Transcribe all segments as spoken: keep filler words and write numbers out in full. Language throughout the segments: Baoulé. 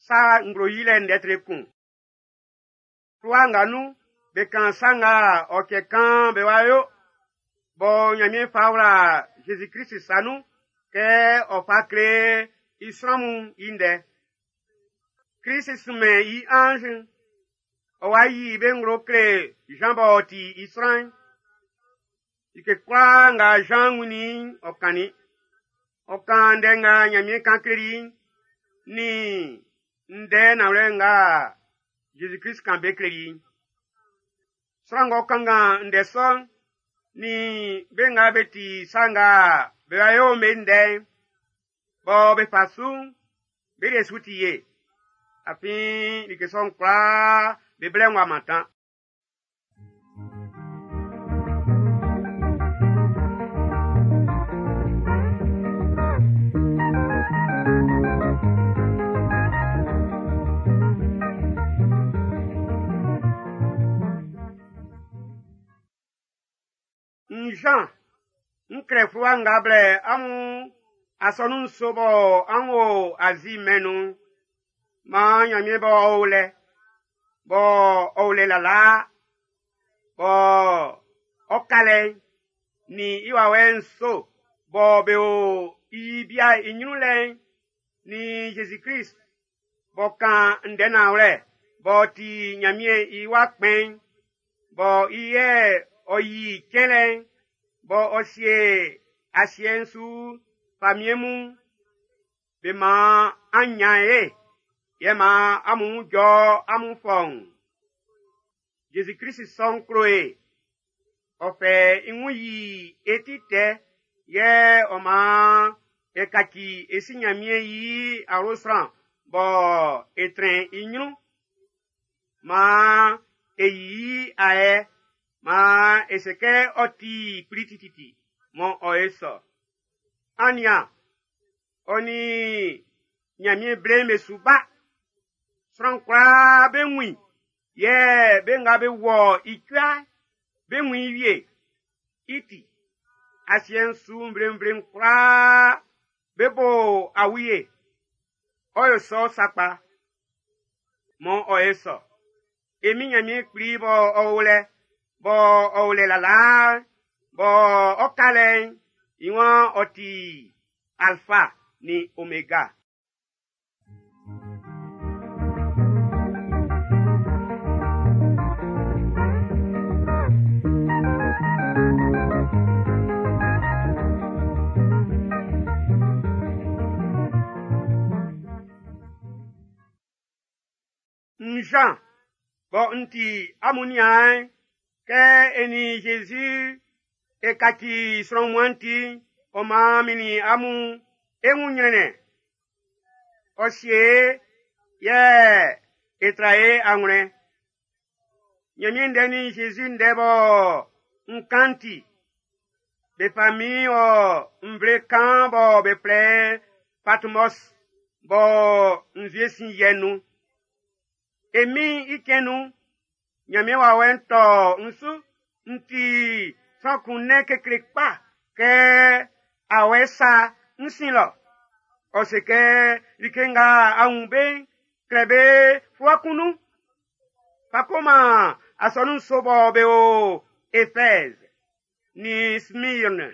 Sa nglo yilɛ ndɛ tre kun. Fluwa nga nun, be kan sa nga ɔ cɛ kan be wa yo, bɔ Nyanmiɛn fa wla Zezi Krist sa nun kɛ ɔ fa kle i sran mun i ndɛ. Krist sunmɛn i anz'n, ɔ wa yi be nglo kle Jean b'ɔ ti i sran'n. Like kwlaa nga Jean wunnin i'n, ɔ kannin. Ɔ kan ndɛ nga Nyanmiɛn kan kleli i'n, nin ndɛ nanwlɛ nga Zezi Krist kan be kleli i'n. Sran ng'ɔ kanngan ndɛ sɔ'n, nin be nga be ti sa nga be wa yo'n be ndɛ'n, bɔ be fa su'n, be de su ti ye. Afin like sɔ'n kwlaa be blɛ'n w'a mantan. N Jean, n klɛ fluwa nga blɛ amun asɔnun nso bɔ an wo Azi mɛn'n nun'n. Maan Nyanmiɛn bɔ ɔ o lɛ, bɔ ɔ o lɛ lalaa, bɔ ɔ ka lɛ'n, nin i wawɛ nso bɔ be o i bia i nyrun lɛ'n, nin Zezi Krist b'ɔ kan ndɛ nanwlɛ b'ɔ ti Nyanmiɛn i wa kpɛn'n, bɔ i yɛ ɔ yi cɛnlɛ'n, bɔ ɔ sie asiɛ'n su famiɛn mun, be man an nyan ye, yɛ man amun jɔ amun fɔun. Zezi Krist sɔ'n klo e, ɔ fɛ i wun yi e ti tɛ, yɛ ɔ man e kaci e si Nyanmiɛn i awlo sran bɔ e trɛn i nyrun. Maan e yi i ayɛ, maan e se kɛ ɔ ti kpli tititi, mɔ ɔ e sɔ. An nian, ɔ nin Nyanmiɛn ble'n be su ba. Sran kwlaa be wun i, yɛ be nga be wɔ i cua'n, be wun i wie. I ti, asiɛ'n su nvlenvle'n kwlaa be bo awie. Ɔ yo sɔ sakpa, mɔ ɔ e sɔ. E min Nyanmiɛn kpli bɔ ɔ o lɛ, bɔ ɔ o lɛ lalaa'n, bɔ ɔ ka lɛ'n, i waan ɔ ti Alpha nin Omega. N Jean, bɔ n ti amun niaan'n, kɛ e nin Jésus e kaci sran wunmuan'n ti'n, ɔ maan min nin amun e wun nyrɛnnɛn. Ɔ sie e, yɛ e tra e anwlɛn. Nyanmiɛn ndɛ nin Jésus ndɛ bɔ n kan ti, be fa min wɔ nvle kan bɔ be flɛ Patmos bɔ nzue sin yɛ nun. E min i cɛn nun, Nyanmiɛn wawɛ'n tɔ n su, n ti sran kun nɛn kekle kpa kɛ awɛ sa n sin lɔ. Ɔ se kɛ like nga a wun be'n, klɛ be fluwa kun nun. Fa ko man asɔnun nso bɔ be o Éphèse, nin Smyrne,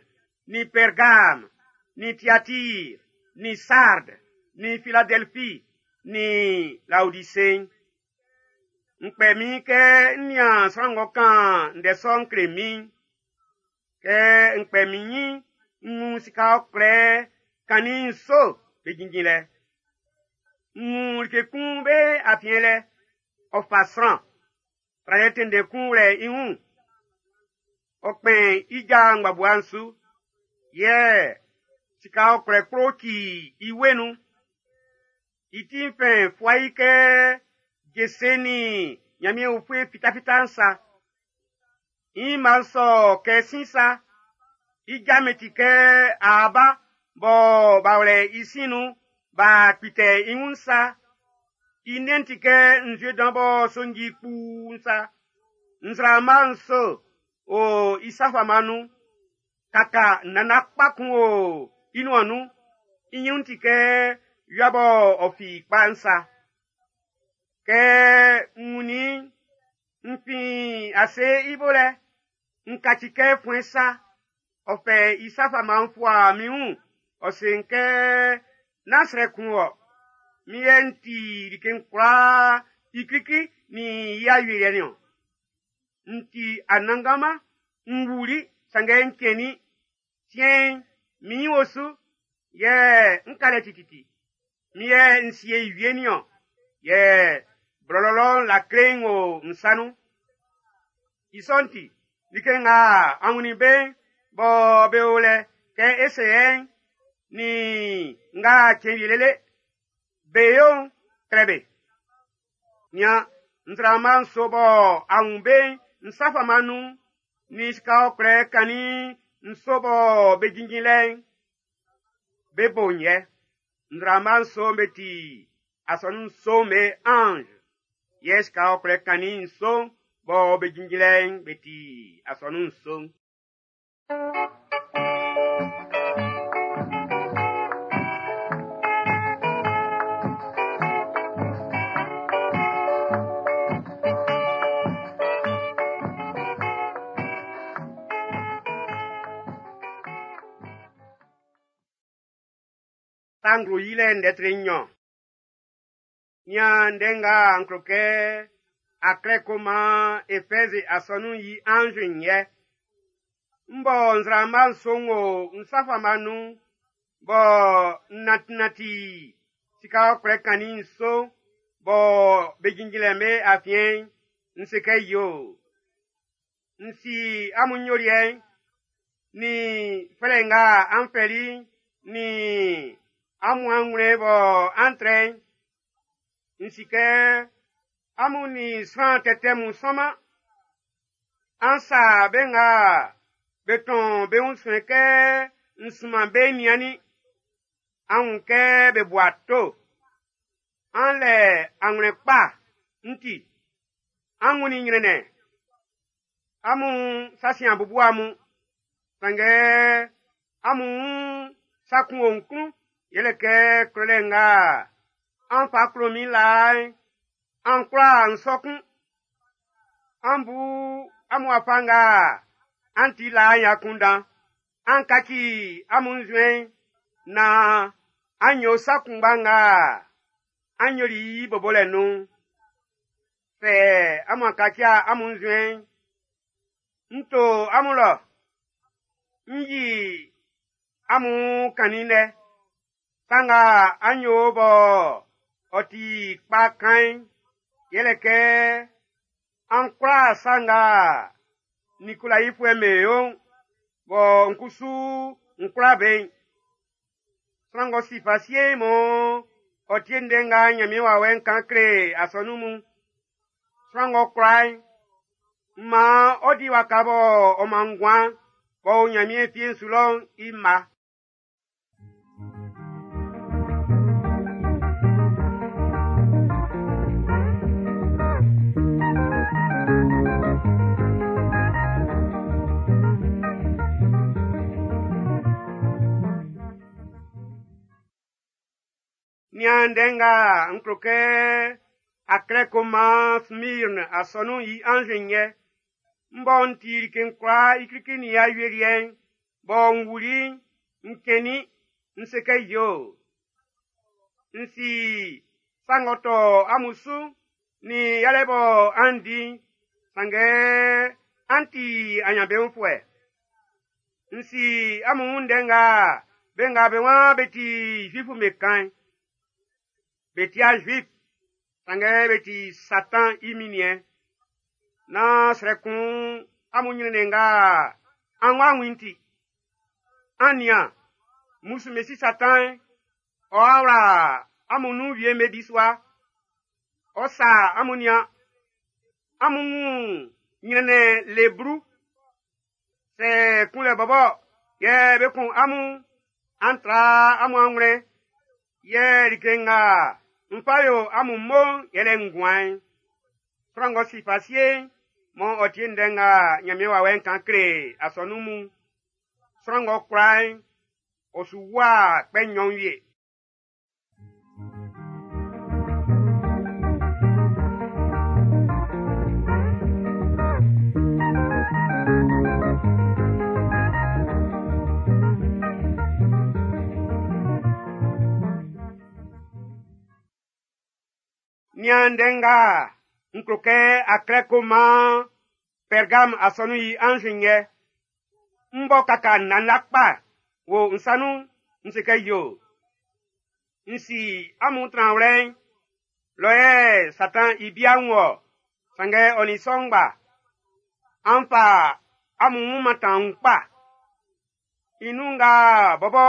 nin Pergame, nin Thyatire, nin Sardes, nin Philadelphie, nin Laodicée. N kpɛ min kɛ n nian sran ng'ɔ kan ndɛ sɔ'n kle min. Kɛ n kpɛ min nyin, n wun sika ɔkwlɛ kannin nso be jinjin lɛ. N wun like kun be afiɛn lɛ, ɔ fa sran. Tralɛ tɛnndɛn kun wlɛ i wun. Ɔ kpɛn i ja ngbabua'n su, yɛ sika ɔkwlɛ kplo ci i wue nun. I ti'n fɛn fua i kɛ jese nin Nyanmiɛn ufue fitafita'n sa. I mma sɔ kɛ sin sa. I ja mi ti kɛ aaba bɔ b'a wlɛ i sin nun b'a kpitɛ i wun sa. I nɛn'n ti kɛ nzue dan bɔ sonji kpuun sa. Nzraama nso o i sa fama nun. Kaka nana kpa kun o i nuan nun. I nyrun ti kɛ wia bɔ ɔ fi kpa'n sa. Kɛ n wunnin i'n, n fin ase i bo lɛ, n kaci kɛ fuɛn sa. Ɔ fɛ i sa fama'n fua min wun, ɔ se n kɛ nán srɛ kun wɔ. Min yɛ n ti like'n kwlaa i klikli nin i awieliɛ niɔn. N ti Anannganman, n wuli, sanngɛ n cɛnnin. Siɛn'n, min nyin o su, yɛ n ka lɛ tititi. Min yɛ n sie i wie niɔn, yɛ blɔlɔ lɔ'n lakle'n o n sa nun. I sɔ'n ti, like nga an wunnin be'n bɔ be o lɛ kɛ e se yɛ'n, nin nga cɛn wie lele be yo'n, klɛ be. Nian, nzraama nso bɔ a wun be'n n sa fama nun'n, nin sika ɔkwlɛ kannin nso bɔ be jinjin lɛ'n, be bo'n yɛ. Nzraama nso'n be ti asɔnun nso'n be anz, yɛ sika ɔkwlɛ kannin nso'n bɔ be jinjin lɛ'n be ti asɔnun nso'n. Sa nglo yilɛ ndɛ tre nnyɔn. Nian ndɛ nga n klo kɛ a klɛ ko man Efɛzi asɔnun'n i anz'n yɛ. M bɔ nzraama nso'n wo n sa fama nun, bɔ n nanti-nanti sika ɔkwlɛ kannin nso bɔ be jinjin lɛ'n be afiɛn'n, n se kɛ yo. N si amun nyoliɛ'n, nin fɛlɛ nga an fɛli'n, nin amun anwlɛn bɔ an trɛ'n. N si kɛ amun nin sran tɛtɛ mun sɔnman. An sa be nga be tɔn be wun suɛn kɛ n sunman be niannin. An wun kɛ be bu ato. An lɛ anwlɛn kpa n ti. An wunnin nyrɛnnɛn. Amun sa sin a bubu amun. Sanngɛ amun wun sa kun o n klun, yɛlɛ kɛ klolɛ nga an fa klo min laa'n, an kwla n sɔ kun. An bu amun wafa nga an ti laa'n i akunndan. An kaci amun nzuɛn'n naan an yo sa kunngba nga an yoli i bobolɛ nun'n. Sɛ amun kaci amun nzuɛn'n, n to amun lɔ, n yi amun kannin lɛ. Sa nga an yo bɔ ɔ ti kpa kan'n, yɛlɛ kɛ an kwla sa nga Nikolaifuɛ'm be yo'n, bɔ n kusu n kwla be'n. Sran ng'ɔ si fa sie'n mɔ ɔ tie ndɛ nga Nyanmiɛn wawɛ'n kan kle asɔnun mun. Sran ng'ɔ kwla'n, maan ɔ di waka bɔ ɔ man nguan b'ɔ o Nyanmiɛn fie'n su lɔ'n i mma. Nian ndɛ nga n klo kɛ a klɛ ko man Smirne asɔnun'n i anz'n yɛ. M bɔ n ti like'n kwlaa i klikli nin i awieliɛ'n, bɔ n wuli'n, n cɛnnin, n se kɛ yo. N si sa ng'ɔ tɔ amun su nin yalɛ bɔ an di'n, sanngɛ an ti anyanbeunfuɛ. N si amun wun ndɛ nga be nga be waan be ti Zuif'm be kan'n. Be ti a Juif, sanngɛ be ti Satan i minniɛn. Nán srɛ kun amun nyrɛnnɛn nga an wá wun ti. An nian, mmusu Mesi Satan'n, ɔ'a wla amun nun wie'm be bisua. Ɔ sa amun nian, amun wun nyrɛnnɛn le blu. Sɛ kunlɛ bɔbɔ yɛ be kun amun, an tra amun anwlɛn. Yɛ like nga n fa yo amun mo'n yɛlɛ nguan'n. Sran ng'ɔ si fa sie'n, mɔ ɔ tie ndɛ nga Nyanmiɛn wawɛ'n kan kle asɔnun mun. Sran ng'ɔ kwla'n, ɔ su wua kpɛ nnyɔn wie. Nian ndɛ nga n klo kɛ a klɛ ko man Pɛrgam asɔnun'n i anz'n yɛ. M bɔ kaka nnana kpa wo n sa nun, n se kɛ yo. N si amun tranwlɛ'n, lɔ yɛ Satan i bia'n wɔ, sanngɛ ɔ nin sɔ ngba. An fa amun wun mantan n kpa. I nun nga bɔbɔ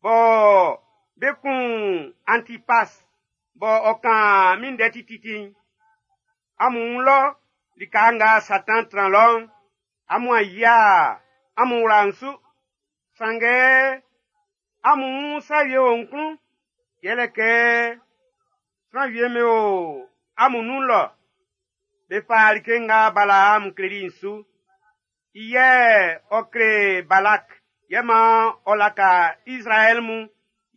bɔ be kun Antipas bɔ ɔ kan min ndɛ tititi'n, amun wun lɔ lika nga Satan tran lɔ'n, amun a yia amun wla'n su. Sanngɛ amun wun sa wie o n klun, yɛlɛ kɛ sran wie me o amun nun lɔ, be fa like nga Balaam kleli'n su. I yɛ ɔ kle Balak yɛ man ɔ laka Izraɛl mun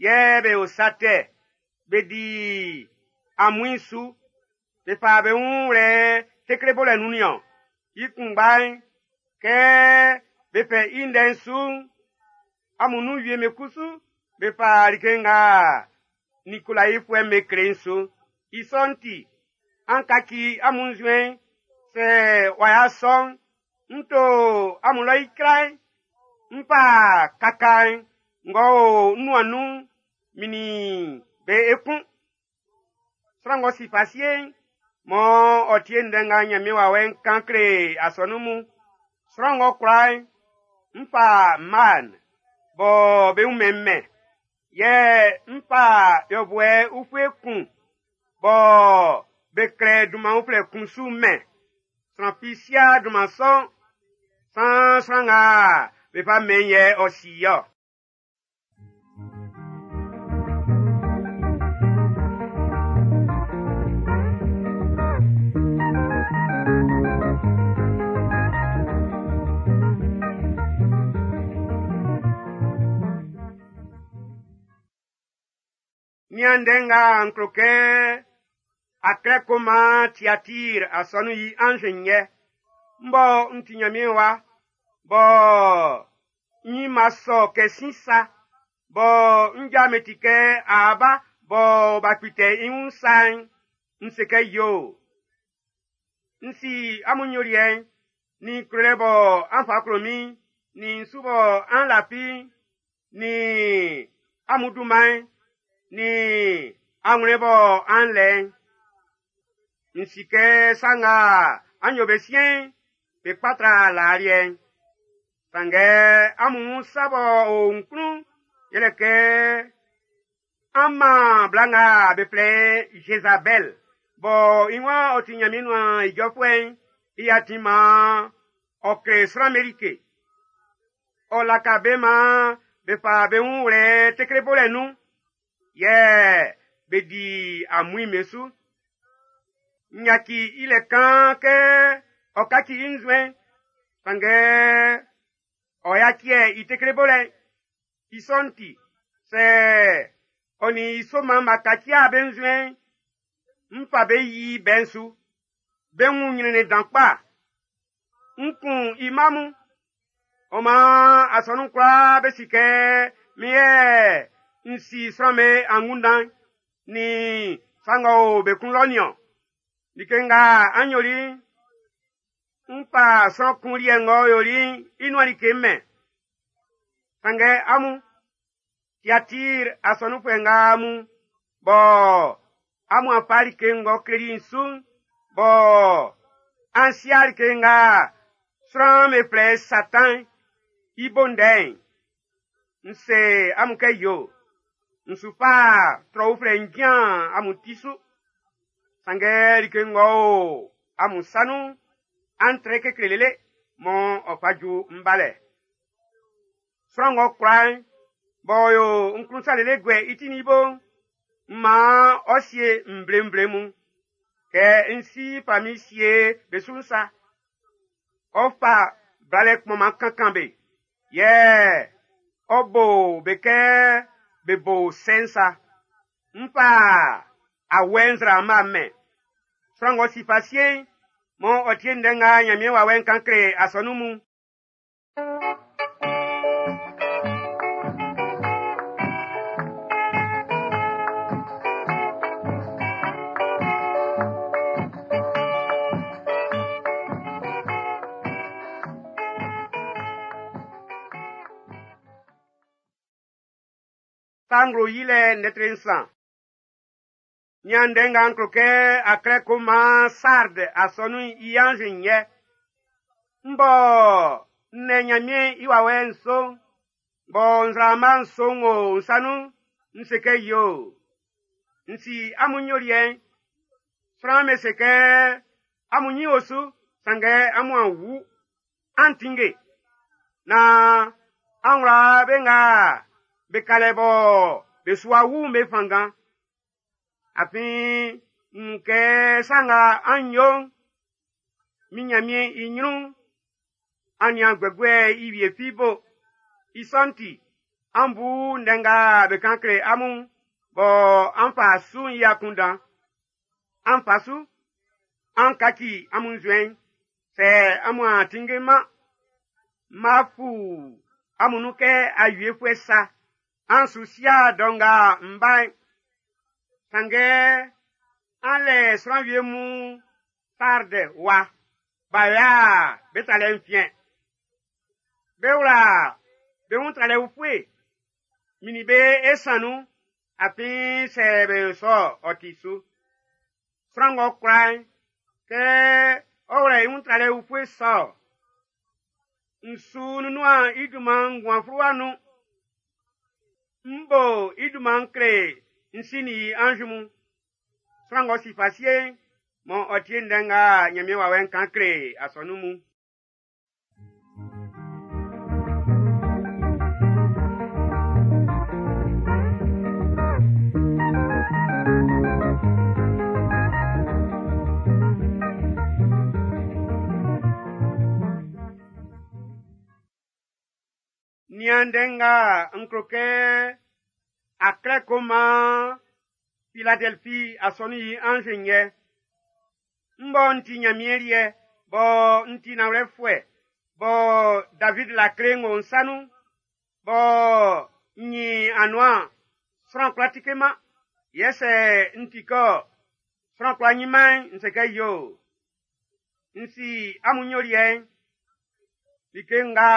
yɛ be yo sa tɛ, be di amuin su, be fa be wun wlɛ tekle bolɛ nun niɔn. I kunngba'n, kɛ be fɛ i ndɛ'n su'n, amun nun wie me kusu be fa like nga Nikolaifuɛ'm be kle'n su. I sɔ'n ti, an kaci amun nzuɛn'n, sɛ w'a ya sɔ'n, n to amun lɔ icra'n, n fa kaka'n ng'ɔ o n nuan nun'n min nin be ekun. Sran ng'ɔ si fa sie'n, mɔ ɔ tie ndɛ nga Ɲanmiɛn wawɛ'n kan kle asɔnun mun. Sran ng'ɔ kwla'n, n fa man bɔ be wunmɛn mɛn. Yɛ n fa yɔbuɛ ufue kun bɔ be klɛ dunman uflɛ kun su mɛn. Sran fi si'a dunman sɔ'n, san sran nga be fa mɛn yɛ ɔ si i-ɔ. Nian ndɛ nga n klo kɛ a klɛ ko man Tiatir asɔnun'n i anz'n yɛ. M bɔ n ti Nyanmiɛn wa, bɔ n nyinma sɔ kɛ sin sa, bɔ n ja me ti kɛ aaba bɔ b'a kpitɛ i wun sa'n, n se kɛ yo. N si amun nyoliɛ'n, nin klolɛ bɔ an fa klo min'n, nin su bɔ an lafi'n, nin amun dunman'n, nin anwlɛn bɔ an lɛ'n. N si kɛ sa nga an yo be siɛn'n, be kpa tra laa liɛ'n. Sanngɛ amun wun sa b'ɔ o n klun'n, yɛlɛ kɛ an man bla nga be flɛ i Jezabɛl bɔ i waan ɔ ti Nyanmiɛn nuan ijɔfuɛ'n i atin maan ɔ kle sran'm be like. Ɔ laka be maan be fa be wun wlɛ tekle bolɛ nun, yɛ be di amuin'm be su. N yaci i lɛ kan kɛ ɔ kaci i nzuɛn'n, sanngɛ ɔ yaci i tekle bolɛ'n. I sɔ'n ti, sɛ ɔ nin i soman'n b'a kaci'a be nzuɛn'n, n fa be yi bɛ'n su. Be wun nyrɛnnɛn dan kpa. N kun i mma mun. Ɔ maan asɔnun kwlaa be si kɛ min yɛ n si sran'm be angunndan'n nin sa ng'ɔ o be klun lɔ nin-ɔn. Like nga an yoli'n, n fa sran kun liɛ ng'ɔ yoli'n i nuan like mɛn. Sanngɛ amun, Tiatir asɔnunfuɛ nga mun, bɔ amun a fa like ng'ɔ kleli'n su'n, bɔ an si'a like nga sran'm be flɛ Satan'n i bo ndɛ'n, n se amun kɛ yo, n su fa trɔ uflɛ n jian amun ti su. Sanngɛ like ng'ɔ o amun sa nun'n, an trɛ kekle lele mɔ ɔ fa ju n balɛ. Sran ng'ɔ kwla'n, b'ɔ yo n klun sa lele guɛ i ti nin i bo'n, m maan ɔ sie nvle-nvle mun, kɛ n si fa min sie be su'n sa. Ɔ fa blalɛ kpɔnman kankan be, yɛ ɔ bo be kɛ be bo sɛ'n sa. N fa awɛ nzraama mɛn. Sran ng'ɔ si fa sie'n, mɔ ɔ tie ndɛ nga Nyanmiɛn wawɛ'n kan kle asɔnun mun'n. Sa Nglo Yilɛ ndɛ nsan. Nian ndɛ nga n klo kɛ a klɛ ko man Sard asɔnun'n i anz'n yɛ. M bɔ n lɛ Nyanmiɛn i wawɛ nso, bɔ nzraama nso o n sa nun'n, n se kɛ yoo. N si amun nyoliɛ'n. Sran'm be se kɛ amun nyin o su, sanngɛ amun a wu. An tinnge. Na an wla be nga be ka lɛ bɔ be su wa wu'n be fanngan. Afin n wun kɛ sa nga an yo'n, min Nyanmiɛn i nyrun'n, an nian guɛguɛ i wie fi bo. I sɔ'n ti, an bu ndɛ nga be kan kle amun bɔ an fa su'n i akunndan. An fa su, an kaci amun nzuɛn'n. Sɛ amun a tinngeman, ma fu amun nun kɛ awiefuɛ sa. An su sia dɔ nga m ba'n. Sanngɛ an lɛ sran wie mun Sard wa, b'a ya be tralɛ'n fiɛn. Be wla be wun tralɛ ufue, min nin be e san nun, afin sɛ be yo sɔ ɔ ti su. Sran ng'ɔ kwla'n, kɛ ɔ wlɛ i wun tralɛ ufue sɔ, n su nunnun i dunman nguan fluwa nun. M bo i dunman kle n si nin i anz mun. Sran ng'ɔ si fa sie'n, mɔ ɔ tie ndɛ nga Nyanmiɛn wawɛ'n kan kle asɔnun mun. Nian ndɛ nga n klo kɛ a klɛ ko man Philadelphie asɔnun'n i anz'n yɛ. M bɔ n ti Nyanmiɛn liɛ, bɔ n ti nanwlɛfuɛ, bɔ David lakle'n o n sa nun, bɔ n nyin anuan sran kwla tike-man, yɛ sɛ n ti kɛ sran kwla nyin-man n se kɛ yoo. N si amun nyoliɛ'n, like nga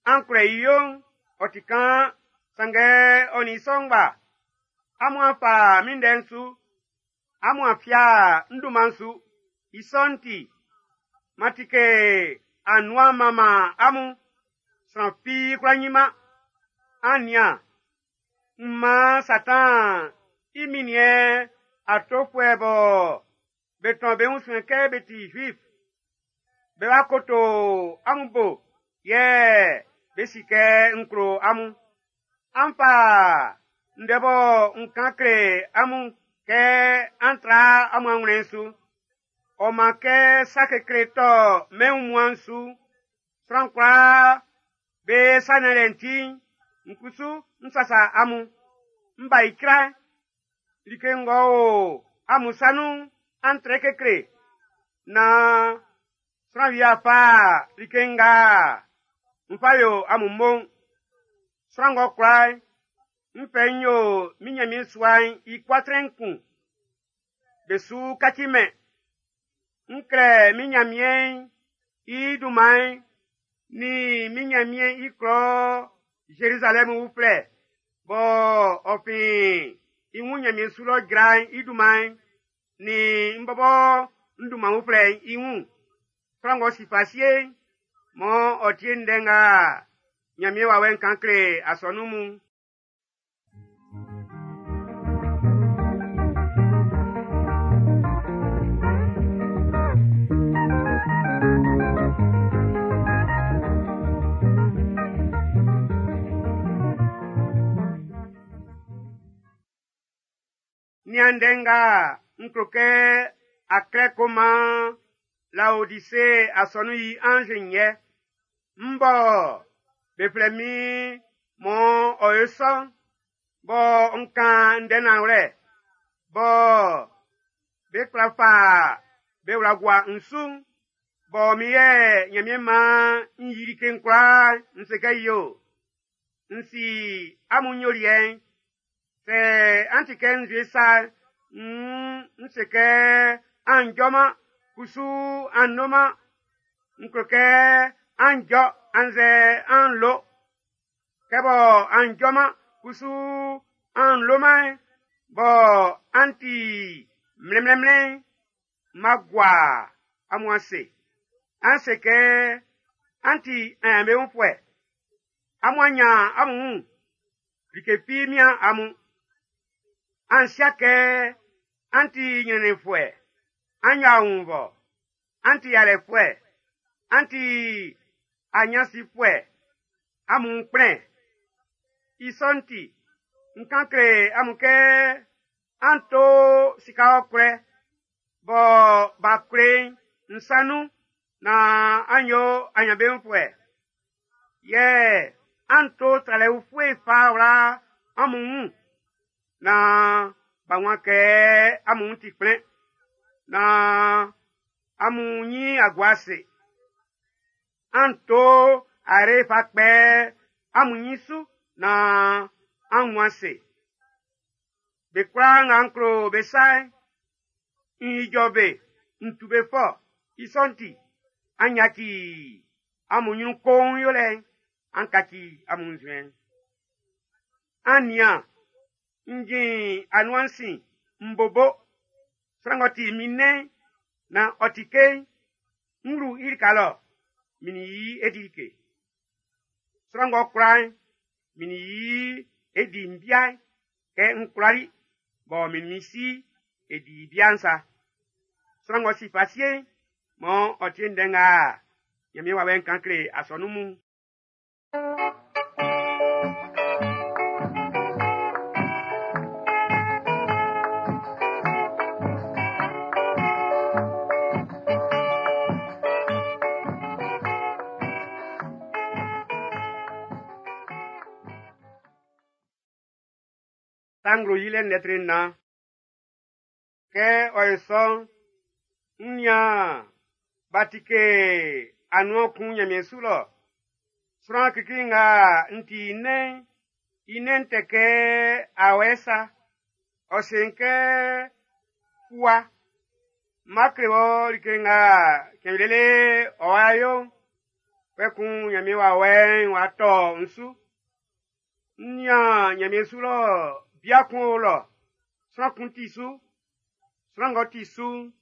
an kwlɛ i yo'n, ɔ ti kaan, sanngɛ ɔ nin i sɔ ngba. Amun a fa min ndɛ'n su, amun a fia n dunman'n su. I sɔ'n ti, ma tike anuan manman amun, sran fi kwla nyin-man. An nian, m man Satan i minniɛn atofuɛ bɔ be tɔn be wun suɛn kɛ be ti Juif. Be wa koto amun bo, yɛ be si kɛ n klo amun. An fa ndɛ bɔ n kan kle amun kɛ an tra amun anwlɛn'n su. Ɔ man kɛ sa kekle tɔ mɛn wunmuan'n su, sran kwlaa be sa nianlɛ'n ti'n, n kusu n sasa amun. M ba icra'n, like ng'ɔ o amun sa nun'n, an trɛ kekle. Na sran wie a fa like nga n fa yo amun mo'n. Sran ng'ɔ kwla'n, n fɛ n yo min Nyanmiɛn sua'n i kuatrɛn kun. Be su kaci mɛn. N klɛ min Nyanmiɛn'n i dunman'n ni min Nyanmiɛn i klɔ Zerizalɛm uflɛ bɔ ɔ fin i wun Nyanmiɛn su lɔ jra'n i dunman'n ni n bɔbɔ n dunman uflɛ'n i wun. Sran ng'ɔ si fa sie'n, mɔ ɔ tie ndɛ nga Nyanmiɛn wawɛ'n kan kle asɔnun mun. Nian ndɛ nga n klo kɛ a klɛ ko man Laodise asɔnun'n i anz'n yɛ. M bɔ be flɛ min mɔ ɔ yo sɔ'n, bɔ n kan ndɛ nanwlɛ, bɔ be kwla fa be wla gua n su'n, bɔ min yɛ Nyanmiɛn man n yi like'n kwlaa n se kɛ yoo. N si amun nyoliɛ'n, sɛ an ti kɛ nzue sa, n, n se kɛ an jɔman, kusu an noman. N klo kɛ an jɔ annzɛ an lo. Kɛ bɔ an jɔman, Kusu an loman bɔ an ti mlɛnmlɛnmlɛn ma gua amun ase. An se kɛ an ti aɲanbeunfuɛ. Amun anyan amun wun. Like fi mian amun. An sia kɛ an ti ɲrɛnnɛnfuɛ. An nya wun bɔ. An ti yalɛfuɛ. An ti aɲansifuɛ. Amun kplɛn. I sɔ'n ti, n kan kle amun kɛ an to sika ɔkwlɛ bɔ b'a kwle'n n sa nun na an yo aɲanbeunfuɛ. Yɛ an to tralɛ ufue fa wla amun wun na b'a wun kɛ amun ti kplɛn na amun nyi agua ase. An to are fa kpɛ amun nyi su na an wun ase. Be kwlaa nga n klo be sa'n, n ijɔ be, n tu be fɔ. I sɔ'n ti, an yaci amun nyrun koun yolɛ'n, an kaci amun nzuɛn'n. An nian, n jin anuan sin, n bobo. Sran ng'ɔ ti min nɛn'n, na ɔ ti ke'n, n wlu i lika lɔ, min yi e di like. Sran ng'ɔ kwla'n, min yi e di mbia'n, kɛ n kwlali, bɔ min min si e di bia'n sa. Sran ng'ɔ si fa sie'n, mɔ ɔ tie ndɛ nga Ɲanmiɛn wawɛ'n kan kle asɔnun mun. Sa nglo yilɛ lɛtri nnan. Kɛ ɔ ye sɔ'n, n nian b'a tike anuan kun Ɲanmiɛn su lɔ. Sran klikli nga n ti i nɛn'n, i nɛn'n tɛ kɛ awɛ sa. Ɔ se n kɛ fua. Má kle wɔ like nga cɛn lele ɔ wa yo'n. Kpɛkun Ɲanmiɛn wawɛ'n w'a tɔ n su. N nian Ɲanmiɛn su lɔ bia kun o lɔ. Sran kun ti su. Sran ng'ɔ ti su'n,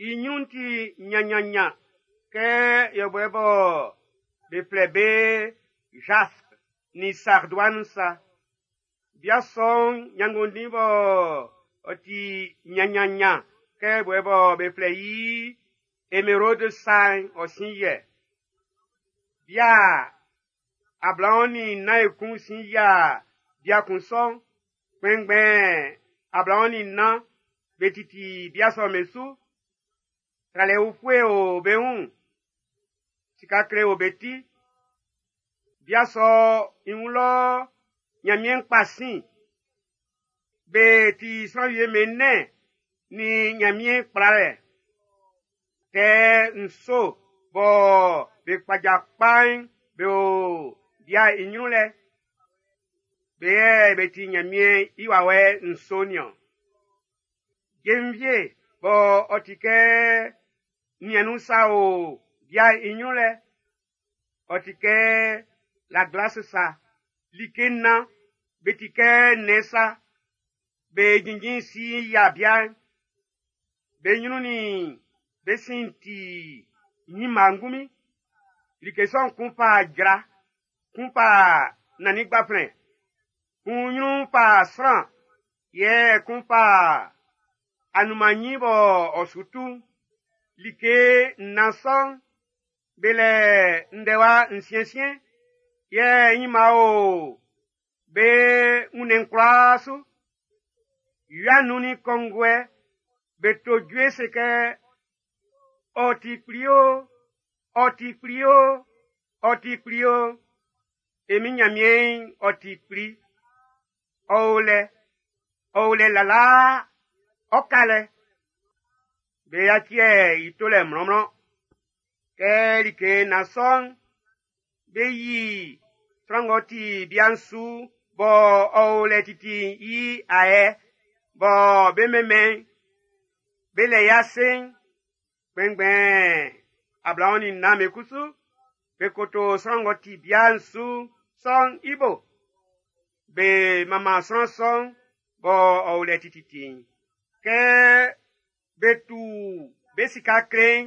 i ɲrun'n ti ɲanɲanɲan kɛ yɔbuɛ bɔ be flɛ be jaspe nin sardoine sa. Bia sɔ'n ɲanngondin bɔ ɔ ti ɲanɲanɲan kɛ yɔbuɛ bɔ be flɛ i émeraude sa'n ɔ sin yɛ. Bia ablaɔn nin nnan ekun sin yia bia kun sɔ'n. Kpɛnngbɛn ablaɔn nin nnan be titi bia sɔ'n be su. Tralɛ ufue o be wun. Sika kle o be ti. Bia sɔ i wun lɔ Ɲanmiɛn kpa sin. Be ti sran wie mɛnɛ ni Ɲanmiɛn kplalɛ. Kɛ nso bɔ be kpaja kpa'n be o bia i ɲrun lɛ. Be yɛ be ti Ɲanmiɛn i wawɛ nso niɔn. Jenvie bɔ ɔ ti kɛ niɛn'n sa o bia i ɲrun lɛ. Ɔ ti kɛ la glace sa. Like nnan be ti kɛ nnɛn sa. Be jinjin si yia bia'n. Be ɲrun nin be sin ti ɲinma ngunmin. Like sɔ'n kun fa jra, kun fa nannin gbaflɛn, kun ɲrun fa sran, yɛ kun fa anunman bɔ ɔ su tu. Like nnan sɔ'n, be lɛ ndɛwa nsiɛnsiɛn, yɛ ɲinma o be wunnɛn'n kwlaa su. Wia nun nin kɔnguɛ, be to jue se kɛ, ɔ ti kpli o, ɔ ti kpli o, ɔ ti kpli o. E min Ɲanmiɛn'n ɔ ti kpli. Ɔ o lɛ, ɔ o lɛ lalaa, ɔ ka lɛ. Be yaci i tolɛ mlɔnmlɔn. Kɛ like nnan sɔ'n, be yi sran ng'ɔ ti bia'n su bɔ ɔ o lɛ titi'n i ayɛ bɔ be mɛnmɛn be lɛ i ase'n. Kpɛnngbɛn ablaɔn nin nnan be kusu be koto sran ng'ɔ ti bia'n su sɔ'n i bo. Be manman sran sɔ'n bɔ ɔ o lɛ tititi'n. Kɛ be tu be sika kle'n,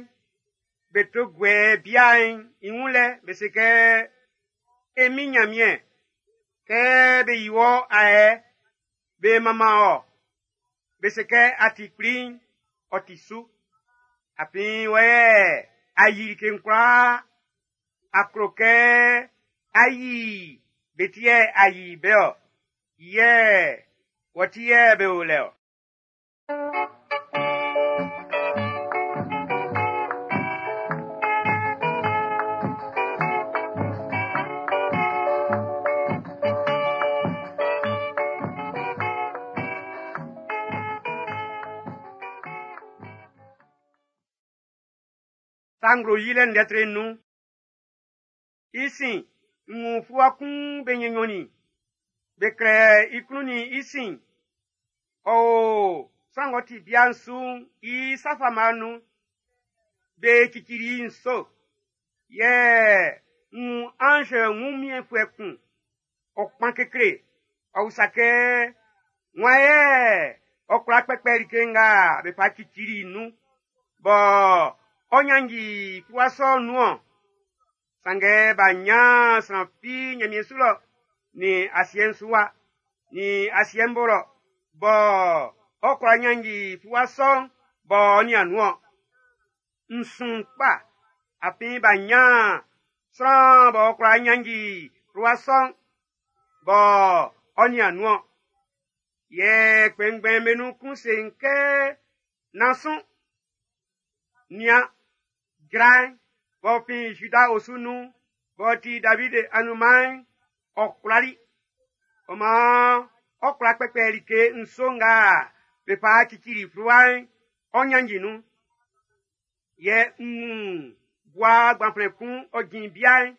be to guɛ bia'n i wun lɛ, be se kɛ, “E Min Nyanmiɛn, kɛ be yi wɔ ayɛ, be manman wɔ, be se kɛ a ti kpli'n, ɔ ti su. Afin wɔ yɛ a yi like'n kwlaa, a klo kɛ a yi be ti yɛ a yi be-ɔ, yɛ wɔ ti yɛ be o lɛ-ɔ.” Sa Nglo Yilɛ ndɛ tre nnun. I sin, n wun fluwa kun be nnyɔn-nnyɔnnin. Be klɛ i klun nin i sin. Ɔ o sran ng'ɔ ti bia'n su'n i sa fama'n nun. Be cicili i nso. Yɛ n wun anz wunmiɛnfuɛ kun, ɔ kpan kekle, ɔ usa kɛ: Wan yɛ ɔ kwla kpɛkpɛ like nga be fa cicili nun, bɔ ɔ nyanji fluwa sɔ'n nun-ɔn? Sanngɛ b'a nyan sran fi nyanmiɛn su lɔ, nin asiɛ'n su wa, nin asiɛ'n bo lɔ, bɔ ɔ kwla nyanji fluwa sɔ'n bɔ ɔ nian nun-ɔn. N sun kpa, afin b'a nyan sran b'ɔ kwla nyanji fluwa sɔ'n bɔ ɔ nian nun-ɔn. Yɛ kpɛnngbɛn'm be nun kun se n kɛ, “Nán sun. Nian, jran'n b'ɔ fin Zida osu nun'n, b'ɔ ti David anunman'n, ɔ kwlali. Ɔ maan ɔ kwla kpɛkpɛ like nso nga be fa cicili fluwa'n, ɔ nyanji nun. Yɛ n wun bua gbanflɛn kun ɔ jin bia'n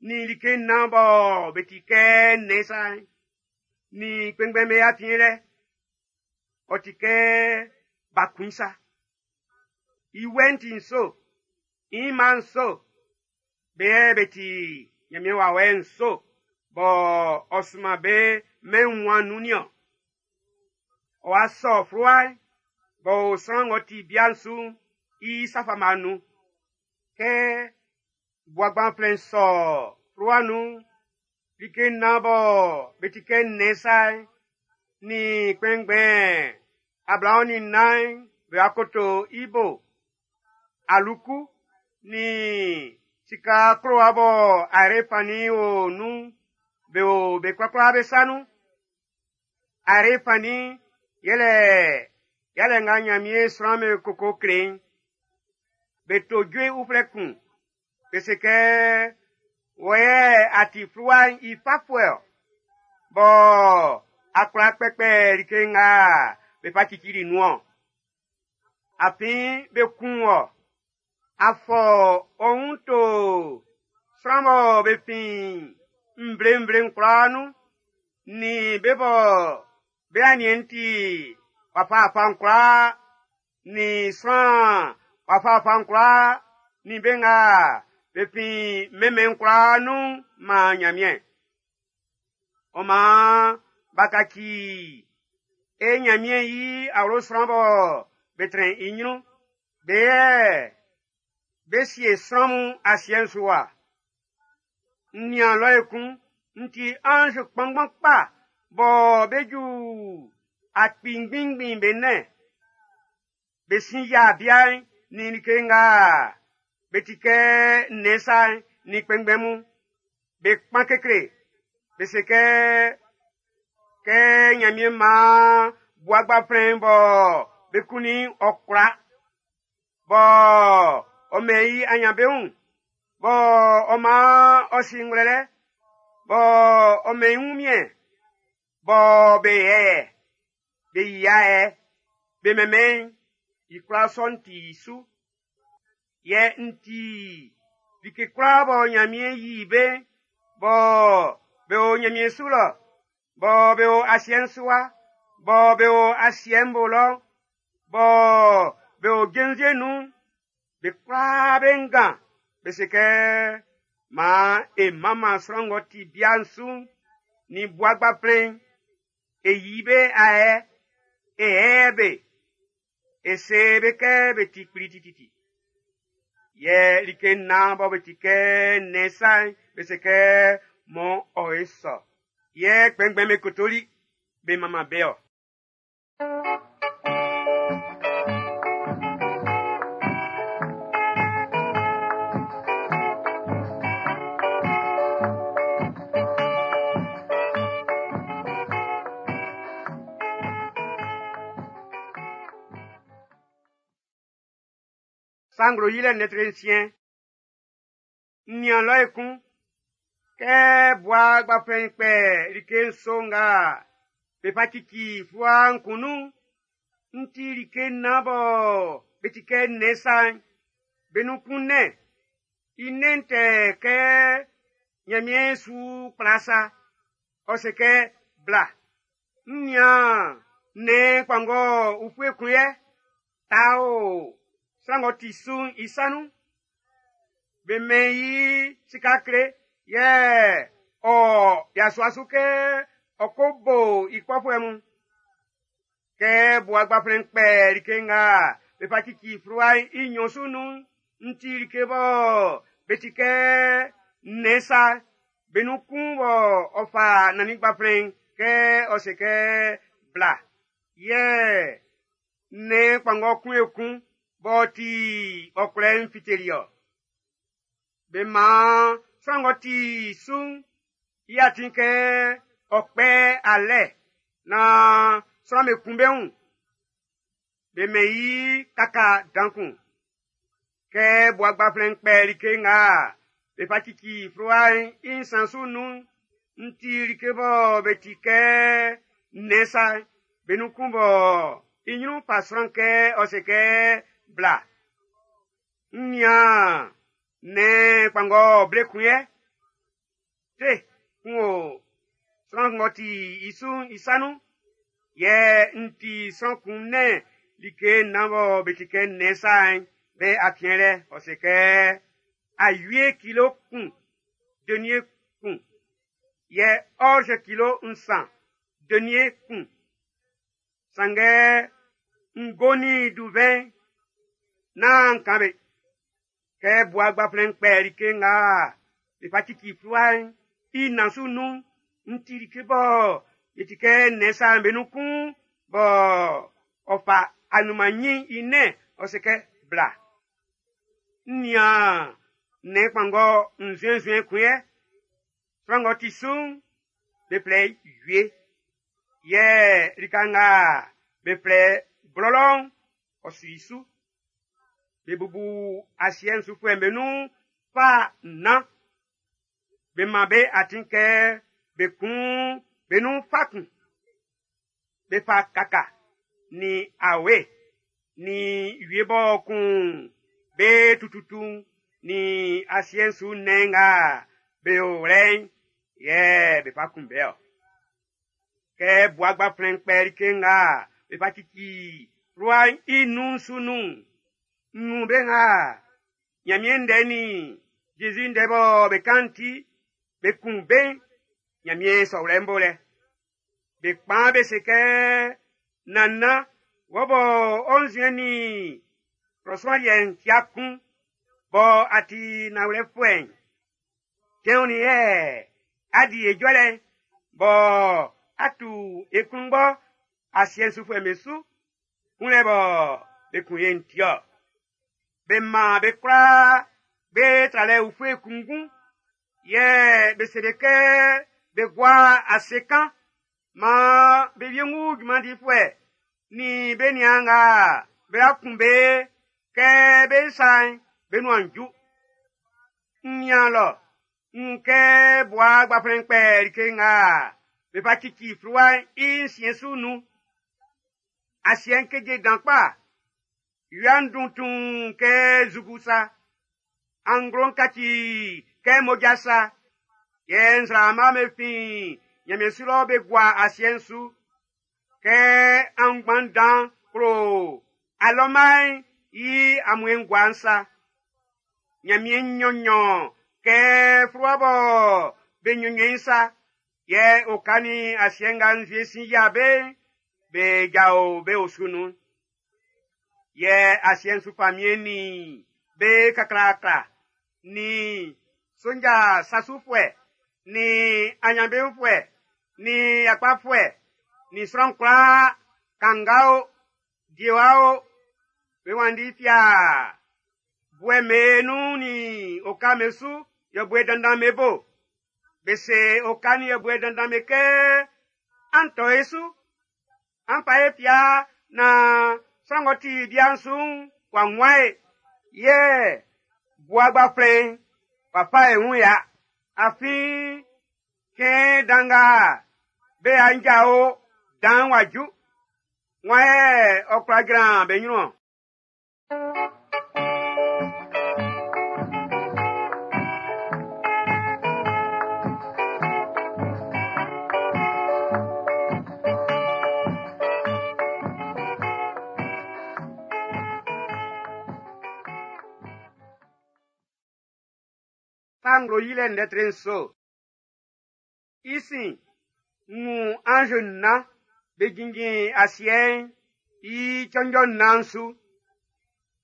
nin like nnan bɔ be ti kɛ nnɛn sa'n, nin kpɛnngbɛn'm be afiɛn lɛ. Ɔ ti kɛ ba kun sa. I wɛ'n ti nso, i mma nso, be yɛ be ti Nyanmiɛn wawɛ nso bɔ ɔ sunman be mɛn wunmuan'n nun nin-ɔn. Ɔ wa sɔ fluwa'n b'ɔ o sran ng'ɔ ti bia'n su'n i sa fama'n nun. Kɛ bua gbanflɛn sɔ fluwa nun'n, like nnan bɔ be ti kɛ nnɛn sa'n, nin kpɛnngbɛn ablaɔn nin nnan'n be wa koto i bo. Aluku nin sika klowa bɔ ayre fannin o nun'n, be o be kwlakwla be sa nun. Ayre fannin'n yɛlɛ yalɛ nga Nyanmiɛn sran'm be koko kle'n. Be to jue uflɛ kun. Be se kɛ, “Wɔ yɛ a ti fluwa'n i fafuɛ-ɔ, bɔ a kwla kpɛkpɛ like nga be fa cicili nun-ɔn. Afin be kun wɔ. A fɔ ɔ wun to sran bɔ be fin nvle-nvle'n kwlaa nun, nin be bɔ be aniɛn'n ti wafa-wafa'n kwlaa, nin sran wafa-wafa'n kwlaa, nin be nga be fin mɛnmɛn'n kwlaa nun man Nyanmiɛn. Ɔ maan b'a kaci e Nyanmiɛn i awlo sran bɔ be trɛn i nyrun. Be yɛ be sie sran mun asiɛ'n su wa. N nian lɔ ekun, n ti anz kpanngban kpa bɔ be ju akpi ngbingbin be nɛn. Be sin yia bia'n nin like nga be ti kɛ nnɛn sa'n nin kpɛnngbɛn mun. Be kpan kekle. Be se kɛ, kɛ Nyanmiɛn maan bua gbanflɛn'n bɔ be kunnin ɔ kwla, bɔ ɔ mɛn i anyanbeun, bɔ ɔ maan ɔ si ngwlɛlɛ, bɔ ɔ mɛn i wunmiɛn, bɔ be yɛyɛ, be yia yɛ, be mɛnmɛn i kwlaa sɔ'n ti i su. Yɛ n ti like kwlaa bɔ Nyanmiɛn yi be'n, bɔ be o Nyanmiɛn su lɔ, bɔ be o asiɛ'n su wa, bɔ be o asiɛ'n bo lɔ, bɔ be o jenvie nun'n, be kwlaa be ngan, be se kɛ, maan e manman sran ng'ɔ ti bia'n su'n, nin bua gbaflɛn'n, e yi be ayɛ, e ɛɛ be, e se be kɛ be ti kpli tititi. Yɛ like nnan bɔ be ti kɛ nnɛn sa'n, be se kɛ mɔ ɔ e sɔ. Yɛ kpɛnngbɛn'm be kotoli, be manman be-ɔ. Sa nglo yilɛ lɛtri nsiɛn. N nian lɔ ekun, kɛ bua gbaflɛn'n kpɛ like nso nga be fa cici fluwa'n kun nun'n, n ti like nnan bɔ be ti kɛ nnɛn sa'n, be nun kun nɛn. I nɛn'n tɛ kɛ Nyanmiɛn su kpla sa. Ɔ se kɛ, bla. N nian nnɛn kpanngɔ ufue kun yɛ, ta o sran ng'ɔ ti su'n i sa nun. Be mɛn i sika kle, yɛ ɔ yasua su kɛ ɔ ko bo i kpɔfuɛ mun. Kɛ bua gbaflɛn'n kpɛ like nga be fa cici fluwa'n i nnyɔn su nun'n, n ti like bɔ be ti kɛ nnɛn sa, be nun kun bɔ ɔ fa nannin gbaflɛn'n kɛ ɔ se kɛ bla. Yɛ nnɛn kpanngɔ kun ekun b'ɔ ti ɔkwlɛ'n fiteli-ɔ. Be man sran ng'ɔ ti su'n i atin kɛ ɔ kpɛ alɛ naan sran'm be kun be wun. Be mɛn i kaka dan kun. Kɛ bua gbaflɛn'n kpɛ like nga be fa cici fluwa'n i nsan su nun'n, n ti like bɔ be ti kɛ nnɛn sa, be nun kun bɔ i nyrun fa sran kɛ ɔ se kɛ bla. N nian nnɛn kpanngɔ ble kun yɛ. Tre kun o sran ng'ɔ ti i su'n i sa nun. Yɛ n ti sran kun nɛn like nnan bɔ be ti kɛ nnɛn sa'n be afiɛn lɛ. Ɔ se kɛ awie kilo kun, denier kun. Yɛ orge kilo nsan, denier kun. Sanngɛ ngo nin duvɛn nán kan be. Kɛ bua gbaflɛn'n kpɛ like nga be fa cici fluwa'n i nnan su nun'n, n ti like bɔ be ti kɛ nnɛn sa'n be nun kun bɔ ɔ fa anunman nyin i nɛn, ɔ se kɛ bla. N nian nnɛn kpanngɔ nzue-nzue kun yɛ. Sran ng'ɔ ti su'n, be flɛ i wie. Yɛ lika nga be flɛ blɔlɔ'n, ɔ su i su. Be bubu asiɛ'n sufuɛ'm be nun fa nnan. Be man be atin kɛ be kun be nun fa kun. Be fa kaka, nin awe, nin wie bɔ kun be tututu'n, nin asiɛ'n su nnɛn nga be o lɛ'n, yɛ be fa kun be-ɔ. Kɛ bua gbaflɛn'n kpɛ like nga be fa cici fluwa'n i nun su nun'n, n wun be nga Nyanmiɛn ndɛ nin Jésus ndɛ bɔ be kan'n ti, be kun be'n Nyanmiɛn sɔwlɛ'n bo lɛ. Be kpan be se kɛ, Nannan, wɔ bɔ ɔ nzuɛn nin klɔ liɛ'n tia kun, bɔ a ti nanwlɛfuɛ'n, cɛn onin yɛ a di e jɔlɛ bɔ a tu e klunngbɔ asiɛ'n sufuɛ'm be su, kunlɛ bɔ be kun ye'n ti-ɔ. Be man be kwlaa be tralɛ ufue kunngun, yɛ be se be kɛ be gua ase kan, man be wiengu junman difuɛ nin be niaan nga be kun be kɛ be sa'n be nuan ju. N nian lɔ, n wun kɛ bua gbaflɛn'n kpɛ like nga be fa cici fluwa'n i nsiɛn su nun. Asiɛ'n keje dan kpa. Wia'n dun tuun kɛ zugu sa. Anglo'n kaci kɛ mmoja sa. Yɛ nzraama'm be fin Nyanmiɛn su lɔ be gua asiɛ'n su. Kɛ aunngban dan klo alɔma'n i amuɛn gua'n sa. Nyanmiɛn nnyɔnnyɔn kɛ fluwa bɔ be nnyɔnnyɔn sa. Yɛ oka nin asiɛ nga nzue sin yia be'n, be jao be osu nun. Yɛ asiɛ'n su famiɛn nin be kaklaakla, nin sonja sasufuɛ, nin anyanbeunfuɛ, nin yakpafuɛ, nin sran kwlaa, kanga o, diewa o, be wanndi fia buɛ me nun nin oka me su yɔbuɛ dandan me bo. Be se oka nin yɔbuɛ dandan me kɛ an tɔ e su, an fa e fia na sran ng'ɔ ti bia'n su'n w'a wun e. Yɛ bua gbaflɛn'n w'a fa e wun ya. Afin cɛn dan nga be anjao dan'n w'a ju. Wan yɛ ɔ kwla jran be ɲrun-ɔn? Sa nglo yilɛ ndɛ tre nso. I sin, n wun anz nnan be jinjin asiɛ'n i cɔnjɔ nnan'n su.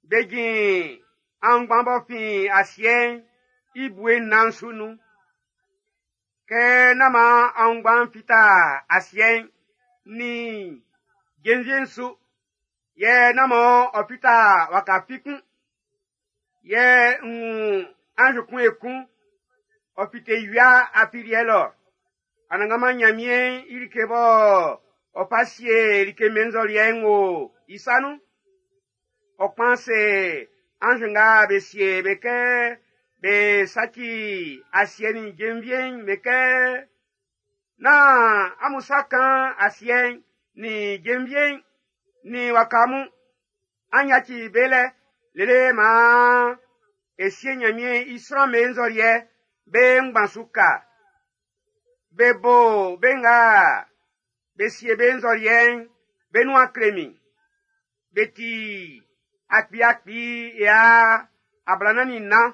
Be jin aunngban b'ɔ fin asiɛ'n i bue nnan'n su nun. Kɛ nán man aunngban'n fita asiɛ'n nin jenvie'n su, yɛ nán man ɔ fita waka fi kun. Yɛ n wun anz kun ekun, ɔ fite wia afiliɛ lɔ. Anannganman Nyanmiɛn i like bɔ ɔ fa sie like mɛnzɔliɛ'n wo i sa nun. Ɔ kpan se anz nga be sie be kɛ be saci asiɛ nin jenvie'n be kɛ, nán amun sa kan asiɛ'n nin jenvie'n nin waka mun. An yaci be lɛ lele maan e sie Nyanmiɛn i sran mɛnzɔliɛ be ngban su ka. Be bo be nga be sie be nzɔliɛ'n be nuan kle min. Be ti akpi-akpi ya ablanan nin nnan.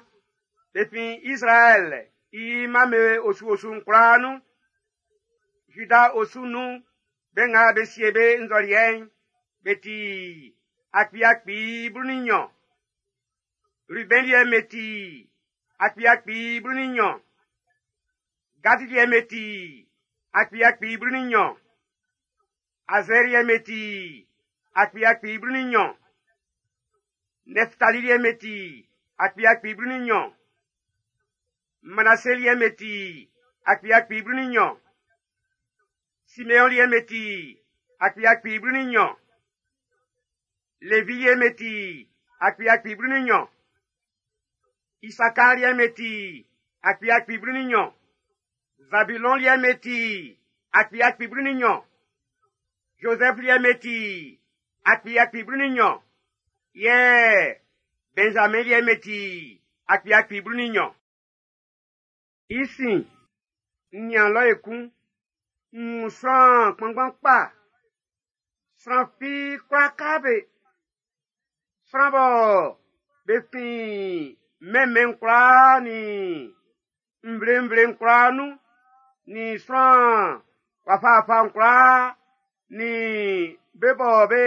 Be fin Israɛl i mame osu-osu'n kwlaa nun. Juda osu nun, be nga be sie be nzɔliɛ'n, be ti akpi-akpi blu nin nnyɔn. Ruben liɛ'n be ti akpi-akpi blu nin nnyɔn. Gad liɛ'n be ti akpi-akpi blu nin nnyɔn. Azer liɛ'n be ti akpi-akpi blu nin nnyɔn. Nɛftali liɛ'n be ti akpi-akpi blu nin nnyɔn. Manase liɛ'n be ti akpi-akpi blu nin nnyɔn. Simeon liɛ'n be ti akpi-akpi blu nin nnyɔn. Levi liɛ'n be ti akpi-akpi blu nin nnyɔn. Isakar liɛ'n be ti akpi-akpi blu nin nnyɔn. Zabilɔn liɛ'n be ti akpi-akpi blu nin nnyɔn. Josɛf liɛ'n be ti akpi-akpi blu nin nnyɔn. Yɛ Benjamin liɛ'n be ti akpi-akpi blu nin nnyɔn. I sin, n nian lɔ ekun, n wun sran kpanngban kpa. Sran fi kwla ka be. Sran bɔ be fin mɛnmɛn kwlaa nin nvle-nvle'n kwlaa nun, nin sran wafawafa'n kwlaa, nin be bɔ be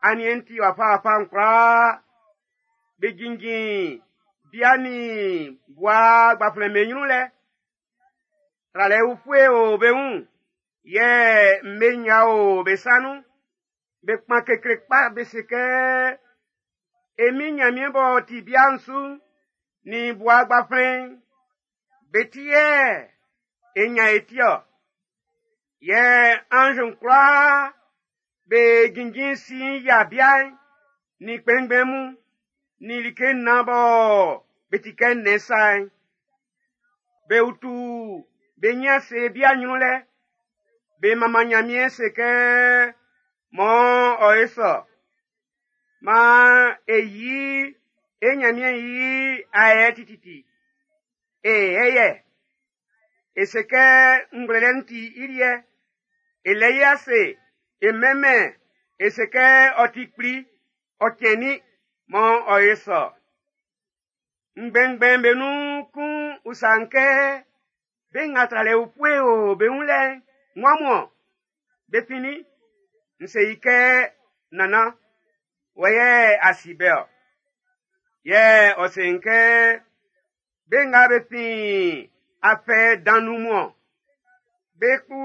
aniɛn'n ti wafawafa'n kwlaa, be jinjin bia nin bua gbaflɛn be ɲrun lɛ. Tralɛ ufue o be wun, yɛ mme nnya o be sa nun. Be kpan kekle kpa be se kɛ, E min Nyanmiɛn b'ɔ ti bia'n su'n, nin bua gbaflɛn'n, be ti yɛ e nyan e ti-ɔ. Yɛ anz'n kwlaa be jinjin sin yia bia'n, nin kpɛnngbɛn mun, nin like nnan bɔ be ti kɛ nnɛn sa'n. Be utu be nyin ase bia nyrun lɛ. Be manman Nyanmiɛn se kɛ, Mɔ ɔ e sɔ. Maan e yi e Nyanmiɛn yi ayɛ tititi. E ɛyɛ. E se kɛ ngwlɛlɛ'n ti i liɛ. E lɛ i ase, e mɛnmɛn, e se kɛ ɔ ti kpli, ɔ cɛnnin, mɔ ɔ e sɔ. Ngbɛngbɛn be nun kun usa n kɛ, Be nga tralɛ ufue o be wun lɛ'n, wan mun-ɔn? Be fin nin? N se i kɛ, nannan, wɔ yɛ a si be-ɔ. Yɛ ɔ se n kɛ, be nga be fin afɛ dan nun mun-ɔn. Be kpu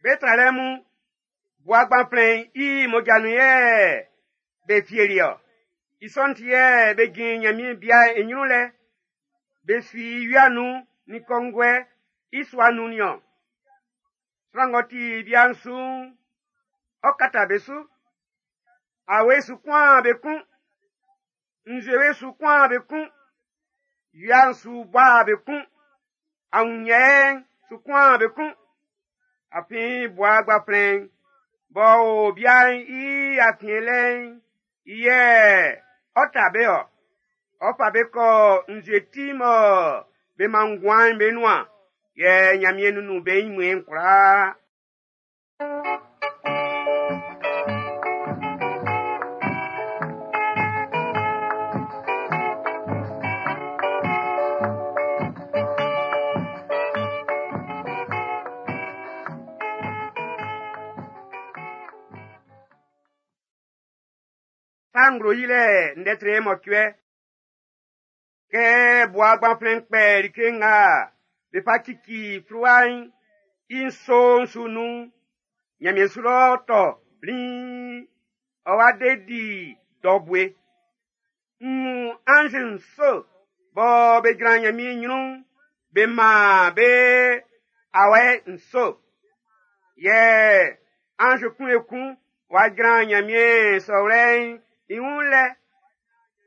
be tralɛ mun, Bua Gbanflɛn'n i mmoja nun yɛ be fieli-ɔ. I sɔ'n ti yɛ be jin Nyanmiɛn bia'n i nyrun lɛ. Be su i wia nun nin kɔnguɛ i sua nun nin-ɔn. Sran ng'ɔ ti bia'n su'n, ɔ kata be su. Awe su kuan be kun. Nzuewe su kuan be kun. Wia'n su boa be kun. Awunyɛ'n su kuan be kun. Afin Bua Gbanflɛn'n b'ɔ o bia'n i afiɛn lɛ'n, i yɛ ɔ ta be-ɔ. Ɔ fa be kɔ nzue ti mɔ be man nguan'n be nuan, yɛ Nyanmiɛn nunnun be nyimuɛn'n kwlaa. Sa nglo yilɛ ndɛ tre mɔcuɛ. Kɛ Bua Gbanflɛn'n kpɛ like nga be fa cici fluwa'n i nso'n su nun'n, Nyanmiɛn su lɔ tɔ bliin, ɔ wa de di dɔ bue. N wun anz nso bɔ be jran Nyanmiɛn nyrun'n, be man be awɛ nso. Yɛ anz kun ekun wa jran Nyanmiɛn sɔwlɛ'n i wun lɛ.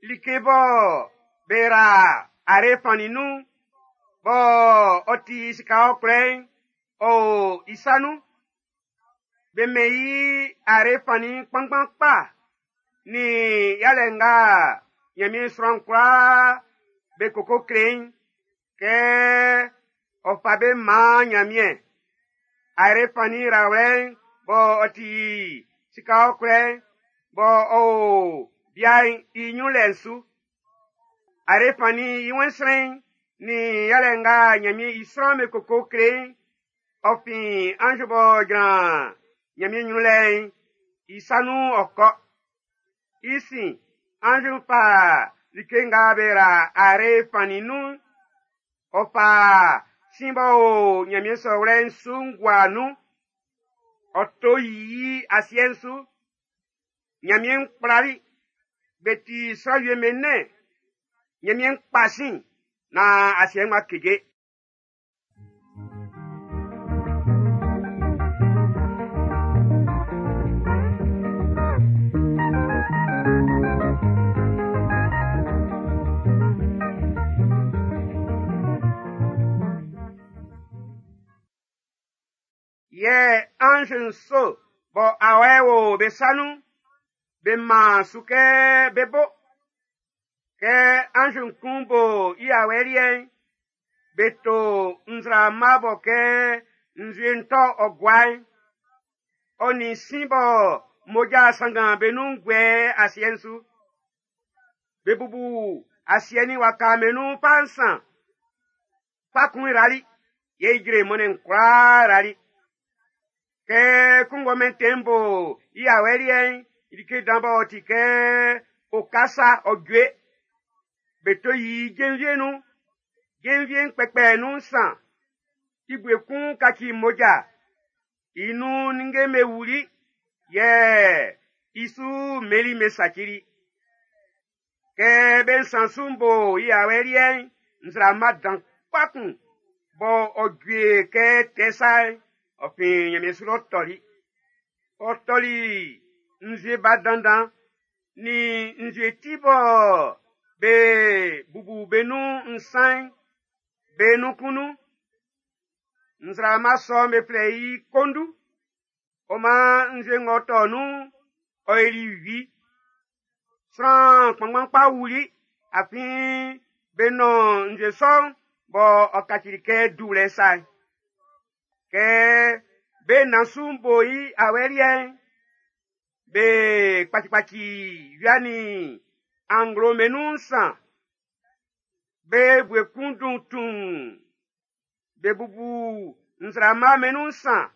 Like bɔ be ra are fannin nun, bɔ ɔ ti sika ɔkwlɛ'n, ɔ o i sa nun. Be mɛn i are fannin kpanngban kpa, nin yalɛ nga Nyanmiɛn sran kwlaa be koko kle i'n, kɛ ɔ fa be man Nyanmiɛn. Are fannin rawlɛ'n bɔ ɔ ti sika ɔkwlɛ'n, bɔ ɔ o bia'n i nyrun lɛ'n su. Are fannin i wɛnsrɛn'n nin yalɛ nga Nyanmiɛn i sran be koko kle i'n, ɔ fin anz b'ɔ jran Nyanmiɛn nyrun lɛ'n i sa nun ɔ kɔ. I sin, anz'n fa like nga be ra are fannin nun'n, ɔ fa sin b'ɔ o Nyanmiɛn sɔwlɛ'n su'n gua nun. Ɔ to yi asiɛ'n su. Nyanmiɛn'n kplali, be ti sran wie be nɛn. Nyanmiɛn'n kpa sin, na asiɛ'n ma keje. Yɛ anz nso bɔ awɛ wo be sa nun, be man su kɛ be bo. Kɛ anz kun bo i awɛ liɛ'n, be to nzraama bɔ kɛ nzue'n tɔ ɔ gua'n, ɔ nin sin bɔ mmoja sanngan be nun guɛ asiɛ'n su. Be bubu asiɛ'n nin waka'n be nun fa nsan. Fa kun rali, yɛ ijre mɔnnɛn'n kwlaa rali. Kɛ kunngɔ mɛntɛn'n bo i awɛ liɛ'n, like dan b'ɔ ti kɛ okasa ɔ jue. Be to yi jenvie nun. Jenvie'n kpɛkpɛ nun nsan. I bue kun kaci mmoja. I nun ninnge'm be wuli, yɛ i su mmeli'm be sacili. Kɛ be nsan su'n bo i awɛ liɛ'n, nzraama dan kpa kun bɔ ɔ jue kɛ tɛ sa'n, ɔ fin Nyanmiɛn su lɔ tɔli. Ɔ tɔli nzue ba dandan nin nzue ti bɔ be bubu be nun nsan'n, be nun kun nun. Nzraama sɔ'n be flɛ i kondu. Ɔ man nzue ng'ɔ tɔ nun'n, ɔ yili wi. Sran kpanngban kpa wuli, afin be nɔn nzue sɔ'n bɔ ɔ kacili kɛ duwlɛ sa'n. Kɛ be nan su'n bo i awɛ liɛ'n, be kpacikpaci wia nin anglo be nun nsan. Be bue kun dun tuun. Be bubu nzraama'm be nun nsan,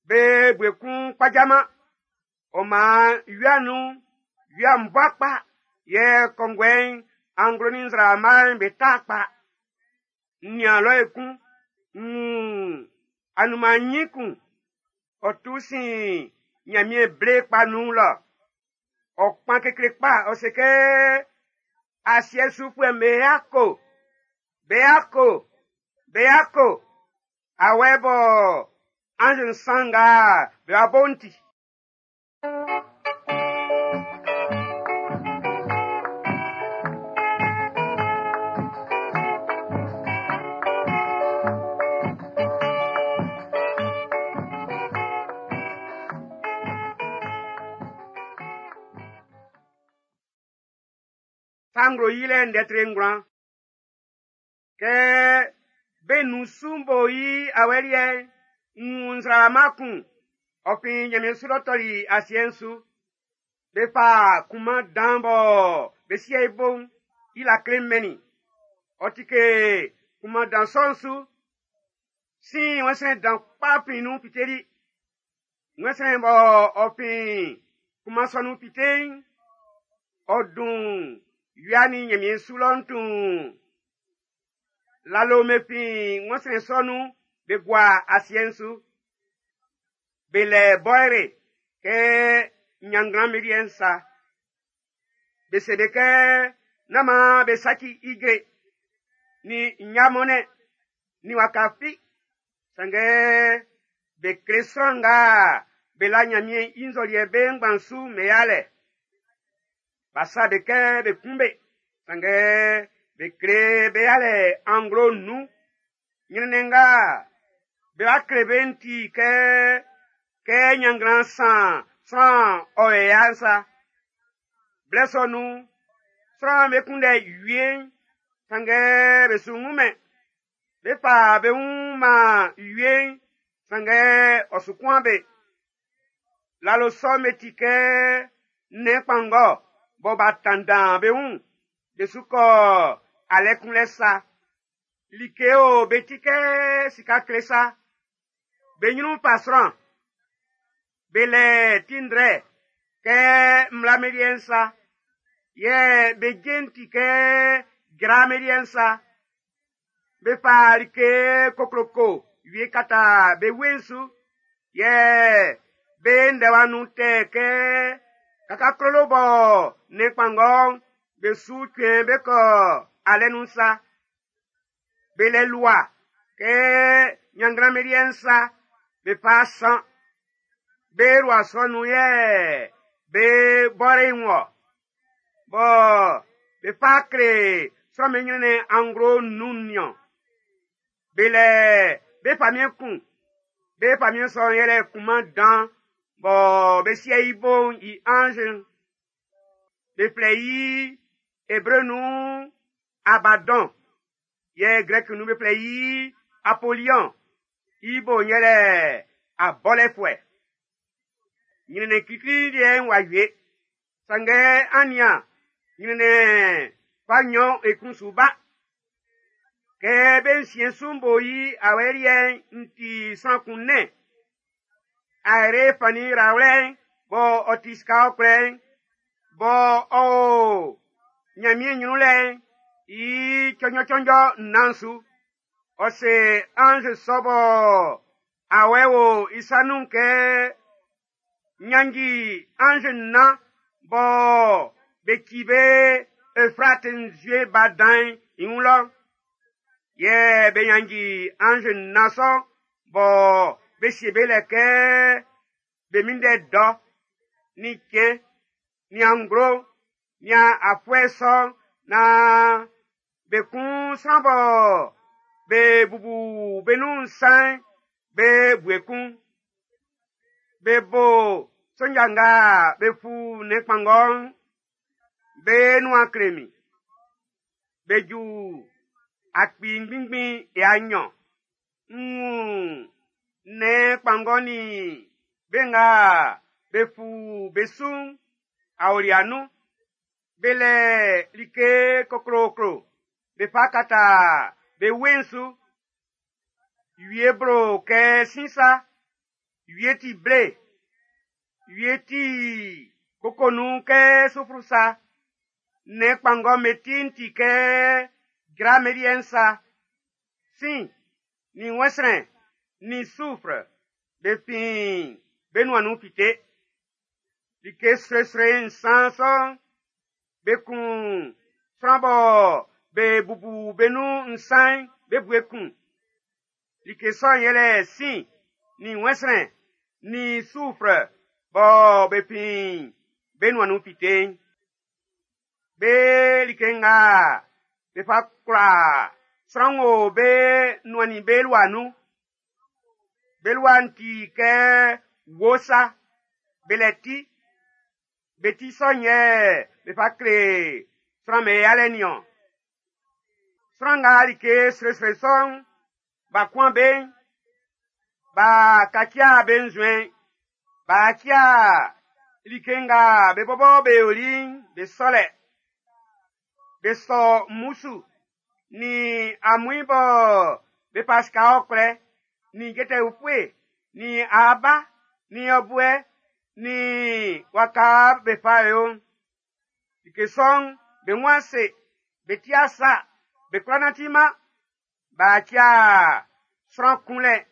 be bue kun kpajaman. Ɔ maan wia nun'n, wia'n bua kpa, yɛ kɔnguɛ'n anglo nin nzraama'n be ta kpa. N nian lɔ ekun, n wun anunman ɲin kun, ɔ tu sin ɲanmiɛn ble kpa nun lɔ. Ɔ kpan kekle kpa, ɔ se kɛ asiɛ sufuɛ'm be yako, be yako, be yako. Awɛ bɔ anz nsan nga be wa bo'n ti. Sa Nglo Yilɛ ndɛ tre ngwlan. Kɛ be nun su bo i awɛ liɛ'n, n wun nzraama kun, ɔ fin nyanmiɛn su lɔ tɔli asiɛ'n su. Be fa kunman dan bɔ be sie i bo'n, i lakle'n mɛn i. Ɔ tike kunman dan sɔ'n su. Sin wɛnsrɛn dan kpa fin nun fiteli. Wɛnsrɛn bɔ ɔ fin kunman sɔ'n nun fite'n, ɔ dun wia nin nyanmiɛn su lɔ'n tuun. Lalo me fin wɛnsrɛn sɔ'n nun be gua asiɛ'n su. Be lɛ bɔyre kɛ nyannglan liɛ'n sa. Be se be kɛ nán maan be saci ijre, ni nɲamɔnɛ, ni waka fi. Sanngɛ be kle sran nga be la Nyanmiɛn i nzɔliɛ be ngban su mɛn yalɛ. B'a sa be kɛ be kun be. Sanngɛ be kle be yalɛ anglo nnun. Ɲrɛnnɛn nga be wa kle be'n ti kɛ kɛ nyannglan san sran ɔ yɛ ya'n sa. Blɛ sɔ nun'n, sran'm be kunndɛ wie'n, sanngɛ be su wunmɛn. Be fa be wun man wie'n, sanngɛ ɔ su kuan be. Lalo sɔ'n be ti kɛ nnɛn kpanngɔ bɔ b'a tanndan be wun, be su kɔ alɛ kunlɛ sa. Like o be ti kɛ sika kle sa. Be nyrun fa sran. Be lɛ ti ndrɛ kɛ mmla liɛ'n sa. Yɛ be je'n ti kɛ jra liɛ'n sa. Be fa like kokloko wie kata be wue'n su. Yɛ be ndɛwa nun tɛ kɛ kakaklolo bɔ nnɛn kpanngɔ'n be su cuɛn be kɔ alɛ nun sa. Be lɛ lua kɛ nyannglan liɛ'n sa, be fa san. Be lua sɔ nun yɛ be bɔre wɔ. Bɔ be fa kle sran'm be ɲrɛnnɛn anglo nnun niɔn. Be lɛ be famiɛn kun. Be famiɛn sɔ'n yɛlɛ kunman dan bɔ be sie i bo'n i anz'n. Be flɛ i Ebre nun Abaddon. Yɛ Grɛki nun be flɛ i Apolion. I bo'n yɛlɛ abɔlɛfuɛ. Ɲrɛnnɛn klikli liɛ'n w'a wie. Sanngɛ an nian, ɲrɛnnɛn fa nnyɔn ekun su ba. Kɛ be nsiɛn su'n bo i awɛ liɛ'n, n ti sran kun nɛn. Aere fannin rawlɛ'n bɔ ɔ ti sika ɔkwlɛ'n, bɔ ɔ o Nyanmiɛn ɲrun lɛ'n, i cɔnjɔ-cɔnjɔ nnan su. Ɔ se anz sɔ bɔ awɛ wo i sa nun kɛ nyanji anz nnan bɔ be ci be Efrate nzue ba dan'n i wun lɔ. Yɛ be nyanji anz nnan sɔ bɔ be sie be lɛ kɛ be minndɛ dɔ, ni cɛn, ni anglo, ni afuɛ sɔ naan be kun sran bɔ be bubu be nun nsan'n be bue kun. Be bo sonja nga be fu nnɛn kpanngɔ'n be nuan kle min. Be ju akpi ngbinngbin ya nnyɔn. N wun nnɛn kpanngɔ nin be nga be fu be su'n aolia nun. Be lɛ like kokloklo be fa kata be wue'n su. Wie blo kɛ sin sa, wie ti ble, wie ti koko nun kɛ sufru sa. Nnɛn kpanngɔ'm be ti'n ti kɛ jra meliɛ'n sa. Sin, nin wɛnsrɛn, nin sufre, be fin be nuan nun fite. Like sroesroe nsan sɔ'n, be kun sran bɔ be bubu be nun nsan'n be bue kun. Like sɔ'n yɛlɛ sin, nin wɛnsrɛn, nin sufre bɔ be fin be nuan nun fite'n. Be like nga be fa kwla sran wo be nuan nin be lua nun. Be lua'n ti kɛ wo sa, be lɛ ti. Be ti sɔ'n yɛ be fa kle sran'm be yalɛ nin-ɔn. Sran nga like sroesroe sɔ'n b'a kuan be'n, b'a kacia be nzuɛn'n, b'a cia like nga be bɔbɔ be yoli'n be sɔlɛ. Be sɔ mmusu nin amuin bɔ be fa sika ɔkwlɛ, nin jɛtɛ ufue, nin aaba, nin yɔbuɛ, nin waka be fa yo'n. Like sɔ'n be wun ase, be ti asa, be kwla nanti-man. B'a cia sran kunlɛ,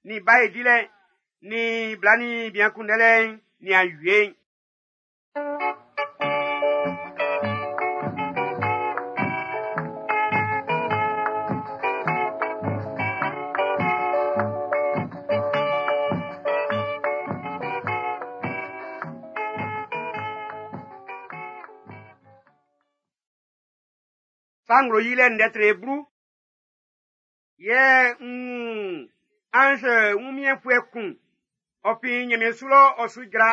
nin bae dilɛ, nin bla nin bian kunndɛlɛ'n, nin awie'n. Sa nglo yilɛ ndɛ tre blu. Yɛ n wun anz wunmiɛnfuɛ kun, ɔ fin nyanmiɛn su lɔ ɔ su jra.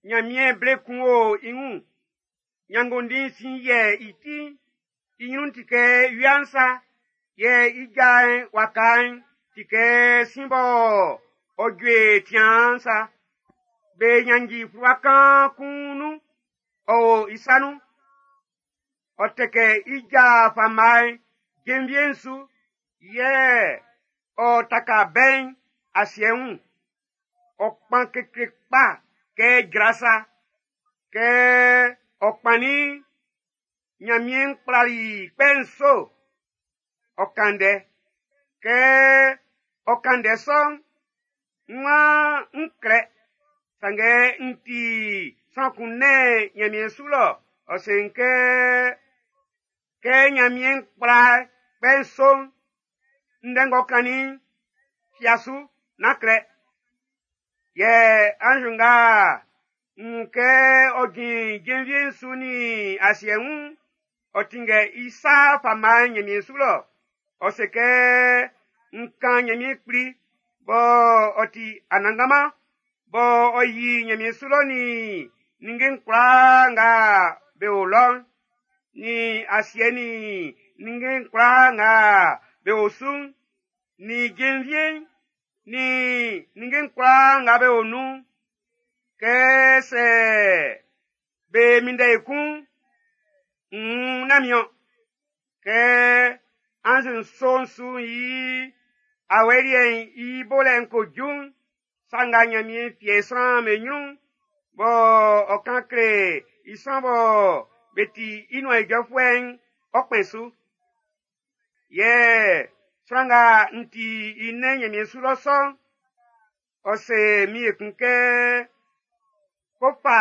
Nyanmiɛn ble kun o i wun. Nyanngondin sin yɛ i ti'n, i nyrun'n ti kɛ wia'n sa, yɛ i ja'n waka'n ti kɛ sin bɔ ɔ jue tiaan sa. Be nyanji fluwa kaan kun nun, ɔ o i sa nun. Ɔ tɛkɛ i ja fama'n jenvie'n su, yɛ ɔ taka bɛ'n asiɛ wun. Ɔ kpan kekle kpa kɛ jra sa. Kɛ ɔ kpannin'n, Nyanmiɛn kplali kpɛ nso. Ɔ kan ndɛ. Kɛ ɔ kan ndɛ sɔ'n, n waan n klɛ, sanngɛ n ti sran kun nɛn Nyanmiɛn su lɔ. Ɔ se n kɛ, kɛ Nyanmiɛn kpla kpɛ nso'n, ndɛ ng'ɔ kannin'n, fia su, nán klɛ. Yɛ anz nga n wun kɛ ɔ jin jenvie'n su nin asiɛ wun'n, ɔ tinngɛ i sa fama'n Nyanmiɛn su lɔ. Ɔ se kɛ, n kan Nyanmiɛn kpli bɔ ɔ ti Anannganman, bɔ ɔ yi Nyanmiɛn su lɔ nin ninnge'n kwlaa nga be o lɔ'n, nin asiɛ nin ninnge'n kwlaa nga be o su'n, nin jenvie'n, nin ninnge'n kwlaa nga be o nun'n, kɛ sɛ be minndɛ ekun'n, nn nán min-ɔn. Kɛ anz nso'n su yi awɛ liɛ'n i bolɛ'n ko ju'n, sa nga Nyanmiɛn fie sran'm be nyrun'n, bɔ ɔ kan kle i sran bɔ be ti i nuan ijɔfuɛ'n, ɔ kpɛn su. Yɛ sran nga n ti i nɛn Nyanmiɛn su lɔ sɔ'n, ɔ se min ekun kɛ, ko fa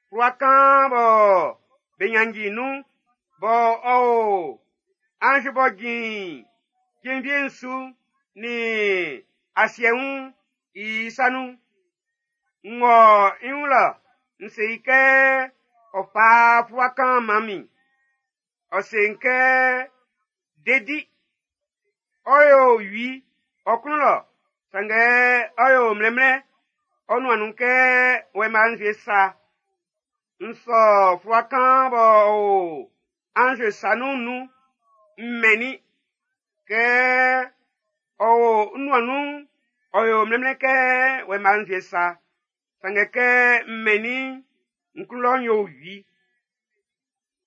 fluwa kaan bɔ be nyanji nun, bɔ ɔ o anz b'ɔ jin jenvie'n su nin asiɛ wun i sa nun. N wɔ i wun lɔ, n se i kɛ ɔ fa fluwa kaan man min. Ɔ se n kɛ, dedi. Ɔ yo wi ɔ klun lɔ, sanngɛ ɔ yo mlɛnmlɛn ɔ nuan nun kɛ wɛma nzue sa. N sɔ fluwa kaan b'ɔ o anz sa nun'n nun, n mɛnnin. Kɛ ɔ o n nuan nun'n, ɔ yo mlɛnmlɛn kɛ wɛma nzue sa. Sanngɛ kɛ n mɛnnin'n, n klun lɔ'n yo wi.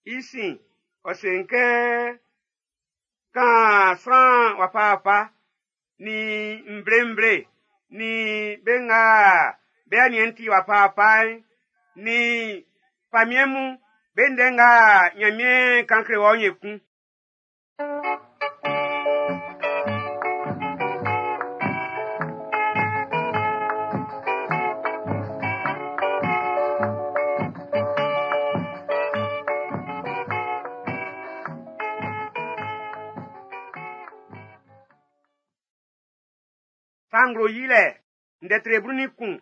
I sin, ɔ se n kɛ, kan sran wafawafa, nin nvle-nvle, nin be nga be aniɛn'n ti wafa-wafa'n, nin famiɛn mun be ndɛ nga Nyanmiɛn kan kle wɔ'n ekun. Sa Nglo Yilɛ ndɛ tre blu nin kun.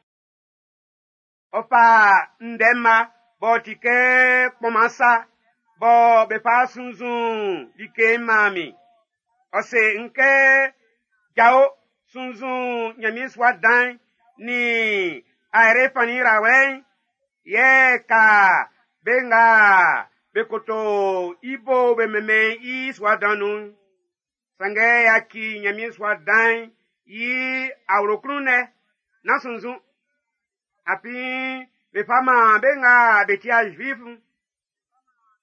Ɔ fa ndɛ mma b'ɔ ti kɛ kpɔnman sa bɔ be fa sunnzun like'n man min. Ɔ se n kɛ, jao sunnzun Nyanmiɛn sua dan'n nin ayrɛ fannin yrawlɛ'n, yɛ ka be nga be koto i bo be mɛnmɛn i sua dan nun'n. Sanngɛ yaci Nyanmiɛn sua dan'n i awlo klun lɛ, nán sunnzun. Afin be fa man be nga be ti Zuif'n.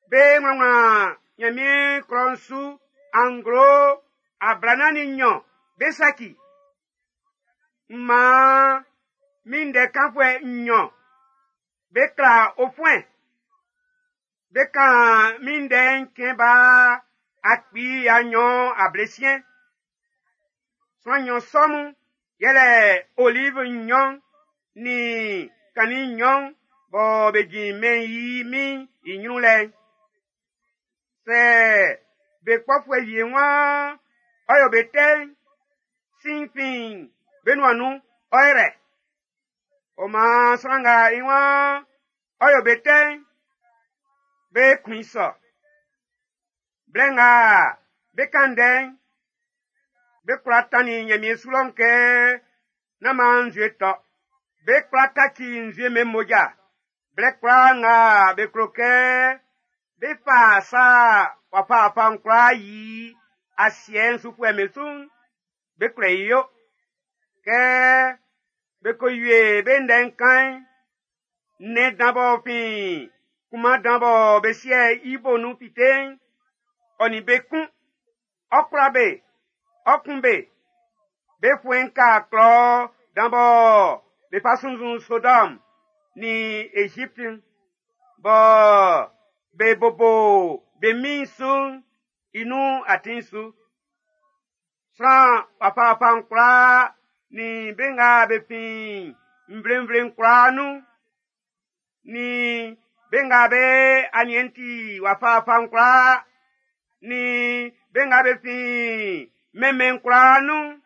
Be wlanwlan Nyanmiɛn klɔ'n su anglo ablanan nin nnyɔn be saci. M man min ndɛ kanfuɛ nnyɔn be kla ofuɛn. Be kan min ndɛ'n cɛn ba akpi ya nnyɔn ablesiɛn. Sran nnyɔn sɔ mun yɛlɛ olive nnyɔn nin kannin nnyɔn bɔ be jin mɛn'n i min'n i nyrun lɛ'n. Sɛ be kpɔfuɛ wie waan ɔ yo be tɛ'n, sin fin be nuan nun ɔ yrɛ. Ɔ maan sran nga i waan ɔ yo be tɛ'n, be kun i sɔ. Blɛ nga be kan ndɛ'n, be kwla tannin Nyanmiɛn su lɔ'n kɛ nán maan nzue tɔ. Be kwla kaci nzue mɛn mmoja. Blɛ kwlaa nga be klo kɛ be fa sa wafa-wafa'n kwlaa yi asiɛ'n sufuɛ'm be su'n, be kwlɛ i yo. Kɛ be ko wie be ndɛ'n kan'n, nnɛn dan b'ɔ fin kunman dan bɔ be sie i bo nun fite'n, ɔ nin be kun, ɔ kwla be, ɔ kun be. Be fuɛn'n ka klɔ dan bɔ be fa sunnzun Sodɔm nin Ezipt'n, bɔ be bobo be min'n su'n i nun atin'n su. Sran wafa-wafa'n kwlaa nin be nga be fin nvle-nvle'n kwlaa nun, nin be nga be aniɛn'n ti wafa-wafa'n kwlaa, nin be nga be fin mɛnmɛn'n kwlaa nun'n,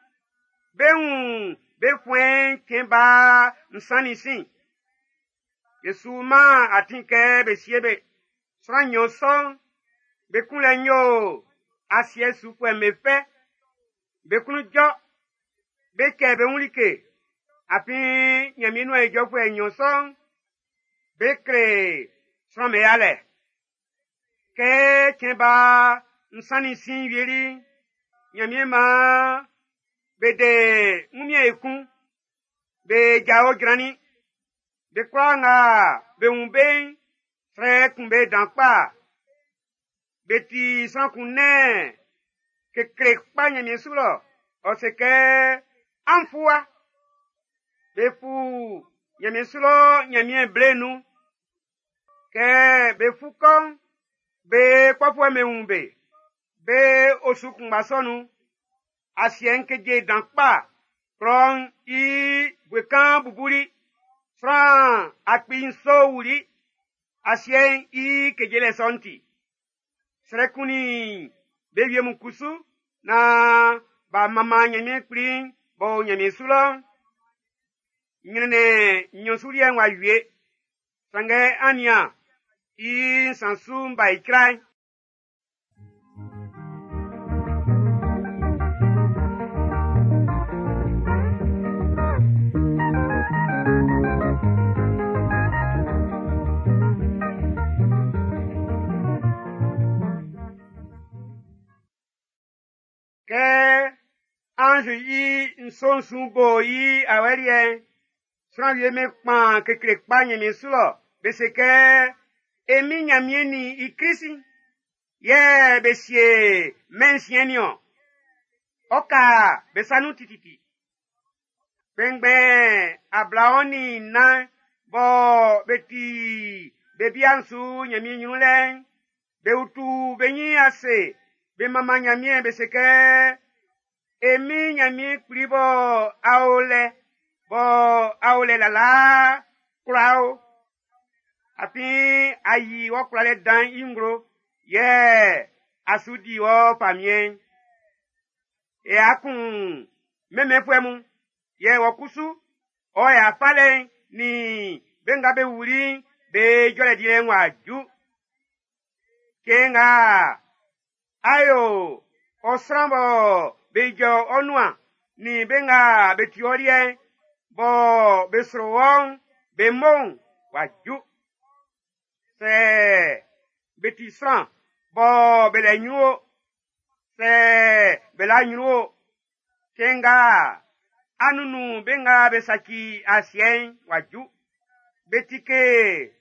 be wun be fuɛn'n cɛn ba nsan nin sin. Be su man atin kɛ be sie be. Sran nnyɔn sɔ'n, be kunlɛ'n yo asiɛ sufuɛ'm be fɛ. Be klun jɔ, be cɛ be wun like. Afin Nyanmiɛn nuan ijɔfuɛ nnyɔn sɔ'n, be kle sran'm be yalɛ. Kɛ cɛn ba nsan nin sin wieli'n, Nyanmiɛn maan be de wunmiɛn ekun. Be jao jrannin. Be kwlaa nga be wun be'n, srɛ kun be dan kpa. Be ti sran kun nɛn kekle kpa Nyanmiɛn su lɔ. Ɔ se kɛ, an fu wa. Be fu Nyanmiɛn su lɔ Nyanmiɛn ble'n nun. Kɛ be fu kɔ'n, be kpɔfuɛ'm be wun be. Be osu kunngba sɔ nun. Asiɛ'n keje dan kpa. Klɔ'n i bue kan bubuli. Sran akpi nso wuli. Asiɛ'n i kejelɛ sɔ'n ti. Srɛ kunnin be wie mun kusu naan b'a manman Nyanmiɛn Kpli'n b'ɔ o Nyanmiɛn su lɔ'n. Nyrɛnnɛn nnyɔn su liɛ'n w'a wie. Sanngɛ an nian, i nsan su'n b'a icra'n. Kɛ anz i nso'n su bo i awɛ liɛ'n, sran wie be kpan kekle kpa Nyanmiɛn su lɔ, be se kɛ, e min Nyanmiɛn nin i Krist'n, yɛ be sie mɛn'n siɛn nin-ɔn. Ɔ ka be sa nun tititi. Kpɛnngbɛn ablaɔn nin nnan bɔ be ti be bia'n su Nyanmiɛn nyrun lɛ'n, be utu be nyin ase be manman Nyanmiɛn be se kɛ, E min Nyanmiɛn Kpli bɔ a o lɛ, bɔ a o lɛ lalaa kwlaa o. Afin a yi wɔ kwlalɛ dan'n i nglo, yɛ a su di wɔ famiɛn'n. E a kun mɛnmɛnfuɛ mun, yɛ wɔ kusu, ɔ ya falɛ'n nin be nga be wuli'n be jɔlɛ dilɛ'n w'a ju. Cɛn nga a yo ɔ sran bɔ be ijɔ ɔ nuan nin be nga be ti ɔ liɛ'n, bɔ be sro wɔ'n be mo'n w'a ju. Sɛ be ti sran bɔ be lɛ nyrun o, sɛ be la nyrun o, cɛn nga a nunnun be nga be saci asiɛ'n w'a ju. Be tike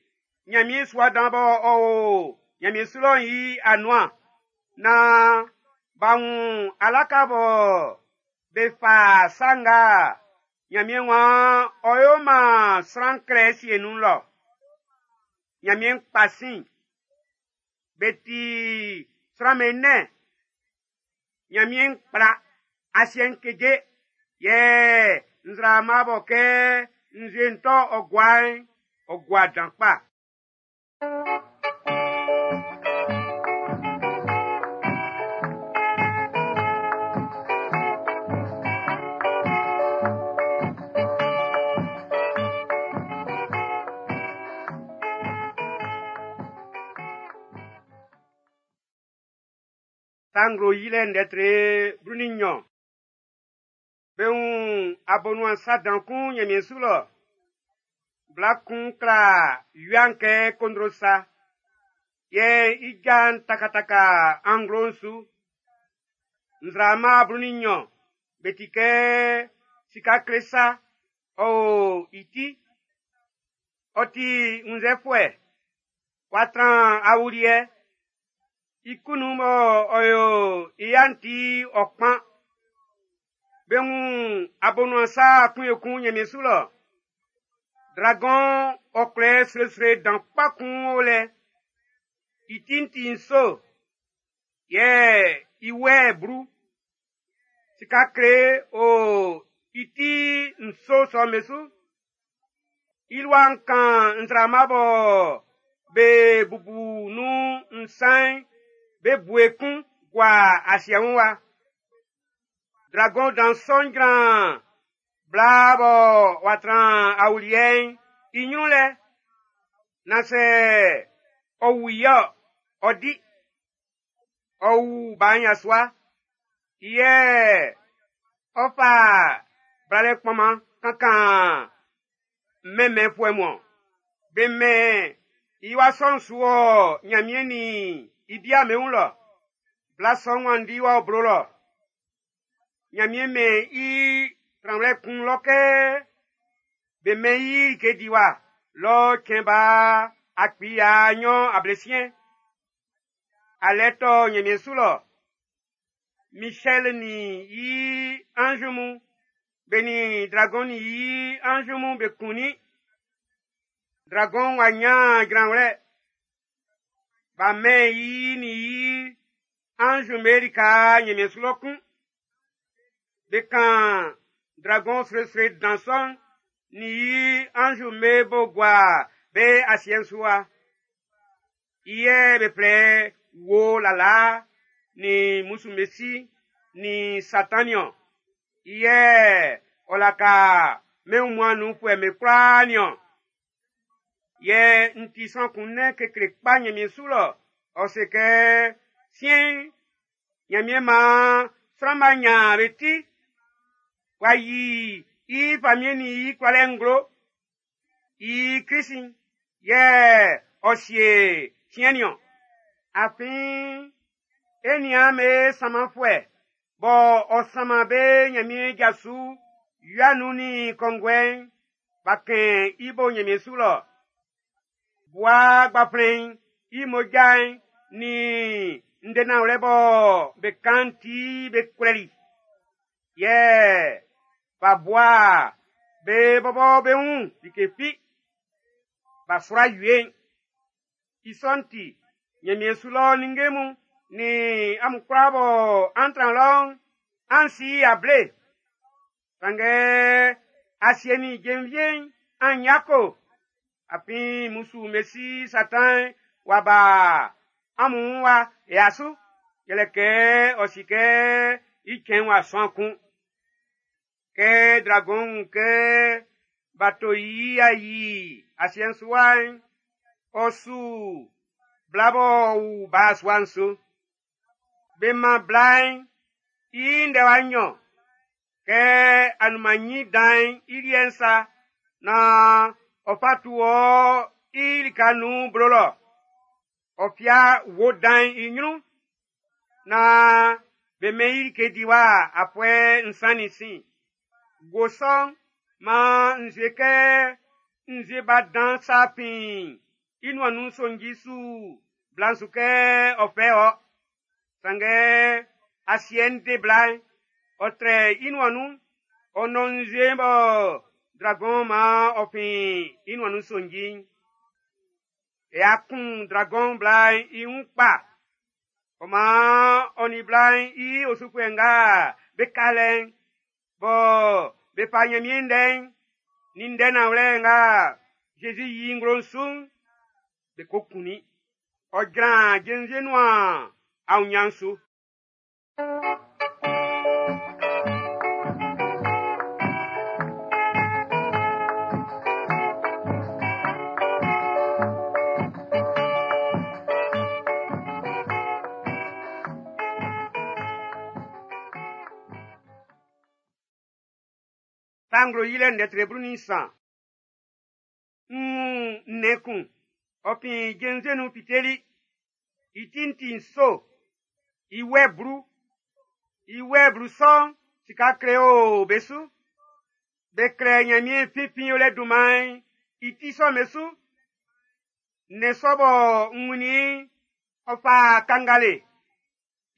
Nyanmiɛn sua dan bɔ ɔ o Nyanmiɛn su lɔ'n i anuan, nan b'a wun alaka bɔ be fa sa nga Nyanmiɛn waan ɔ ʼyo man sran klɛ sie nun lɔ. Nyanmiɛn kpa sin. Be ti sran'm be nɛn. Nyanmiɛn kpla, asiɛ'n keje, yɛ nzraama bɔ kɛ nzue'n tɔ ɔ gua'n, ɔ gua dan kpa. Sa Nglo Yilɛ ndɛ tre blu nin nnyɔn. Be wun abonuan sa dan kun Nyanmiɛn su lɔ. Bla kun kla wia'n kɛ kondro sa, yɛ i ja'n takataka anglo'n su. Nzraama blu nin nnyɔn be ti kɛ sika kle sa, ɔ o i ti. Ɔ ti wunnzɛfuɛ, w'a tran awuliɛ. I kunnun bɔ ɔ yo i ya'n ti ɔ kpan. Be wun abonuan sa kun ekun Nyanmiɛn su lɔ. Dragɔn ɔkwlɛ sroesroe dan kpa kun o lɛ. I ti'n ti nso, yɛ i wɛ'n blu. Sika kle o i ti nso sɔ'm be su. I lua'n kan nzraama bɔ be bubu nun nsan'n be bue kun gua asiɛ wun wa. Dragɔn dan sɔ'n jran bla bɔ w'a tran awuliɛ'n i nyrun lɛ, nan sɛ ɔ wu i-ɔ, ɔ di. Ɔ wu ba yasua, yɛ ɔ fa blalɛ kpɔnman kankan mɛnmɛnfuɛ mun. Be mɛn i wa sɔ'n su wɔ Nyanmiɛn nin i bia'n be wun lɔ. Bla sɔ'n wanndi wɔ blo lɔ. Nyanmiɛn mɛn i tranwlɛ kun lɔ kɛ be mɛn i like diwa lɔ cɛn ba akpi ya nnyɔn ablesiɛn. Alɛ tɔ Nyanmiɛn su lɔ. Michel nin i ange mun, be nin dragon nin i ange mun be kunnin. Dragon w'a nyan jranwlɛ. B'a mɛn i nin i ange be lika Nyanmiɛn su lɔ kun. Be kan dragon sroesroe dan sɔ'n nin i ange be bo gua be asiɛ'n su wa. I yɛ be flɛ wo lala nin musumesi nin Satan niɔn. I yɛ ɔ laka mɛn wunmuan'n nunfuɛ'm be kwlaa niɔn. Yɛ n ti sran kun nɛn kekle kpa Nyanmiɛn su lɔ. Ɔ se kɛ, siɛn'n, Nyanmiɛn maan sran'm b'a nyan be ti. W'a yi i famiɛn nin i kwlalɛ nglo. I Krist'n yɛ ɔ sie siɛn niɔn. Afin e nian be sanmanfuɛ bɔ ɔ sanman be Nyanmiɛn ja su wia nun nin kɔnguɛ'n, b'a kɛn i bo Nyanmiɛn su lɔ. Bua gbaflɛn'n i mmoja'n nin ndɛ nanwlɛ bɔ be kan'n ti be kwlɛli. Yɛ b'a bua be bɔbɔ be wun like fi. B'a sua wie'n. I sɔ'n ti, Ɲanmiɛn su lɔ ninnge mun nin amun kwlaa bɔ an tran lɔ'n, an si able. Sanngɛ asiɛ nin jenvie'n an yako. Afin mmusu'm be si Satan w'a ba amun wun wa ya su. Yɛlɛ kɛ ɔ si kɛ i cɛn'n w'a sɔn kun. Kɛ dragɔn'n wun kɛ b'a to i a yi asiɛ'n su wa'n, ɔ su bla b'ɔ wu ba sua'n su. Be man bla'n i ndɛwa nnyɔn kɛ anunman nyin dan'n i liɛ'n sa naan ɔ fa tu wɔ i lika nun blo lɔ. Ɔ fia wo dan'n i ɲrun naan be mɛn i like diwa afuɛ nsan nin sin. Wo sɔ'n maan nzue kɛ nzue ba dan sa fin i nuan nun sonji su bla'n su kɛ ɔ fɛ ɔ. Sanngɛ asiɛ'n de bla'n, ɔ trɛ i nuan nun, ɔ nɔn nzue'n bɔ dragɔn maan ɔ fin i nuan nun sonji'n. E a kun dragɔn bla'n i wun kpa. Ɔ maan ɔ nin bla'n i osufuɛ nga be ka lɛ'n, bɔ be fa Ɲanmiɛn ndɛ'n, nin ndɛ nanwlɛ nga Zezi yi i nglo'n su'n, be ko kunnin. Ɔ jran jenvie nuan aunɲan'n su. Sa nglo yilɛ ndɛ tre blu nin nsan. N wun nnɛn kun, ɔ fin jenvie nun fiteli. I ti'n ti nso, i wɛ blu. I wɛ blu sɔ'n, sika kle o be su. Be klɛ Ɲanmiɛn finfin yolɛ dunman'n i ti sɔ'm be su. Nnɛn sɔ bɔ n wunnin i'n, ɔ fa kangale.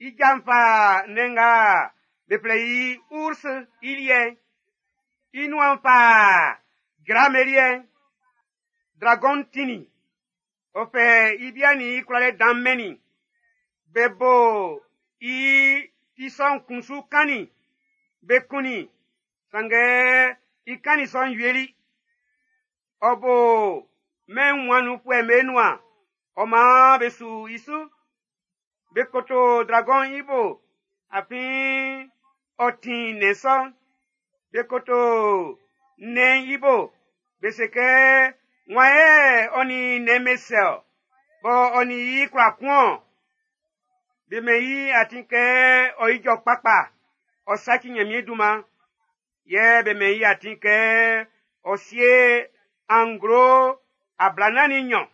I ja'n fa nnɛn nga be flɛ i ours i liɛ'n. I nuan fa jrame liɛ'n. Dragɔn'n tinnin. Ɔ fɛ i bia'n nin i kwlalɛ dan'n mɛnnin. Be bo i ti sɔ'n kun su kannin. Be kunnin, sanngɛ i kannin sɔ'n wieli. Ɔ bo mɛn wunmuan'n nunfuɛ'm be nuan, ɔ maan be su i su. Be koto dragɔn'n i bo, afin ɔ tin nnɛn sɔ'n. Be koto nnɛn'n i bo, be se kɛ, wan yɛ ɔ nin nnɛn'n be sɛ ɔ, bɔ ɔ nin i kwla kun ɔ. Be mɛn i atin kɛ ɔ ijɔ kpakpa, ɔ saci Ɲanmiɛn dunman. Yɛ be mɛn i atin kɛ ɔ sie anglo ablanan nin nnyɔn.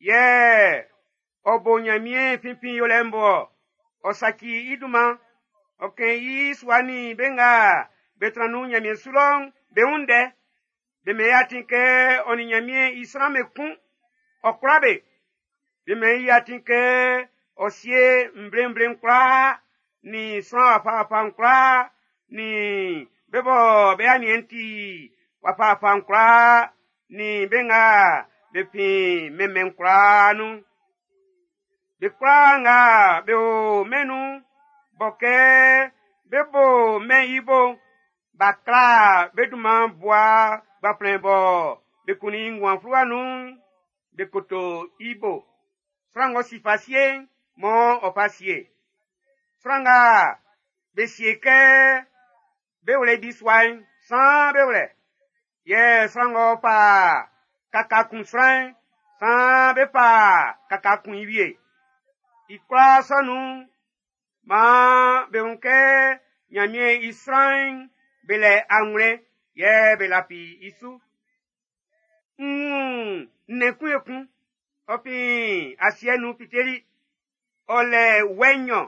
Yɛ ɔ bo Ɲanmiɛn finfin yolɛ'n bo ɔ saci i dunman. Ɔ kɛn i sua nin be nga be tran nun Ɲanmiɛn su lɔ'n be wun ndɛ. Be mɛn i atin kɛ ɔ nin Ɲanmiɛn i sran'm be kun, ɔ kwla be. Be mɛn i atin kɛ ɔ sie nvlenvle'n kwlaa, nin sran wafawafa'n kwlaa, nin be bɔ be aniɛn'n ti wafawafa'n kwlaa, nin be nga be fin mɛnmɛn'n kwlaa nun. Be kwlaa nga be o mɛn'n nun'n, bɔ kɛ be bo mɛn'n i bo'n, b'a kla be dunman bua gbanflɛn bɔ be kunnin i nguan fluwa nun'n, be koto i bo. Sran ng'ɔ si fa sie'n, mɔ ɔ fa sie. Sran nga be sie kɛ be wlɛ i bisua'n, saan be wlɛ. Yɛ sran ng'ɔ fa kaka kun sran'n, saan be fa kaka kun i wie. I kwlaa sɔ nun'n, maan be wun kɛ Ɲanmiɛn i sran'n be lɛ anwlɛn yɛ be lafi i su. N wun nnɛn kun ekun, ɔ fin asiɛ'n nun fiteli. Ɔ lɛ wɛ nnyɔn.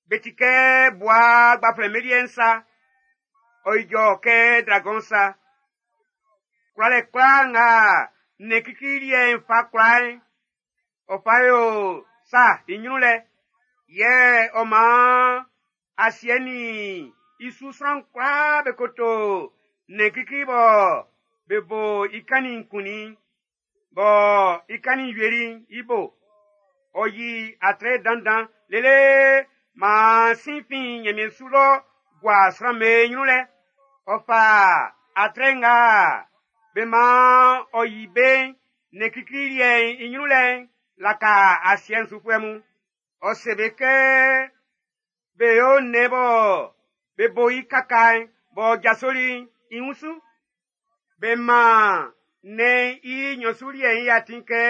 Be ti kɛ bua gbanflɛn be liɛ'n sa. Ɔ ijɔ kɛ dragɔn sa. Kwlalɛ kwlaa nga nnɛn klikli liɛ'n fa kwla'n, ɔ fa yo sa i ɲrun lɛ. Yɛ ɔ maan asiɛ nin i su sran kwlaa be koto nnɛn klikli bɔ be bo i kannin'n kunnin, bɔ i kannin'n wieli'n i bo. Ɔ yi atre dandan lele maan sin fin nyanmiɛn su lɔ gua sran'm be nyrun lɛ. Ɔ fa atre nga be man ɔ yi be'n nnɛn klikli liɛ'n i nyrun lɛ'n laka asiɛ'n sufuɛ mun. Ɔ se be kɛ be yo nnɛn bɔ be bo i kaka'n b'ɔ jasoli'n i wunsu. Be man nnɛn'n i nnyɔn su liɛ'n i atin kɛ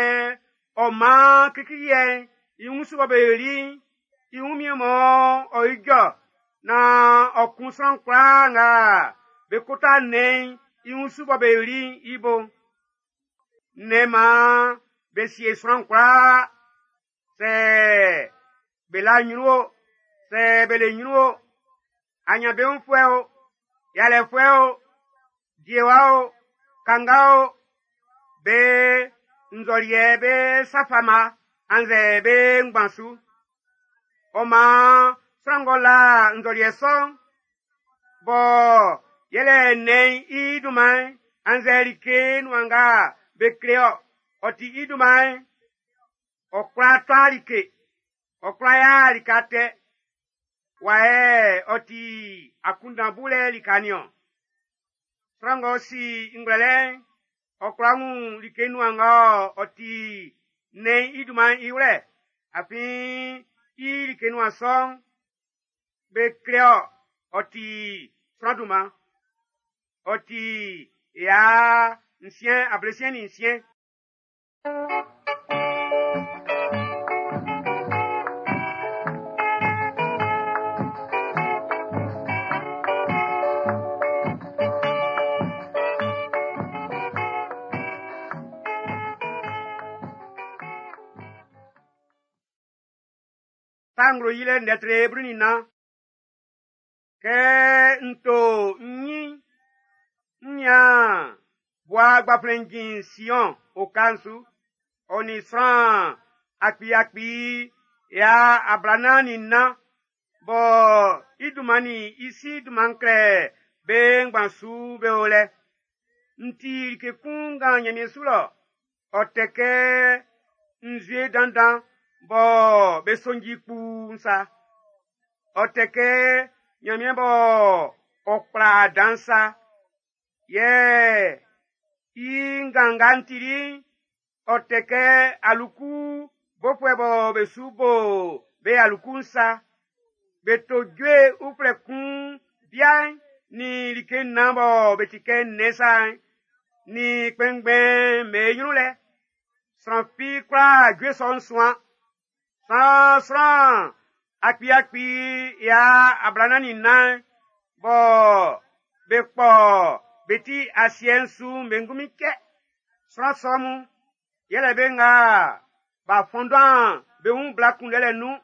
ɔ man klikli liɛ'n i wunsu bɔ be yoli'n i wunmiɛn mɔ ɔ ijɔ naan ɔ kun sran kwlaa nga be kota nnɛn'n i wunsu bɔ be yoli'n i bo. Nnɛn maan be sie sran kwlaa, sɛ be la nyrun o, sɛ be le nyrun o, anyanbeunfuɛ o, yalɛfuɛ o, diewa o, kanga o, be nzɔliɛ be sa fama annzɛ be ngban su. Ɔ maan sran ng'ɔ la nzɔliɛ sɔ'n, bɔ yɛlɛ nnɛn'n i dunman'n annzɛ like nuan nga be kle-ɔ, ɔ ti i dunman'n, ɔ kwla tɔa like, ɔ kwla ya like atɛ. Wa yɛ ɔ ti akunndan bulɛ lika nin-ɔn. Sran ng'ɔ si ngwlɛlɛ'n, ɔ kwla wun like nuan nga ɔ ti nnɛn'n i dunman'n i wlɛ, afin i like nuan sɔ'n, be kle-ɔ, ɔ ti sran dunman. Ɔ ti ya nsiɛn ablesiɛn nin nsiɛn. Sa nglo yilɛ ndɛ tre blu nin nnan. Kɛ n to n nyin, n nian bua gbaflɛn jin Sion oka'n su, ɔ nin sran akpi-akpi ya ablanan nin nnan bɔ i dunman nin i si dunman klɛ be ngban su be o lɛ. N ti like kun nga nyanmiɛn su lɔ, ɔ tɛ kɛ nzue dandan bɔ be sonji kpuu'n sa. Ɔ tɛ kɛ nyanmiɛn bɔ ɔ kpla dan sa. Yɛ i ngan nga n tili'n, ɔ tɛ kɛ aluku bofuɛ bɔ be su bo be aluku'n sa. Be to jue uflɛ kun bia'n nin like nnan bɔ be ti kɛ nnɛn sa'n, nin kpɛnngbɛn'm be nyrun lɛ. Sran fi kwla jue sɔ'n suan. Sran sran akpi-akpi ya ablanan nin nnan bɔ be kpɔ be ti asiɛ'n su'n be ngunmin cɛ. Sran sɔ mun yɛlɛ be nga b'a fɔndan be wun bla kunndɛlɛ nun,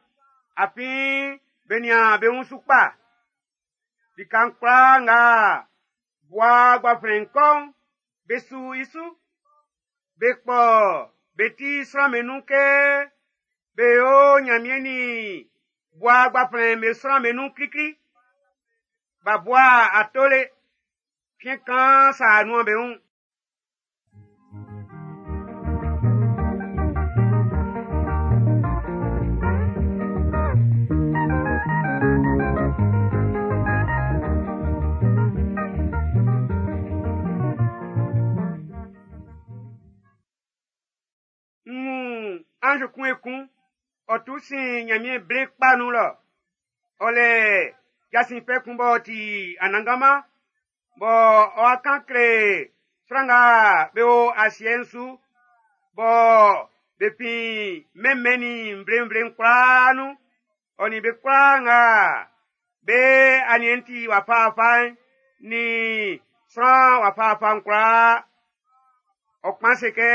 afin be nian be wun su kpa. Lika'n kwlaa nga bua gbaflɛn'n kɔ'n, be su i su. Be kpɔ be ti sran'm be nun kɛ be yo Nyanmiɛn nin bua gbaflɛn'n be sran'm be nun klikli. B'a bua ato le, fiɛn kaan sa nuan be wun. N wun anz kun ekun, ɔ tu sin nyanmiɛn ble kpa nun lɔ. Ɔ lɛ jasin fɛ kun b'ɔ ti Anannganman, bɔ ɔ'a kan kle sran nga be o asiɛ'n su, bɔ be fin mɛnmɛn nin nvle-nvle'n kwlaa nun, ɔ nin be kwlaa nga be aniɛn'n ti wafa-wafa'n nin sran wafa-wafa'n kwlaa. Ɔ kpan se kɛ,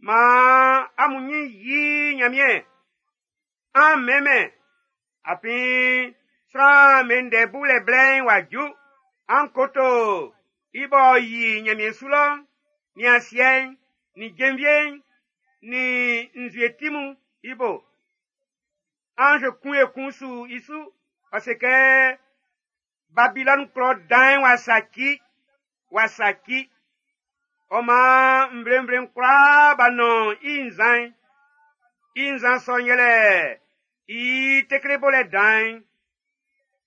maan amun nyin yi Nyanmiɛn, an mɛnmɛn, afin sran be ndɛ bulɛ blɛ'n w'a ju. An koto i b'ɔ yi nyanmiɛn su lɔ'n, nin asiɛ'n, nin jenvie'n, nin nzue ti mun i bo. Anz kun ekun su i su, ɔ se kɛ, Babilɔni klɔ dan'n w'a saci, w'a saci. Ɔ maan nvlenvle'n kwlaa b'a nɔn i nzan'n. I nzan sɔ'n yɛlɛ i tekle bolɛ dan'n.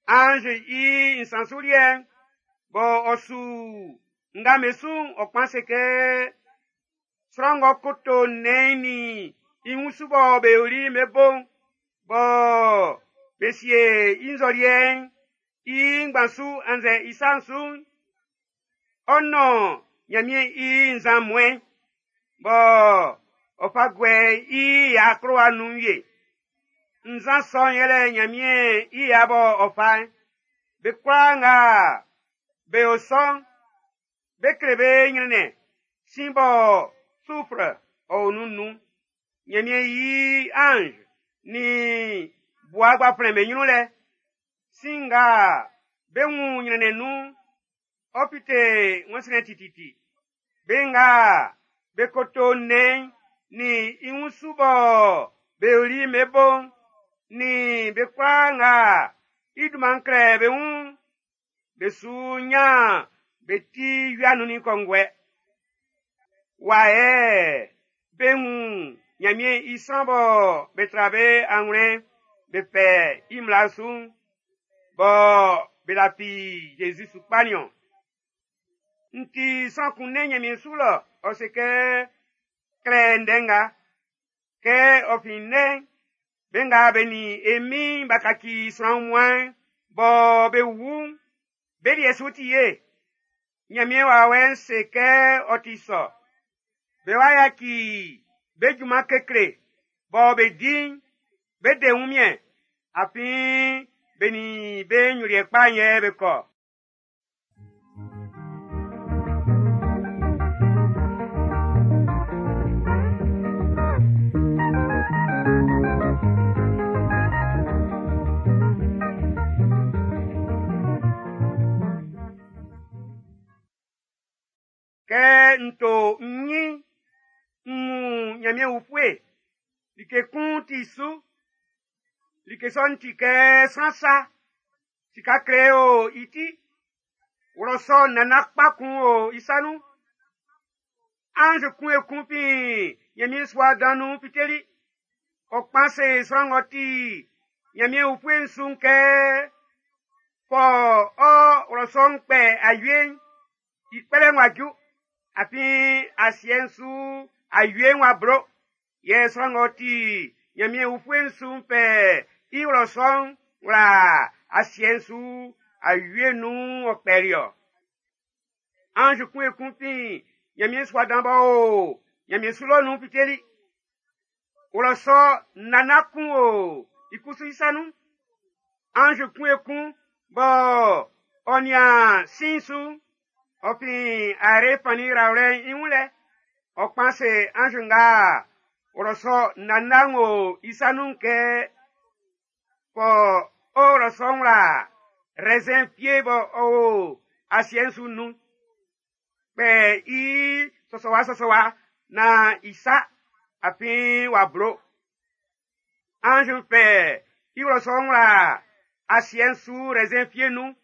Anz i nsan su liɛ'n, bɔ ɔ su nga be su'n ɔ kpan se kɛ, sran ng'ɔ koto nnɛn'n nin i wunsu bɔ be yoli'n be bo'n, bɔ be sie i nzɔliɛ'n i ngban su annzɛ i sa'n su'n, ɔ nɔn Nyanmiɛn i nzan muɛn, bɔ ɔ fa guɛ i ya akplowa nun wie. Nzan sɔ'n yɛlɛ Nyanmiɛn i ya bɔ ɔ fa'n. Be kwlaa nga be o sɔ'n, be kle be nyrɛnnɛn sin bɔ sufre ɔ o nun nun. Nyanmiɛn i anz nin bua gbaflɛn be nyrun lɛ. Sin nga be wun nyrɛnnɛn nun'n, ɔ fite wɛnsrɛn tititi. Be nga be koto nnɛn'n nin i wunsu bɔ be yoli'n be bo'n, nin be kwlaa nga i dunman klɛ be wun'n, be su nyan be ti wia nun nin kɔnguɛ. Wa yɛ be wun Nyanmiɛn i sran bɔ be tra be anwlɛn be fɛ i mmla su'n, bɔ be lafi Jésus su kpa nin-ɔn. N ti sran kun nɛn Nyanmiɛn su lɔ, ɔ se kɛ, klɛ ndɛ nga, kɛ ɔ fin nnɛn'n, be nga be nin e Min'n b'a kaci sran wunmuan'n, bɔ be wu'n, be liɛ su ti ye. Nyanmiɛn wawɛ'n se kɛ ɔ ti sɔ. Be wa yaci be junman kekle bɔ be di'n, be de wunmiɛn, afin be nin be nyoliɛ kpa'n yɛ be kɔ. Kɛ n to n nyin, n wun Nyanmiɛn ufue, like kun ti su. Like sɔ'n ti kɛ sran sa, sika kle o i ti, wlɔsɔ nana kpa kun o i sa nun. Anz kun ekun fin Nyanmiɛn sua dan nun fiteli. Ɔ kpan se sran ng'ɔ ti Nyanmiɛn ufue'n su'n kɛ, fɔ ɔ wlɔsɔ'n kpɛ awie'n, i kpɛlɛ'n w'a ju, afin asiɛ'n su awie'n w'a blo. Yɛ sran ng'ɔ ti Nyanmiɛn ufue'n su'n fɛ i wlɔsɔ'n wla asiɛ'n su awie nun ɔ kpɛli-ɔ. Anz kun ekun fin Nyanmiɛn sua dan b'ɔ o Nyanmiɛn su lɔ nun fiteli. Wlɔsɔ nana kun o i kusu i sa nun. Anz kun ekun bɔ ɔ nian sin su, ɔ fin are fannin rawlɛ'n i wun lɛ. Ɔ kpan se anz nga wlɔsɔ nana o i sa nun kɛ, fɔ o wlɔsɔ'n wla raisin fie bɔ ɔ o asiɛ'n su nun. Kpɛ i sɔsɔwa sɔsɔwa na i sa, afin w'a blo. Anz fɛ i wlɔsɔ'n wla asiɛ'n su raisin fie nun.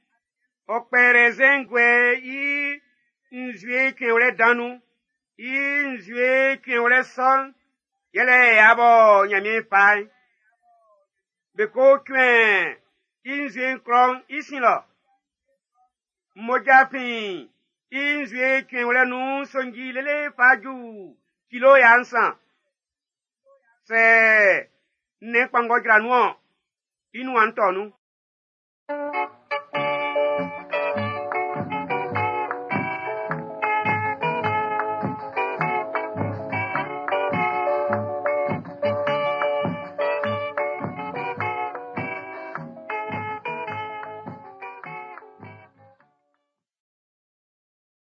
Ɔ kpɛ raisin guɛ i nzue cuɛnwlɛ dan nun. I nzue cuɛnwlɛ sɔ'n, yɛlɛ ya bɔ Nyanmiɛn fa'n. Be ko cuɛn i nzue'n klɔ'n i sin lɔ. Mmoja fin i nzue cuɛnwlɛ nun sonji lele fa ju kilo ya nsan. Sɛ nnɛn kpanngɔ jra nun-ɔn, i nuan tɔ nun.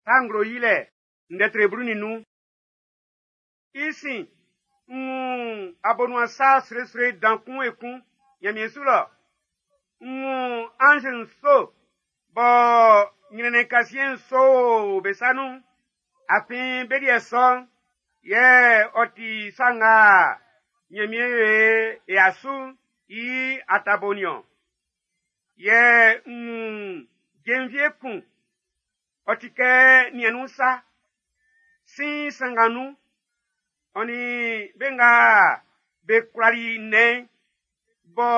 Sa nglo yilɛ ndɛ tre blu nin nnun. I sin, n wun abonuan sa sroesroe dan kun ekun Nyanmiɛn su lɔ. N wun anz nso bɔ nyrɛnnɛn kasiɛn nso o be sa nun. Afin be liɛ sɔ'n, yɛ ɔ ti sa nga Nyanmiɛn yo e asu'n i atabo nin-ɔn. Yɛ n wun Jenvie kun, ɔ ti kɛ niɛn'n sa, sin sanngan nun, ɔ nin be nga be kwlali nnɛn'n, bɔ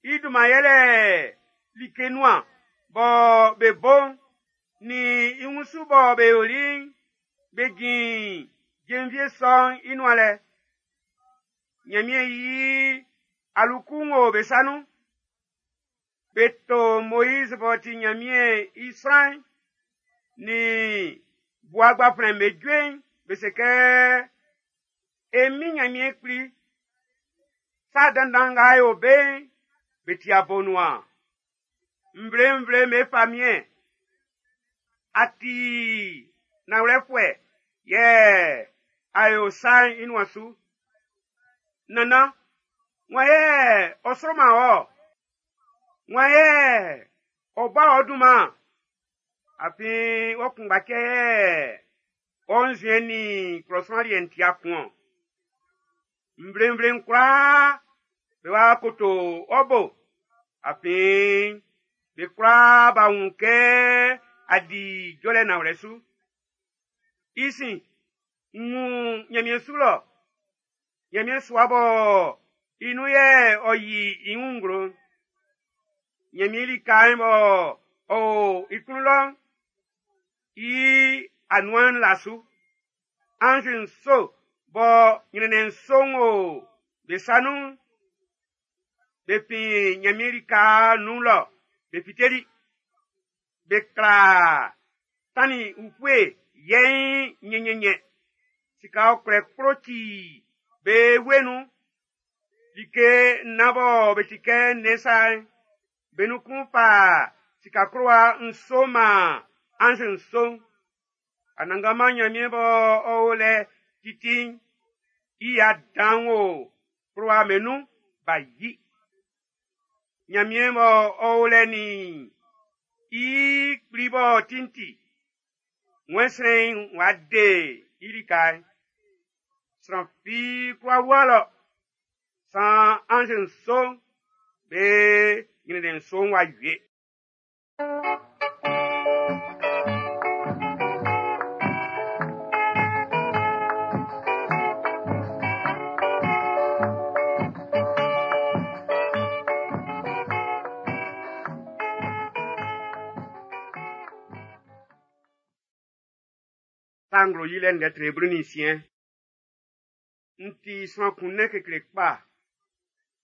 i dunman yɛlɛ like nuan bɔ be bo'n, nin i wunsu bɔ be yoli'n, be jin jenvie sɔ'n i nuan lɛ. Ɲanmiɛn yi aluku'n wo be sa nun. Be to Moiz b'ɔ ti Ɲanmiɛn i sran'n, nin Bua Gbaflɛn'n be jue'n, be se kɛ, “E min Ɲanmiɛn Kpli, sa dandan nga a yo be'n, be ti abonuan. Nvle-nvle'm be famiɛn, a ti nanwlɛfuɛ yɛ a yo sa'n i nuan su. Nannan, wan yɛ ɔ sroman wɔ? Wan yɛ ɔ bo ɔ dunman? Afin wɔ kunngba cɛ yɛ ɔ nzuɛn nin klɔ sran liɛ'n ti'a kun-ɔn. Nvle-nvle'n kwlaa be wa koto ɔ bo, afin be kwlaa b'a wun kɛ a di jɔlɛ nanwlɛ su. I sin, n wun Ɲanmiɛn su lɔ, Ɲanmiɛn sua bɔ i nun yɛ ɔ yi i wun nglo'n. Ɲanmiɛn lika'n bɔ ɔ o i klun lɔ'n, i anuan'n la su. Anz nso bɔ nyrɛnnɛn nso'n wo be sa nun'n, be fin Ɲanmiɛn lika'n nun lɔ be fiteli. Be kla tannin ufue yɛiin nyɛnyɛnyɛ. Sika ɔkwlɛ kplo ci be wue nun. Like nnan bɔ be ti kɛ nnɛn sa'n, be nun kun fa sika klowa nso man anz nso'n. Anannganman Ɲanmiɛn bɔ ɔ o lɛ titi'n, i ya dan'n wo klowa be nun b'a yi. Ɲanmiɛn bɔ ɔ o lɛ nin i kpli b'ɔ ti'n ti, wɛnsrɛn'n w'a de i lika'n. Sran fi kwla wua lɔ, san anz nso'n be nyrɛnnɛn nso'n w'a wie. Sa nglo yilɛ ndɛ tre blu nin nsiɛn. N ti sran kun nɛn kekle kpa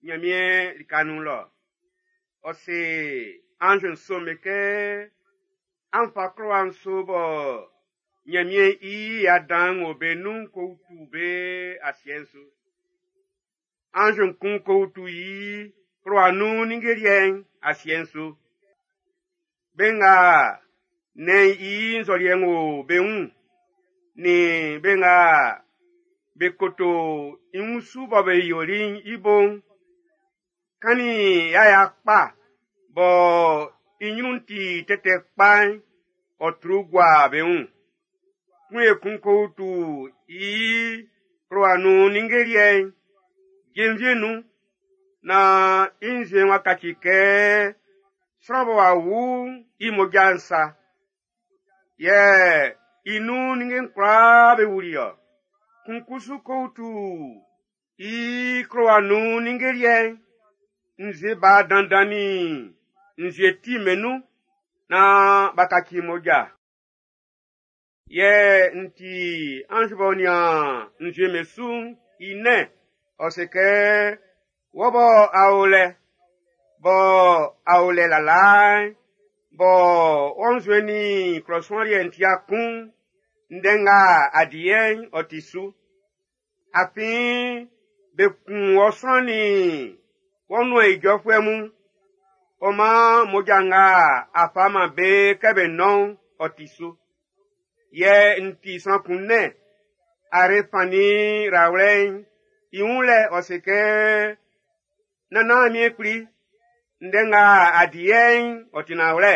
Ɲanmiɛn lika nun lɔ. Ɔ se anz nso'm be kɛ, “An fa klowa nso bɔ Ɲanmiɛn i ya dan'n wo be nun'n ko utu be asiɛ'n su.” Anz kun ko utu i klowa nun ninnge liɛ'n asiɛ'n su. Be nga nnɛn'n i nzɔliɛ'n wo be wun'n, nin be nga be koto i wunsu bɔ be yoli'n i bo'n, kannin yaya kpa bɔ i nyrun'n ti tɛtɛ kpa'n, ɔ tru gua be wun. Kun ekun ko utu i klowa nun ninnge liɛ'n jenvie'n nun, naan i nzue'n w'a kaci kɛ sran bɔ w'a wu'n i mmoja'n sa. Yɛ i nun ninnge'n kwlaa be wuli-ɔ. Kun kusu ko utu i klowa nun ninnge liɛ'n nzue ba dandan nin nzue ti'm be nun naan b'a kaci mmoja. Yɛ n ti anz b'ɔ nian nzue'm be su'n i nɛn, ɔ se kɛ, “Wɔ bɔ a o lɛ, bɔ a o lɛ lalaa'n, bɔ wɔ nzuɛn nin klɔ sran liɛ'n ti'a kun'n, ndɛ nga a di yɛ'n ɔ ti su. Afin be kun wɔ sran nin wɔ nuan ijɔfuɛ mun, ɔ maan mmoja nga a fa man be kɛ be nɔn'n ɔ ti su.” Yɛ n ti sran kun nɛn are fannin rawlɛ'n i wun lɛ ɔ se kɛ, “Nannan Miɛn Kpli, ndɛ nga a di yɛ'n ɔ ti nanwlɛ,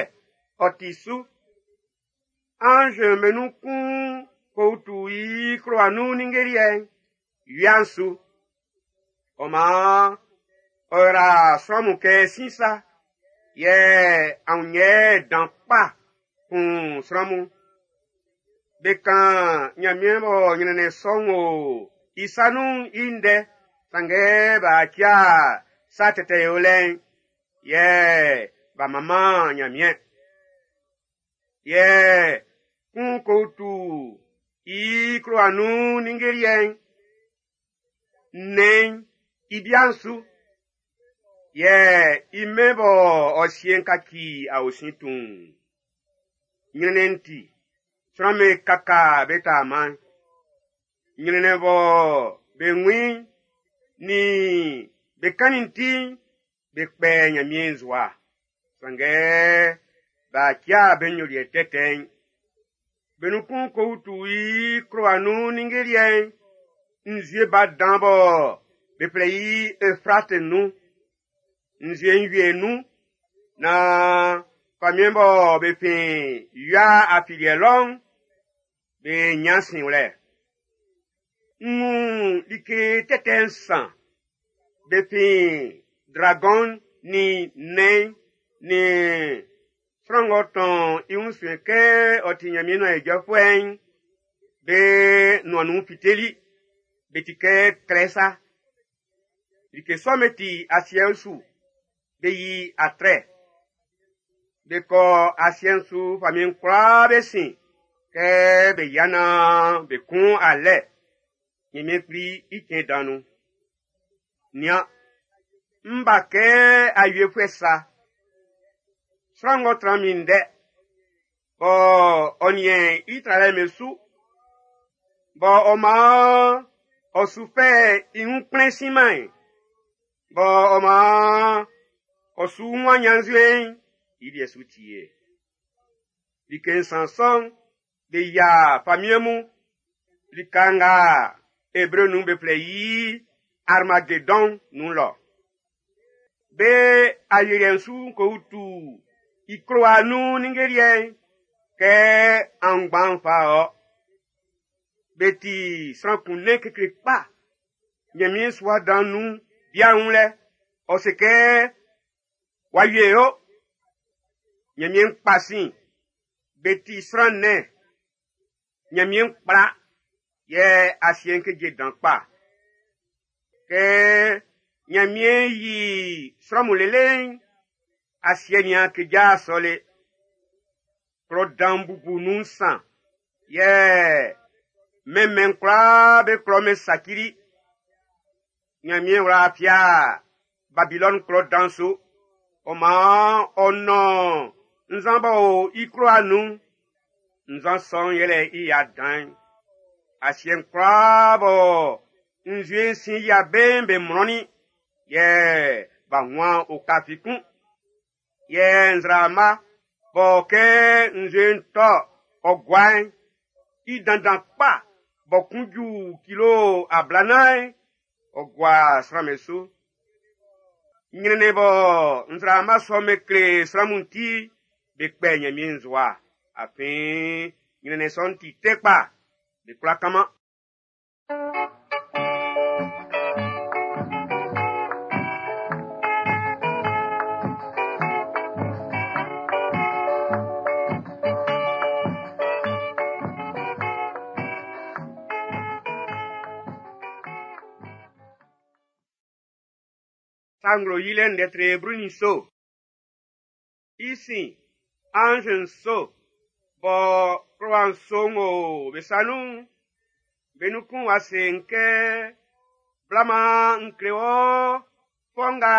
ɔ ti su.” Anz'm be nun kun ko utu i klowa nun ninnge liɛ'n wia'n su. Ɔ maan ɔ yra sran mun kɛ sin sa. Yɛ aunyɛ dan kpa kun sran mun. Be kan Ɲanmiɛn bɔ ɲrɛnnɛn sɔ'n o i sa nun'n i ndɛ, sanngɛ b'a tia sa tɛtɛ yolɛ'n, yɛ b'a manman Ɲanmiɛn. Yɛ kun ko tu i klowa nun ninnge liɛ'n, nnɛn'n i bia'n su. Yɛ i mɛn bɔ ɔ sie'n kaci aosin tuun. Ɲrɛnnɛn'n ti, sran'm be kaka be taaman'n. Ɲrɛnnɛn bɔ be wun i'n, nin be kannin'n ti'n, be kpɛ Ɲanmiɛn nzowa. Sanngɛ b'a tia be nyoliɛ tɛtɛ'n. Be nun kun ko utu i klowa nun ninnge liɛ'n, nzue ba dan bɔ be flɛ i Efrate nun. Nzue'n wie nun, naan famiɛn bɔ be fin wia afiliɛ lɔ'n, be nyan sinwlɛ. N wun like tɛtɛ nsan. Be fin dragɔn'n nin nnɛn'n nin sran ng'ɔ tɔn i wun suɛn kɛ ɔ ti Ɲanmiɛn nuan ijɔfuɛ'n, be nuan nun fiteli. Be ti kɛ trɛ sa. Like sɔ'm be ti asiɛ'n su, be yi atrɛ. Be kɔ asiɛ'n su famiɛn kwlaa be sin kɛ be yia naan be kun alɛ. Ɲanmiɛn Kpli i cɛn dan nun. Nian, n ba kɛ awiefuɛ sa. Sran ng'ɔ tran minndɛ, bɔ ɔ niɛn i tralɛ'm be su, bɔ ɔ maan ɔ su fɛ i wun kplɛn siman'n, bɔ ɔ maan ɔ su wunman ɲannzuɛn'n, i liɛ su ti ye. Like nsan sɔ'n, be yia famiɛn mun lika nga Ebre nun be flɛ i Armagedɔn nun lɔ. Be ayeliɛ'n su ko utu i klowa nun ninnge liɛ'n kɛ aunngban'n fa ɔ. Be ti sran kun nɛn kekle kpa. Ɲanmiɛn sua dan nun bia'n wun lɛ, ɔ se kɛ, w'a wie o. Ɲanmiɛn kpa sin, be ti sran nɛn. Ɲanmiɛn kpla, yɛ asiɛ'n keje dan kpa. Kɛ Ɲanmiɛn yi sran mun lele'n, asiɛ nin a keja sɔ le. Klɔ dan bubu nun nsan, yɛ mɛnmɛn kwlaa be klɔ'm be sacili. Ɲanmiɛn wla fia Babilɔni klɔ dan su. Ɔ maan ɔ nɔn nzan b'ɔ o i klowa nun'n. Nzan sɔ'n yɛlɛ i ya dan'n. Asiɛ'n kwlaa bɔ nzue'n sin yia be'n be mlɔnnin, yɛ b'a wuan oka fi kun. Yɛ nzraama bɔ kɛ nzue'n tɔ ɔ gua'n, i dandan kpa bɔ kun ju kilo ablanan'n, ɔ gua sran'm be su. Ɲrɛnnɛn bɔ nzraama sɔ'm be kle sran mun ti, be kpɛ Ɲanmiɛn nzowa. Afin ɲrɛnnɛn sɔ'n ti tɛ kpa, be kwlá kanman. Sa nglo yilɛ ndɛ tre blu nin nso. I sin, anz nso bɔ klowa nso'n o be sa nun'n, be nun kun wa se n kɛ, bla maan n kle wɔ fɔ nga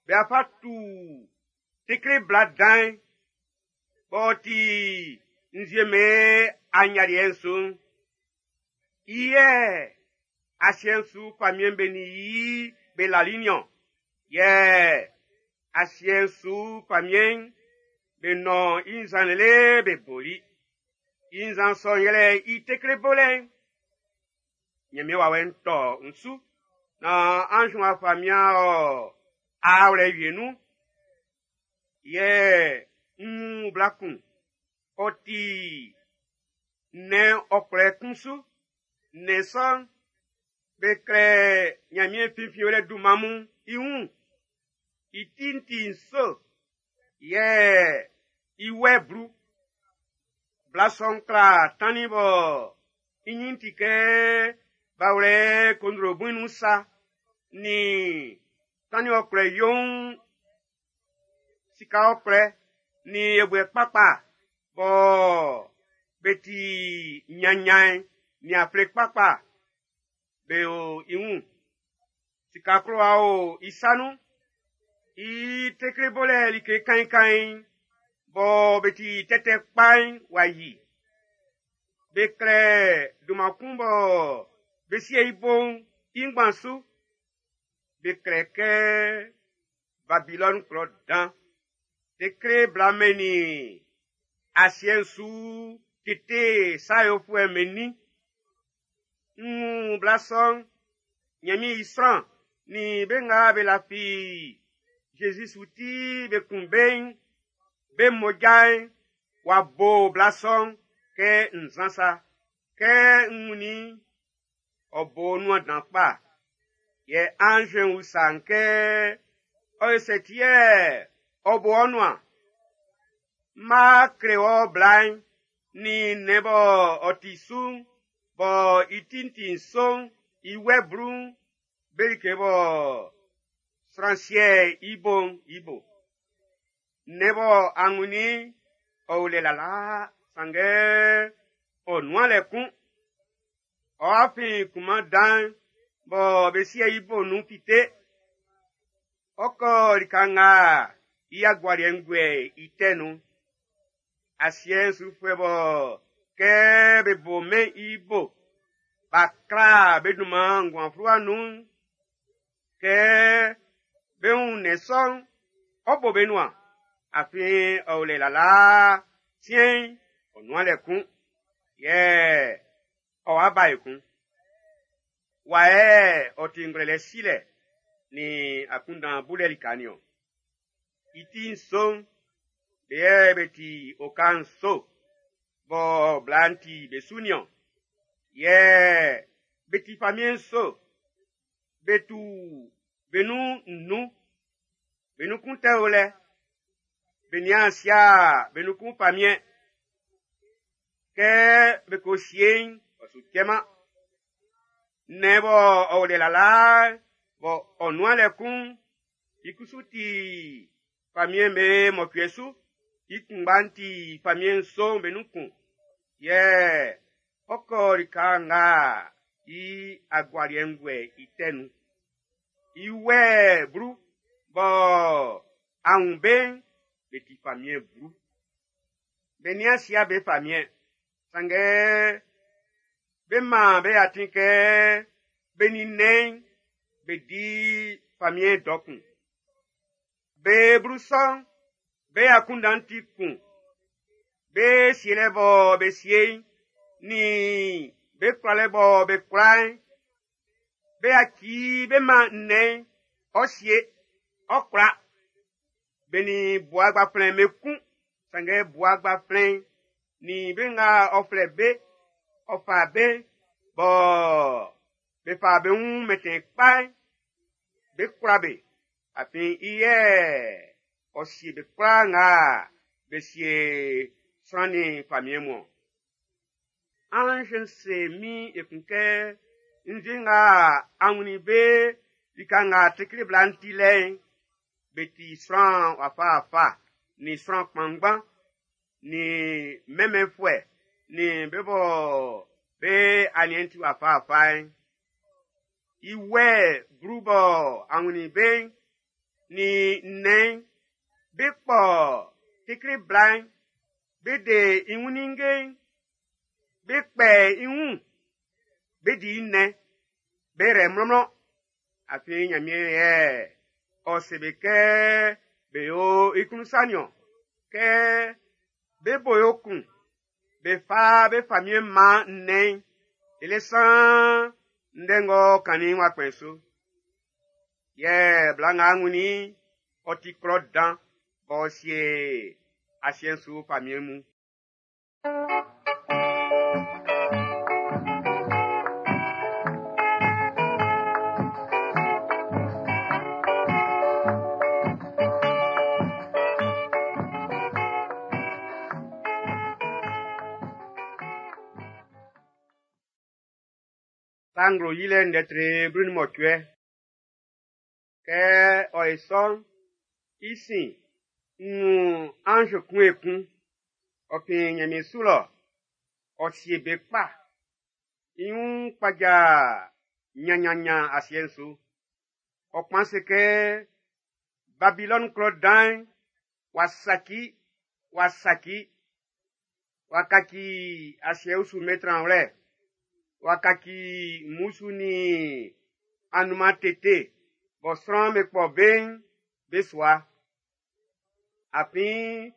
be fa tu tekle bla dan'n, b'ɔ ti nzue'm be anyaliɛ'n su'n. I yɛ asiɛ'n su famiɛn'm be nin i be lali niɔn. Yɛ asiɛ'n su famiɛn'n be nɔn i nzan lele be boli. I nzan sɔ'n yɛlɛ i tekle bolɛ'n. Ɲanmiɛn wawɛ'n tɔ n su, naan anz'n wa fa mian ɔ aawlɛ wie nun. Yɛ n wun bla kun, ɔ ti nnɛn ɔkwlɛ kun su. Nnɛn sɔ'n, be klɛ Ɲanmiɛn finfinwlɛ dunman mun i wun. I ti'n ti nso, Yɛ i wɛ blu. Bla sɔ'n kla tannin bɔ i nyin ti kɛ bawlɛ kondro buin nun sa nin tannin ɔkwlɛ youn sika ɔkwlɛ nin yɛbuɛ kpakpa bɔ be ti nyanyan nin afle kpakpa be o i wun. Sika klowa o i sa nun. I tekle bolɛ like kainkain bɔ be ti tɛtɛ kpa'n w'a yi. Be klɛ dunman kun bɔ be sie i bo'n i ngban su. Be klɛ kɛ Babilɔni klɔ dan. Tekle bla mɛn nin asiɛ'n su tete sa yofuɛ mɛnnin. N wun bla sɔ'n, Ɲanmiɛn i sran nin be nga be lafi Zezi su ti be kun be'n, be mmoja'n w'a bo bla sɔ'n kɛ nzan sa. Kɛ n wunnin i'n, ɔ bo nuan dan kpa. Yɛ anz'n usa n kɛ, ɔ yo sɛ ti yɛ ɔ bo ɔ nuan? M ma kle wɔ bla'n nin nnɛn bɔ ɔ ti su'n, bɔ i ti'n ti nso'n, i wɛ blu'n, be like bɔ sran sie i bo'n i bo. Nnɛn bɔ a wunnin i'n, ɔ o lɛ lalaa, sanngɛ ɔ nuan lɛ kun. Ɔ'a fin kunman dan'n bɔ be sie i bo'n nun fite. Ɔ kɔ lika nga i agualiɛ'n guɛ i tɛ nun. Asiɛ'n sufuɛ bɔ kɛ be bo mɛn i bo, b'a kla be dunman nguan fluwa nun'n, kɛ be wun nnɛn sɔ'n, ɔ bo be nuan, afin ɔ o lɛ lalaa, siɛn'n ɔ nuan lɛ kun, yɛ ɔ wa ba ekun. Wa yɛ ɔ ti ngwlɛlɛ silɛ nin akunndan bulɛ lika nin-ɔn. I ti nso'n, be yɛ be ti oka nso bɔ bla'n ti be su nin-ɔn. Yɛ be ti famiɛn nso, be tu be nun nnun, be nun kun tɛ o lɛ, be nian sia be nun kun famiɛn. Kɛ be ko sie'n, ɔ su cɛman. Nnɛn bɔ ɔ o lɛ lalaa bɔ ɔ nuan lɛ kun'n, i kusu ti famiɛn be mɔcuɛ su. I kunngba'n ti famiɛn nso'n be nun kun. Yɛ ɔ kɔ lika nga i agualiɛ'n guɛ i tɛ nun. I wɛ blu bɔ a wun be'n, be ti famiɛn blu. Be nian sia be famiɛn, sanngɛ be man be atin kɛ be nin nnɛn'n be di famiɛn dɔ kun. Be blu sɔ'n, be akunndan'n ti kun. Be sielɛ bɔ be sie'n, nin be kwlalɛ bɔ be kwla'n, be yaci be man nnɛn'n, ɔ sie, ɔ kwla. Be nin bua gbaflɛn be kun, sanngɛ bua gbaflɛn'n nin be nga ɔ flɛ be, ɔ fa be, bɔ be fa be wun mɛntɛn kpa'n, be kwla be. Afin i yɛ ɔ sie be kwlaa nga be sie sran nin famiɛn mun. Anz'n se min ekun kɛ, nzue nga a wunnin be lika nga tekle bla'n ti lɛ'n, be ti sran wafa-wafa, nin sran kpanngban, nin mɛnmɛnfuɛ, nin be bɔ be aniɛn'n ti wafa-wafa'n. I wɛ blu bɔ a wunnin be'n, nin nnɛn'n, be kpɔ tekle bla'n, be de i wun ninnge'n, be kpɛ i wun, be di i nnɛn, be rɛ mlɔnmlɔn. Afin Ɲanmiɛn yɛ ɔ se be kɛ be yo i klun sa nin-ɔn. Kɛ be bo yo kun, be fa be famiɛn man nnɛn'n, lele saan ndɛ ng'ɔ kannin'n w'a kpɛn su. Yɛ bla nga a wunnin i'n, ɔ ti klɔ dan b'ɔ sie asiɛ'n su famiɛn mun. Sa Nglo Yilɛ ndɛ tre blu nin mɔcuɛ. Kɛ ɔ ye sɔ'n, i sin, n wun anz kun ekun, ɔ fin nyanmiɛn su lɔ, ɔ sie be kpa. I wun kpaja nyannyannyan asiɛ'n su. Ɔ kpan se kɛ Babilɔni klɔ dan'n w'a saci, w'a saci, w'a kaci asiɛ usu be tranwlɛ, w'a kaci mmusu nin anunman tete bɔ sran'm be kpɔ be'n be sua. Afin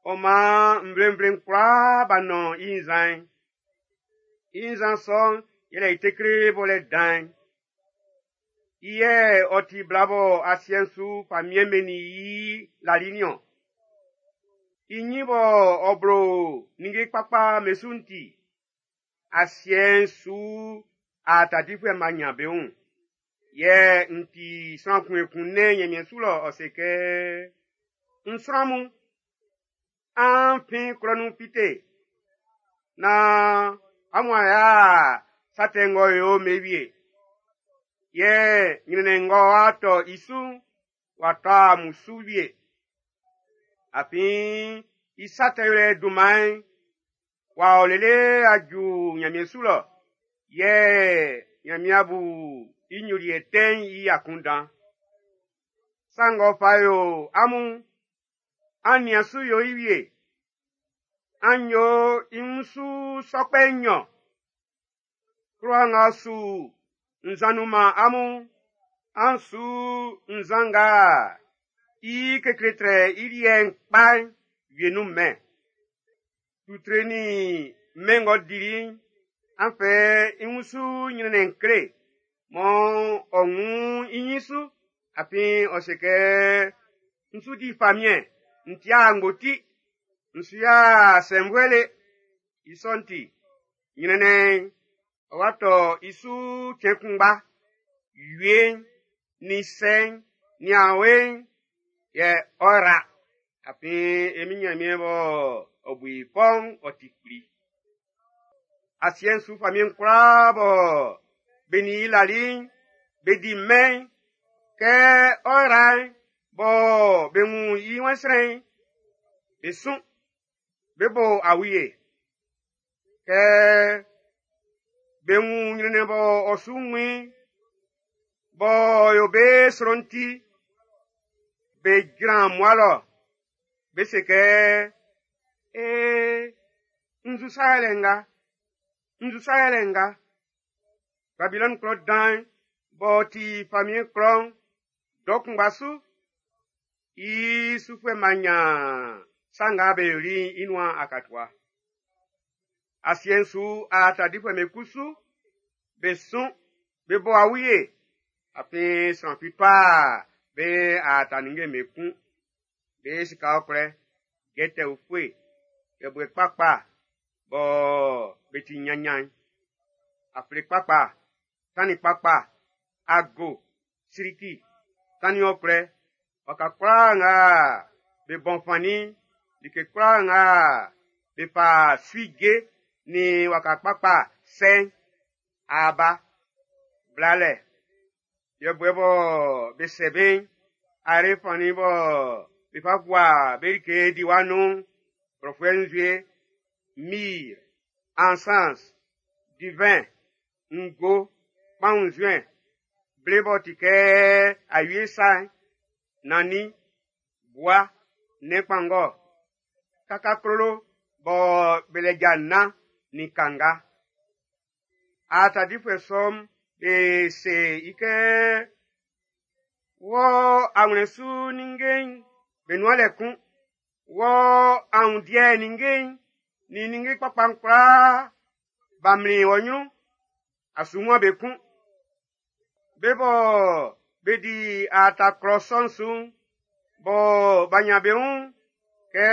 ɔ maan nvlenvle'n kwlaa b'a nɔn i nzan'n. I nzan sɔ'n yɛlɛ i tekle bolɛ dan'n. I yɛ ɔ ti bla bɔ asiɛ'n su famiɛn'n be nin i lali nin-ɔn. I nyin bɔ ɔ blo ninnge kpakpa be su'n ti, asiɛ'n su aata difuɛ'm b'a nyan be wun. Yɛ n ti sran kun ekun nɛn nyanmiɛn su lɔ ɔ se kɛ, N sran mun, an fin klɔ nun fite, naan amun a yo'a sa tɛ ng'ɔ yo'n be wie. Yɛ nyrɛnnɛn ng'ɔ wa tɔ i su'n, w'a tɔ amun su wie. Afin i sa tɛ yolɛ dunman'n w'a ɔ lele a ju nyanmiɛn su lɔ, yɛ Nyanmiɛn a bu i nyoliɛ tɛ'n i akunndan. Sa ng'ɔ fa yo amun'n, an nian su yo i wie. An yo i wunsu sɔ kpɛ nnyɔn. Klowa nga ɔ su nzan nun man amun'n, an su nzan nga i kekle trɛ i liɛ'n kpa'n wie nun mɛn. Tutre nin mɛn ng'ɔ dili'n, an fɛ i wunsu nyrɛnnɛn kle mɔ ɔ wun i nyin su, afin ɔ se kɛ, n su di famiɛn, n tia angboti, n su ya sɛnvuɛ le. I sɔ'n ti, nyrɛnnɛn'n ɔ wa tɔ i su cɛn kunngba. Wie'n, nin sɛ'n, nin awe'n, yɛ ɔ ra. Afin e Min Nyanmiɛn bɔ ɔ bu i fɔ'n ɔ ti kpli. Asiɛ'n su famiɛn kwlaa bɔ be nin i lali'n, be di mɛn'n, kɛ ɔ ra'n bɔ be wun i wɛnsrɛn'n, be sun, be bo awie. Kɛ be wun nyrɛnnɛn bɔ ɔ su wun i'n, b'ɔ yo be sro'n ti, be jran mmua lɔ, be se kɛ, Ee, nzu sa yɛlɛ nga, nzu sa yɛlɛ nga. Babilɔni klɔ dan'n b'ɔ ti famiɛn klɔ'n, dɔ kunngba su, i sufuɛ'm b'a nyan sa nga be yoli'n i nuan akatua. Asiɛ'n su aata difuɛ'm be kusu, be sun, be bo awie, afin sran fi tɔa be aata ninnge'm be kun. Be sika ɔkwlɛ, jɛtɛ ufue, yɛbuɛ kpakpa bɔ be ti nyannyan'n, afle kpakpa, tannin kpakpa, ago, siriki, tannin ɔkwlɛ, waka kwlaa nga be bɔn fannin'n, like kwlaa nga be fa sui je nin waka kpakpa sɛ'n, aaba, blalɛ, yɛbuɛ bɔ be sɛ be'n, are fannin bɔ be fa gua be like diwa nun'n, blɔfuɛ nzue, myrrhe, encens, divin, ngo, kpaun nzuɛn, ble b'ɔ ti kɛ awie sa'n, nannin, bua, nnɛn kpanngɔ, kakaklolo bɔ be lɛ ja nnan nin kanga. Aata difuɛ sɔ'm be se i kɛ, wɔ awlɛn su ninnge'n be nuan lɛ kun. Wɔ aundiɛ ninnge'n nin ninnge kpakpa'n kwlaa b'a mlin wɔ nyrun, a su wun be kun. Be bɔ be di aata klɔ sɔ'n su'n, bɔ b'a nyan be wun, kɛ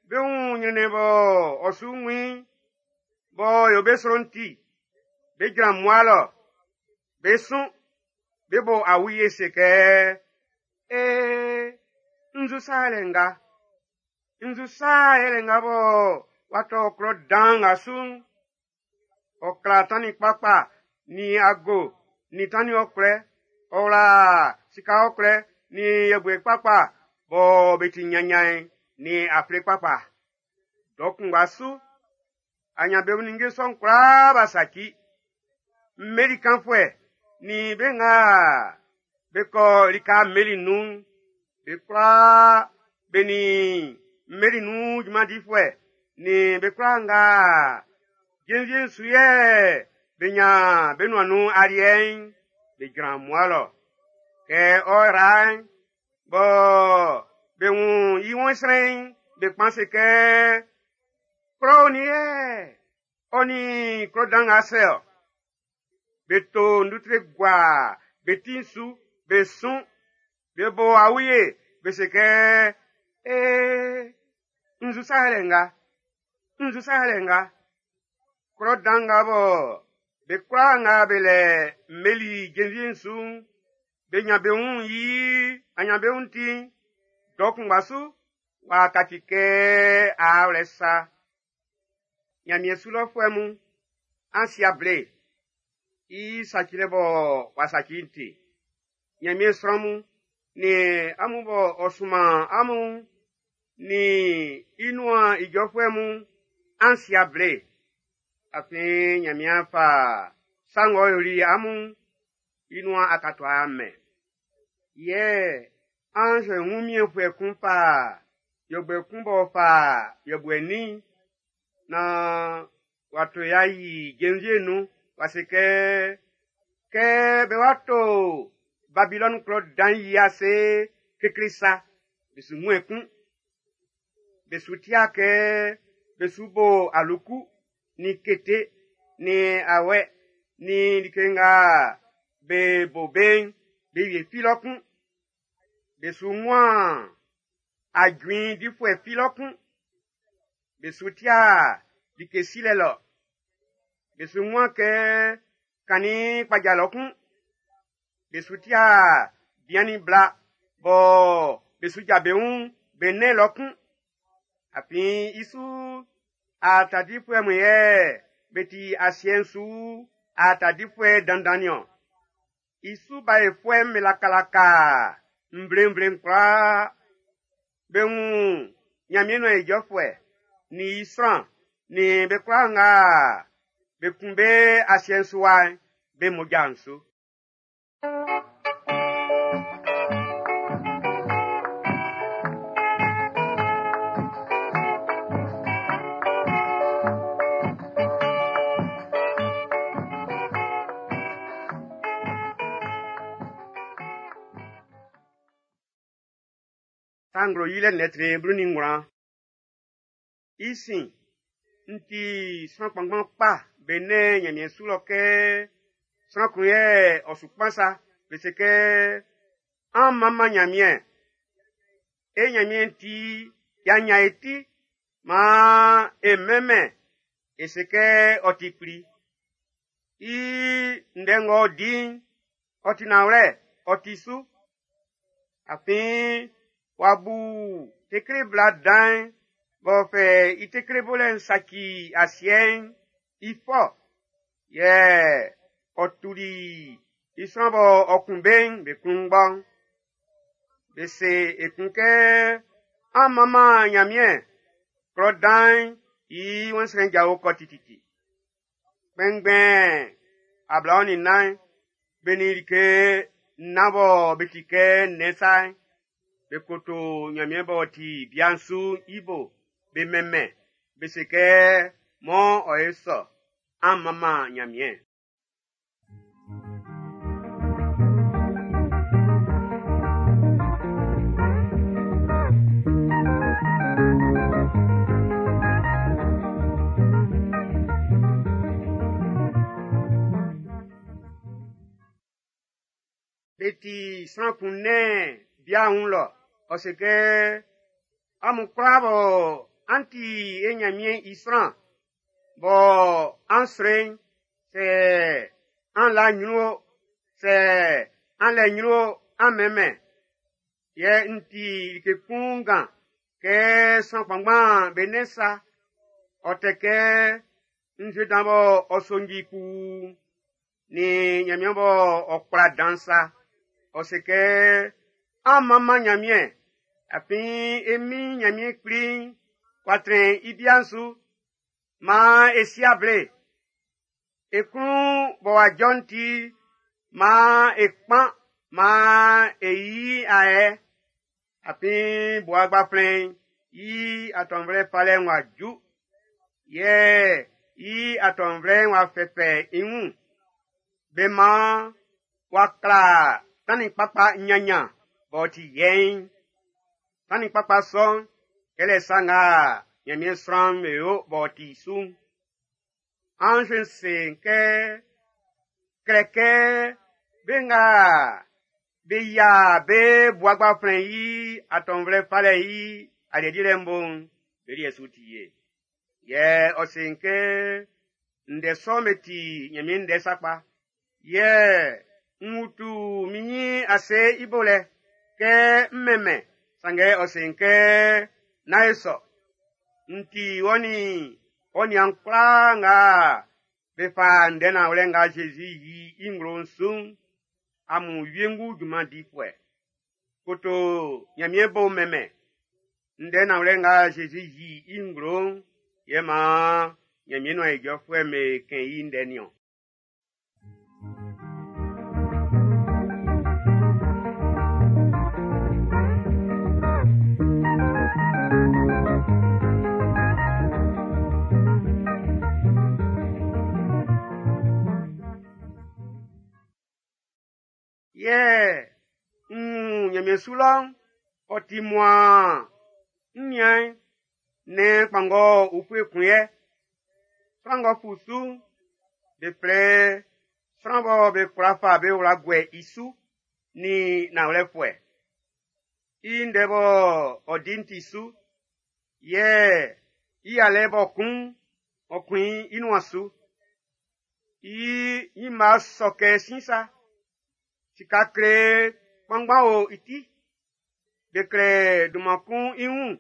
be wun nyrɛnnɛn bɔ ɔ su wun i'n, b'ɔ yo be sro'n ti, be jran mmua lɔ, be sun, be bo awie se kɛ, Ee, nzu sa yɛlɛ nga, nzu sa yɛlɛ nga bɔ w'a tɔ klɔ dan nga su'n. Ɔ kla tannin kpakpa nin ago, nin tannin ɔkwlɛ, ɔ wla sika ɔkwlɛ, nin yɛbuɛ kpakpa bɔ be ti nyannyann'n, nin afle kpakpa. Dɔ kunngba su, anyanbeun ninnge sɔ'n kwlaa b'a saci. Mmeli kanfuɛ nin be nga be kɔ lika mmeli nun'n, be kwlaa be nin mmeli nun junman difuɛ nin be kwlaa nga jenvie'n su yɛ be nyan be nuan nun aliɛ'n, be jran mmua lɔ. Kɛ ɔ yra'n, bɔ be wun i wɛnsrɛn'n, be kpan se kɛ, klɔ onin yɛ ɔ nin klɔ dan nga sɛ ɔ. Be to ndutre gua be ti'n su, be sun, be bo awie, be se kɛ, ee, nzu sa yɛlɛ nga, nzu sa yɛlɛ nga. Klɔ dan nga bɔ be kwlaa nga be lɛ mmeli jenvie'n su'n, be nyan be wun yi anyanbeun'n ti'n, dɔ kunngba su w'a kaci kɛ aawlɛ sa. Nyanmiɛn su lɔfuɛ mun, an si able, i sacilɛ bɔ w'a saci'n ti. Nyanmiɛn sran mun, nin amun bɔ ɔ sunman amun, nin i nuan ijɔfuɛ mun, an si able. Afin Nyanmiɛn fa sa ng'ɔ yoli amun i nuan akatua mɛn. Yɛ anz wunmiɛnfuɛ kun fa yɔbuɛ kun b'ɔ fa yɔbuɛ nin nan w'a to y'a yi jenvie'n nun, w'a se kɛ, kɛ be wa to Babilɔni klɔ dan yi ase kekle sa, be su wun ekun. Be su tia kɛ be su bo aluku, nin kete, nin awɛ, nin like nga be bo be'n, be wie fi lɔ kun. Be su wuan ajuin difuɛ fi lɔ kun. Be su tia like silɛ lɔ. Be su wuan kɛ kannin kpaja lɔ kun. Be su tia bian nin bla bɔ be su ja be wun be nɛn lɔ kun. Afin i su aata difuɛ mun yɛ be ti asiɛ'n su aata difuɛ dandan niɔn. I su baefuɛ'm be lakalaka nvlenvle'n kwlaa. Be wun Nyanmiɛn nuan ijɔfuɛ nin i sran nin be kwlaa nga be kun be asiɛ'n su wa'n, be mmoja'n su. Sa nglo yilɛ lɛtri blu nin ngwlan. I sin, n ti sran kpanngban kpa be nɛn Nyanmiɛn su lɔ kɛ sran kun yɛ ɔ su kpan sa, be se kɛ, an manman Nyanmiɛn. E Nyanmiɛn ti, y'a nyan e ti, maan e mɛnmɛn, e se kɛ ɔ ti kpli. I ndɛ ng'ɔ di'n, ɔ ti nanwlɛ, ɔ ti su. Afin w'a bu tekle bla dan'n b'ɔ fɛ i tekle bolɛ'n saci asiɛ'n i fɔ, yɛ ɔ tuli i sran bɔ ɔ kun be'n be klunngbɔ'n. Be se ekun kɛ, an manman Nyanmiɛn, klɔ dan'n i wɛnsrɛn jao kɔ tititi. Kpɛnngbɛn ablaɔn nin nnan, be nin like nnan bɔ be ti kɛ nnɛn sa'n, be koto Nyanmiɛn b'ɔ ti bia'n su'n i bo, be mɛnmɛn, be se kɛ, mɔ ɔ ye sɔ, an manman Nyanmiɛn. Be ti sran kun nɛn bia'n wun lɔ, ɔ se kɛ, amun kwlaa bɔ an ti e Nyanmiɛn i sran, bɔ an sro'n, sɛ an la nyrun o, sɛ an lɛ nyrun o, an mɛnmɛn. Yɛ n ti like kun ngan kɛ sran kpanngban be nɛn sa, ɔ tɛ kɛ nzue dan bɔ ɔ sonji kpuu, Nin Ɲanmiɛn bɔ ɔ kwla dan sa. Ɔ se kɛ an manman Ɲanmiɛn, afin e min Ɲanmiɛn kpli'n w'a trɛn i bia'n su. Maan e si able. E klun bɔ w'a jɔ'n ti, maan e kpan, maan e yi ayɛ. Afin Bua Gbaflɛn'n i atɔnvlɛ falɛ'n w'a ju. Yɛ i atɔnvlɛ'n w'a fɛfɛ i wun. Be maan w'a kla tannin kpakpa nyannya b'ɔ ti yɛiin. Tannin kpakpa sɔ'n, yɛlɛ sa nga Ɲanmiɛn sran'm be yo b'ɔ ti su'n. Anz'n se kɛ, klɛ kɛ be nga be yia be Bua Gbaflɛn'n i atɔnvlɛ falɛ'n i aliɛ dilɛ'n bo'n, be liɛ su ti ye. Yɛ ɔ se kɛ ndɛ sɔ'n be ti Ɲanmiɛn ndɛ sakpa. Yɛ n utu min ɲin ase i bo lɛ kɛ n mɛnmɛn, sanngɛ ɔ se kɛ nán e sɔ. N ti wɔ nin ɔ niaan kwlaa nga be fa ndɛ nanwlɛ nga Zezi yi i nglo'n su'n, amun wiengu junman difuɛ. Koto Ɲanmiɛn bo mɛnmɛn. Ndɛ nanwlɛ nga Zezi yi i nglo'n, yɛ maan Ɲanmiɛn nuan ijɔfuɛ'm be kɛn i ndɛ niɔn. Yɛ n wun Ɲanmiɛn su lɔ'n, ɔ ti muaan. N nian, nnɛn kpanngɔ ufue kun yɛ. Sran ng'ɔ fu su'n, be flɛ sran bɔ be kwla fa be wla guɛ i su nin nanwlɛfuɛ. I ndɛ bɔ ɔ di'n ti su, yɛ i alɛ b'ɔ kun'n, ɔ kun i nuan su. I ɲinma sɔ kɛ sin sa. Sika kle kpanngban o i ti. Be klɛ dunman kun i wun.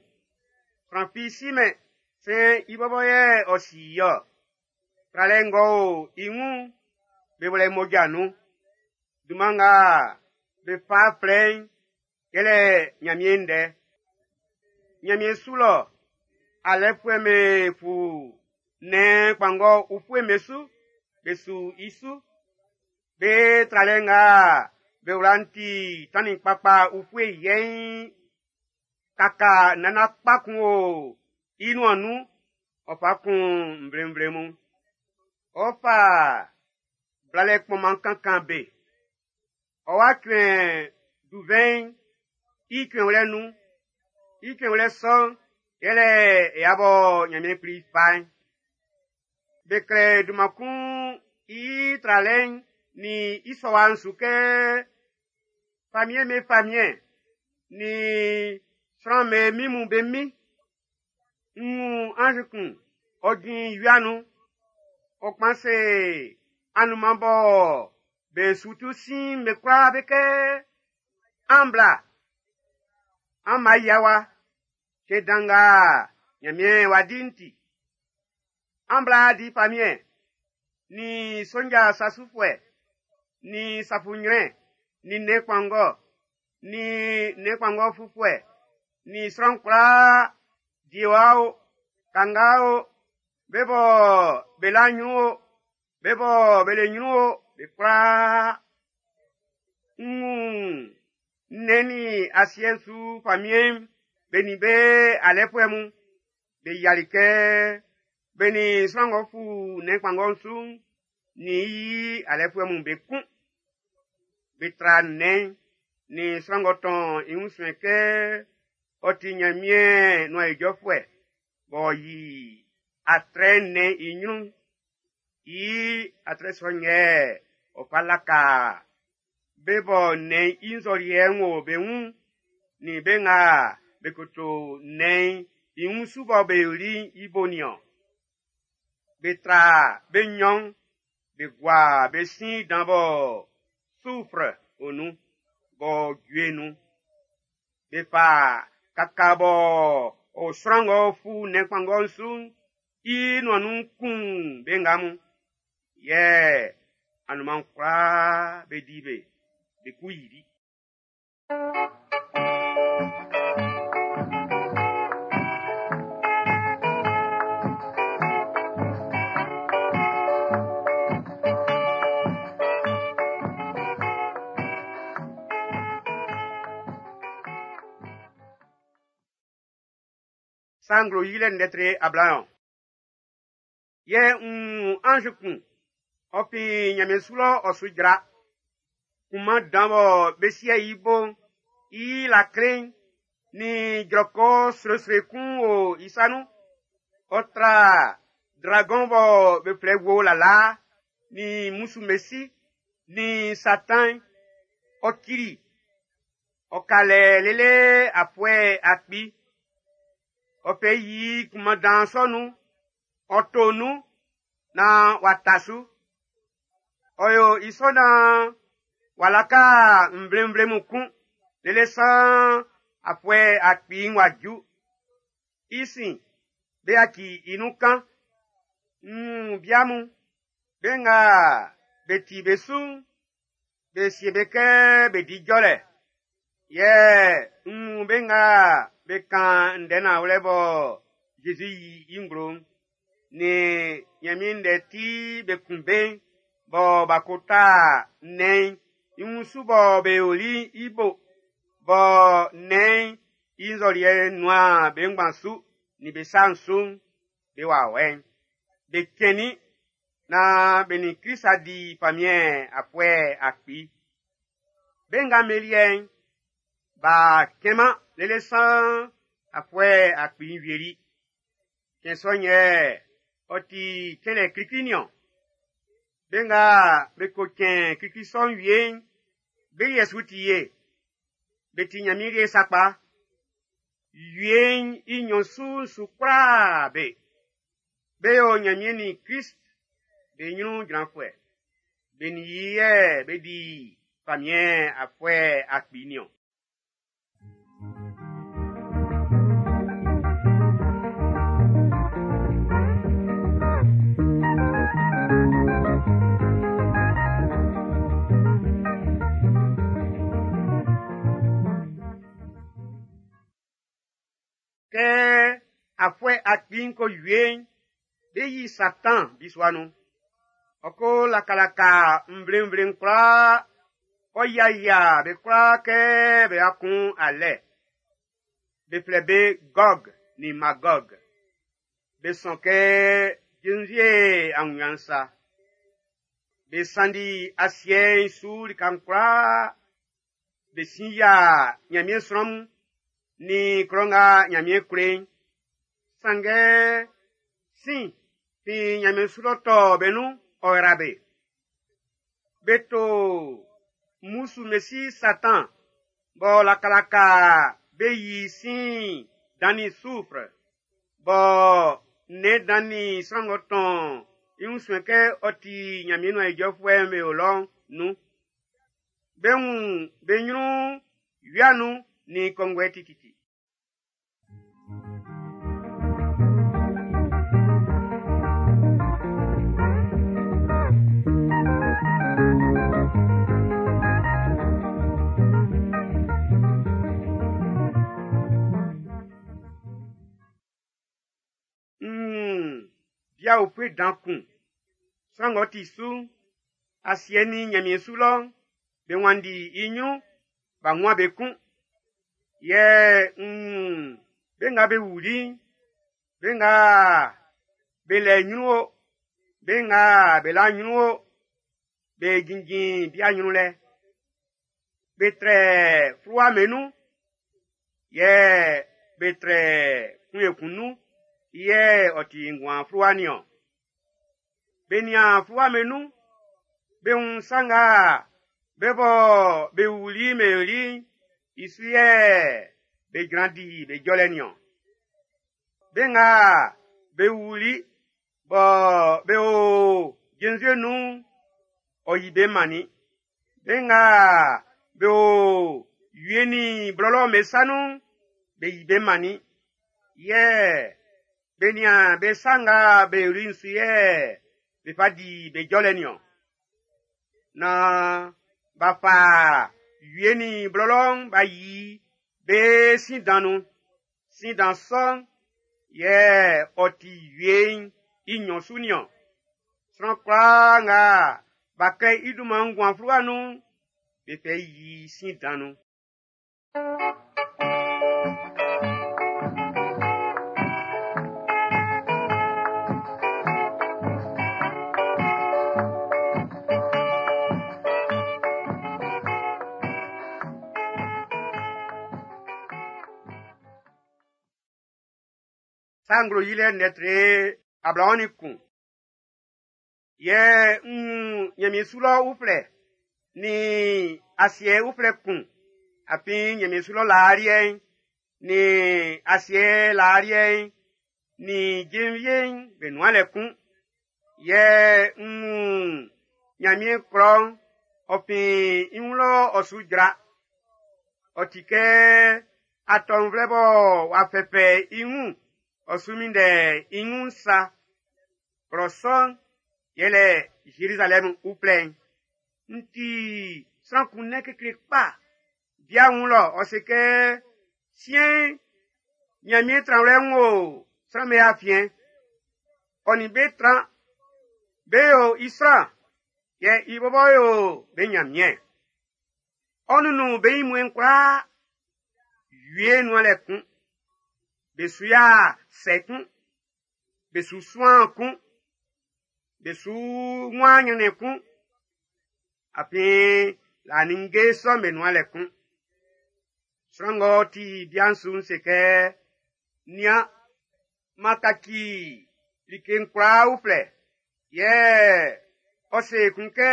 Sran fi simɛn sɛ i bɔbɔ yɛ ɔ si i-ɔ. Tralɛ ng'ɔ o i wun'n, be wlɛ mmoja nun. Dunman nga be fa flɛ i'n, yɛlɛ Ɲanmiɛn ndɛ. Ɲanmiɛn su lɔ, alɛfuɛ'm be fu nnɛn kpanngɔ ufue'm be su, be su i su. Be tralɛ nga be wla'n ti tannin kpakpa ufue yɛiin. Kaka nana kpa kun o i nuan nun, ɔ fa kun nvlenvle mun. Ɔ fa blalɛ kpɔnman kankan be. Ɔ wa cuɛn duvɛn'n i cuɛnwlɛ nun. I cuɛnwlɛ sɔ'n, yɛlɛ ya bɔ Ɲanmiɛn Kpli fa'n. Be klɛ dunman kun i tralɛ'n nin i sɔwa'n su kɛ famiɛn be famiɛn nin sran'm be min mun be min. N wun anz kun, ɔ jin wia nun. Ɔ kpan se anunman bɔ be su tu sin be kwlaa be kɛ, an bla, an ma yia wa, cɛn dan nga Ɲanmiɛn w'a di'n ti. An bla di famiɛn, nin sonja sasufuɛ, nin safuɲrɛn, nin nnɛn kpanngɔ, nin nnɛn kpanngɔ fufuɛ, nin sran kwlaa, diewa o, kanga o, be bɔ be la ɲrun o, be bɔ be le ɲrun o, be kwlaa. N wun nnɛn nin asiɛ'n su famiɛn'n be nin be alɛfuɛ mun, be yiali kɛ be nin sran ng'ɔ fu nnɛn kpanngɔ'n su'n nin i alɛfuɛ mun be kun. Be tra nnɛn'n nin sran ng'ɔ tɔn i wun suɛn kɛ ɔ ti Ɲanmiɛn nuan ijɔfuɛ b'ɔ yi atrɛ nnɛn i ɲrun'n. I atrɛ sɔ'n yɛ ɔ fa laka be bɔ nnɛn'n i nzɔliɛ'n wo be wun nin be nga be koto nnɛn'n i wun su bɔ be yoli'n i bo nin-ɔn. Be tra be nnyɔn'n be gua be sin dan bɔ sufre o nun, b'ɔ jue nun. Be fa kaka bɔ o sran ng'ɔ fu nnɛn kpanngɔ'n su'n i nuan nun kun be nga mun. Yɛ Anunman kwlaa be di be, be ku yili. Sa Nglo Yilɛ ndɛ tre ablaɔn. Yɛ n wun anz kun, ɔ fin nyanmiɛn su lɔ ɔ su jra. Kunman dan bɔ be sie i bo'n, i lakle'n nin jrɔkɔ sroesroe kun o i sa nun. Ɔ tra dragon bɔ be flɛ wo lalaa, nin musu mesi, nin Satan, ɔ cili. Ɔ ka lɛ lele afuɛ akpi. Ɔ fɛ yi kunman dan sɔ nun, ɔ to nun, naan w'a ta su. Ɔ yo i sɔ naan w'a laka nvlenvle mun kun, lele saan afuɛ akpi'n w'a ju. I sin, be yaci i nun kan. N wun bia mun, be nga be ti be su'n, be sie be kɛ be di jɔlɛ. Yɛ n wun be nga be kan ndɛ nanwlɛ bɔ Zezi yi i nglo'n, nin Nyanmiɛn ndɛ ti be kun be'n, bɔ b'a ko ta nnɛn'n i wunsu bɔ be yoli'n i bo, bɔ nnɛn'n i nzɔliɛ nuan be ngban su nin be sa'n su'n, be wawɛ'n. Be cɛnnin naan be nin Krist a di famiɛn afuɛ akpi. Be nga be liɛ'n, b'a cɛnman lele saan afuɛ akpi'n wieli. Cɛn sɔ'n yɛ ɔ ti cɛnlɛ klikli niɔn. Be nga be ko cɛn klikli sɔ'n wie'n, be liɛ su ti ye. Be ti Nyanmiɛn liɛ sakpa. Wie'n i nnyɔn su'n su kwlaa be. Be yo Nyanmiɛn nin Krist be nyrun jranfuɛ. Be nin i yɛ be di famiɛn afuɛ akpi niɔn. Kɛ afuɛ akpi'n ko wie'n, be yi Satan bisua nun. Ɔ ko lakalaka nvlenvle'n kwlaa, ɔ yiayia be kwlaa kɛ be kun alɛ. Be flɛ be Gog nin Magog. Be sɔn kɛ jenvie aunɲan sa. Be sanndi asiɛ'n su lika'n kwlaa. Be sin yia Nyanmiɛn sran mun nin klɔ nga Nyanmiɛn kle'n. Sanngɛ sin fin Nyanmiɛn su lɔ tɔ be nun, ɔ yra be. Be to musu mesi Satan bɔ lakalaka be yi sin dan nin soufre, bɔ nnɛn dan nin sran ng'ɔ tɔn i wun suɛn kɛ ɔ ti Nyanmiɛn nuan ijɔfuɛ'n be o lɔ'n nun. Be wun be nyrun wia nun nin kɔnguɛ tititi. Hmm, bia ofue dan kun. Sran ng'ɔ ti su'n, asiɛ nin Nyanmiɛn su lɔ'n, be wanndi i nyrun, b'a wun be kun. Yɛ n wun be nga be wuli'n, be nga be lɛ nyrun o, be nga be la nyrun o, be jinjin bia nyrun lɛ. Be trɛ fluwa me nun, yɛ be trɛ kun ekun nun, yɛ ɔ ti nguan fluwa niɔn. Be nian fluwa me nun, be wun sa nga be bɔ be wuli me yoli'n, i su yɛ be jran di be jɔlɛ niɔn. Be nga be wuli bɔ be o jenvie nun'n, ɔ yi be mannin. Be nga be o wie nin blɔlɔ'n be sa nun'n, be yi be mannin. Yɛ be nian be sa nga be yoli'n su yɛ be fa di be jɔlɛ niɔn. Naan b'a fa wie nin blɔlɔ'n b'a yi be sin dan nun. Sin dan sɔ'n yɛ ɔ ti wie'n i nnyɔn su nin-ɔn. Sran kwlaa nga b'a klɛ i dunman nguan fluwa nun'n, be fɛ yi sin dan nun. Sa Nglo Yilɛ ndɛ tre ablaɔn nin kun. Yɛ n wun Nyanmiɛn su lɔ uflɛ nin asiɛ uflɛ kun. Afin Nyanmiɛn su lɔ laa liɛ'n, nin asiɛ laa liɛ'n, nin jenvie'n be nuan lɛ kun. Yɛ n wun Nyanmiɛn klɔ'n, ɔ fin i wun lɔ ɔ su jra. Ɔ ti kɛ atɔnvlɛ bɔ w'a fɛfɛ i wun, ɔ su minndɛ i wun sa. Klɔ sɔ'n yɛlɛ Zerizalɛm uflɛ'n. N ti sran kun nɛn kekle kpa. Bia wun lɔ, ɔ se kɛ, siɛn'n, Nyanmiɛn tranwlɛ'n wo sran'm be afiɛn. Ɔ nin be tran, be yo i sran, yɛ i bɔbɔ yo be Nyanmiɛn. Ɔ nunnun be ɲinmuɛn'n kwlaa, wie nuan lɛ kun. Be su ya sɛ kun, be su suan kun, be su wan nyrɛnnɛn kun. Afin laa ninnge sɔ'm be nuan lɛ kun. Sran ng'ɔ ti bia'n su'n se kɛ, nian, m'an kaci like'n kwlaa uflɛ. Yɛ ɔ se kun kɛ,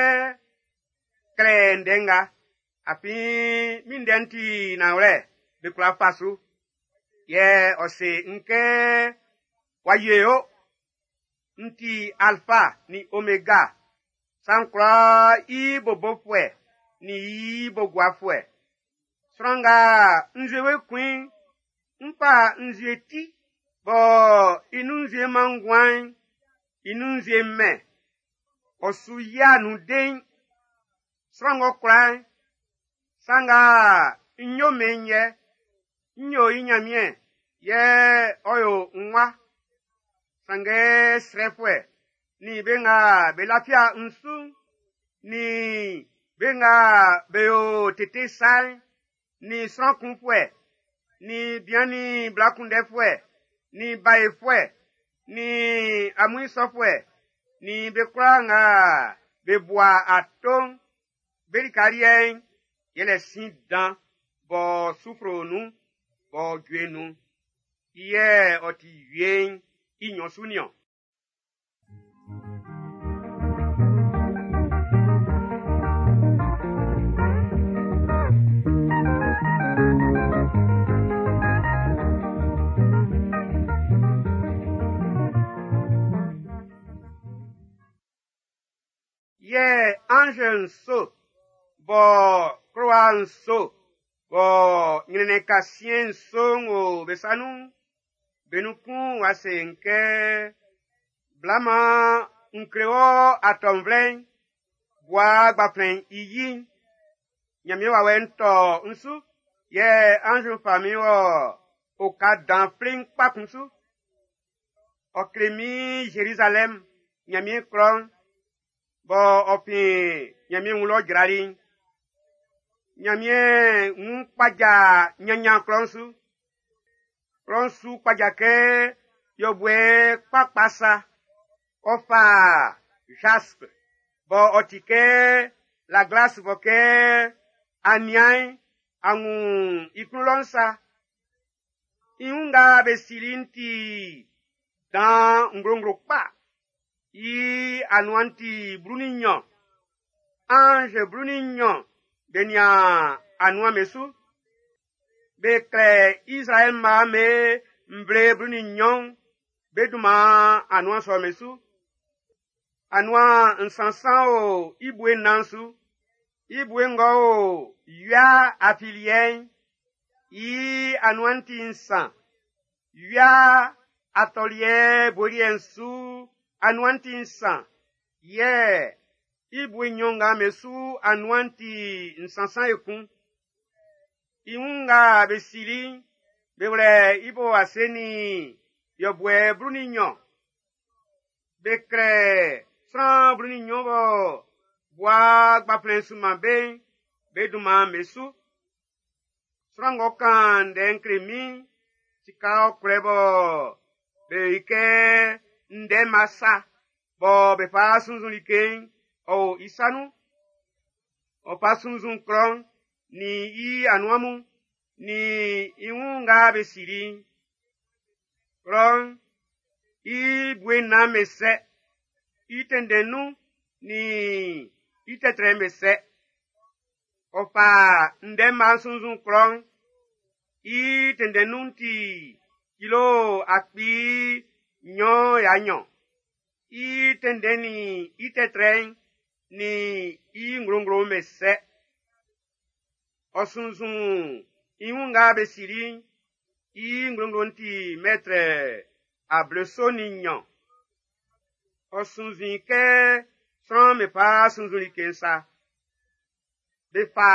klɛ ndɛ nga, afin min ndɛ'n ti nanwlɛ, be kwla fa su. Yɛ ɔ se n kɛ, w'a wie o, n ti Alfa nin Omega, sa'n kwlaa i bobofuɛ nin i boguafuɛ. Sran nga nzue we kun i'n, n fa nzue ti bɔ i nun nzue man nguan'n, i nun nzue mɛn, ɔ su yia nun dein. Sran ng'ɔ kwla'n, sa nga n yo mɛn yɛ, n yo i Nyanmiɛn, yɛ ɔ yo n wa. Sanngɛ srɛfuɛ nin be nga be lafia n su'n, nin be nga be yo tete sa'n, nin sran kunfuɛ, nin bian nin bla kunndɛfuɛ, nin baefuɛ, nin amuin sɔfuɛ, nin be kwlaa nga be bua ato'n, be lika liɛ'n yɛlɛ sin dan bɔ sufru nun, bɔ jue nun. I yɛ ɔ ti wie'n i nnyɔn su nin-ɔn. Yɛ ange nso bɔ klowa nso bɔ nyrɛnnɛn kasiɛn nso'n wo be sa nun'n, be nun kun wa se n kɛ, bla man n kle wɔ atɔnvlɛ'n, bua gbaflɛn'n i yi'n. Nyanmiɛn wawɛ'n tɔ n su, yɛ anz'n fa min wɔ oka dan flein kpa kun su. Ɔ kle min Zerizalɛm, Nyanmiɛn klɔ'n, bɔ ɔ fin Nyanmiɛn wun lɔ jrali'n. Nyanmiɛn wun kpaja nyanyan klɔ'n su. Klɔ'n su kpaja kɛ yɔbuɛ kpakpa sa. Ɔ fa jaspe bɔ ɔ ti kɛ la glace bɔ kɛ a nian'n, a wun i klun lɔ'n sa. I wun nga be sili'n ti dan nglonglo kpa. I anuan'n ti blu nin nnyɔn. Ange blu nin nnyɔn be nian anuan be su. Be klɛ Israɛl mma'n be nvle blu nin nnyɔn be dunman anuan sɔ'n be su. Anuan nsansan o i bue nnan su. I bue ng'ɔ o wia afiliɛ'n, i anuan'n ti nsan. Wia atɔliɛ bue liɛ'n su anuan'n ti nsan. Yɛ I bue nnyɔn nga be su anuan'n ti nsansan ekun. I wun nga be sili'n, be wlɛ i bo ase nin yɔbuɛ blu-nin-nnyɔn. Be klɛ sran blu-nin-nnyɔn bɔ bua gbanflɛn sunman be'n, be dunman be su. Sran ng'ɔ kan ndɛ'n kle min'n, sika ɔkwlɛ bɔ be yi kɛ ndɛma sa bɔ be fa sunnzun like'n, ɔ o i sa nun. Ɔ fa sunnzun klɔ'n nin i anuan mun, nin i wun nga be sili'n. Klɔ'n i bue nnan be sɛ, i tɛnndɛn nun nin i tɛtrɛ'n be sɛ. Ɔ fa ndɛma sunnzun klɔ'n, i tɛnndɛn nun'n ti kilo akpi nnyɔn ya nnyɔn. I tɛnndɛn nin i tɛtrɛ'n nin i nglonglo'n be sɛ. Ɔ sunnzun i wun nga be sili'n, i nglonglo'n ti mɛtrɛ ableso nin nnyɔn. Ɔ sunnzun i kɛ sran'm be fa sunnzun like'n sa. Be fa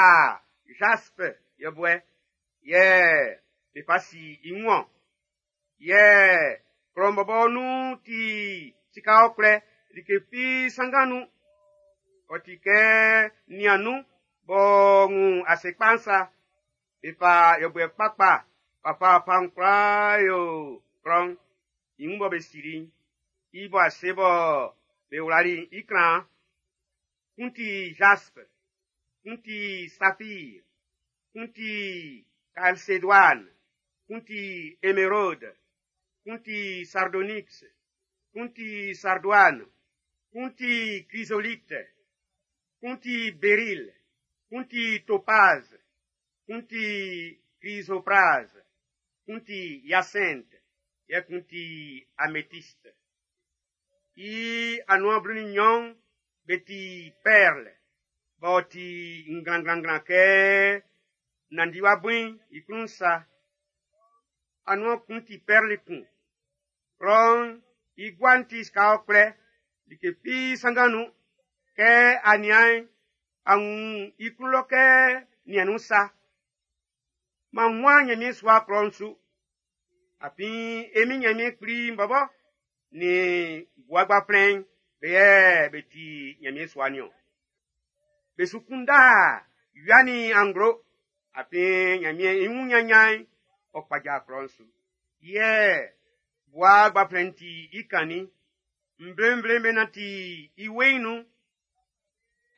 jaspe yɛbuɛ yɛ be fa si i wun-ɔn. Yɛ klɔ'n bɔbɔ nun ti sika ɔkwlɛ, like fi sanngan nun. Ɔ ti kɛ niannun b'ɔ wun ase kpa'n sa. Be fa yɛbuɛ kpakpa fafafa'n kwlaa yo klɔ'n i wun bɔ be sili'n, i bo ase bɔ be wlali i klan'n. Kun ti jaspe, kun ti safir, kun ti chalcédoine, kun ti émeraude, kun ti sardonyx, kun ti sardoine, kun ti chrysolite, kun ti béryl, kun ti topaze, kun ti chrysoprase, kun ti hyacinthe, yɛ kun ti améthyste. I anuan blu-nin-nnyɔn be ti perle, b'ɔ ti nglanglanglan kɛ nandiwa bui'n i klun sa. Anuan kun ti perle kun. Klɔ'n i gua'n ti sika ɔkwlɛ, like fi sanngan nun. Kɛ a nian'n, a wun i klun lɔ kɛ niannun sa. M'an wuan Nyanmiɛn sua klɔ'n su. Afin e Min Nyanmiɛn Kpli'n bɔbɔ nin bua gbanflɛn'n be yɛ be ti Nyanmiɛn sua nin-ɔn. Be su kunda wia nin anglo, afin Nyanmiɛn i wun nyanyan'n ɔ kpaja klɔ'n su. Yɛ bua gbanflɛn'n ti i kannin. Nvle-nvle'm be nanti i weiin nun.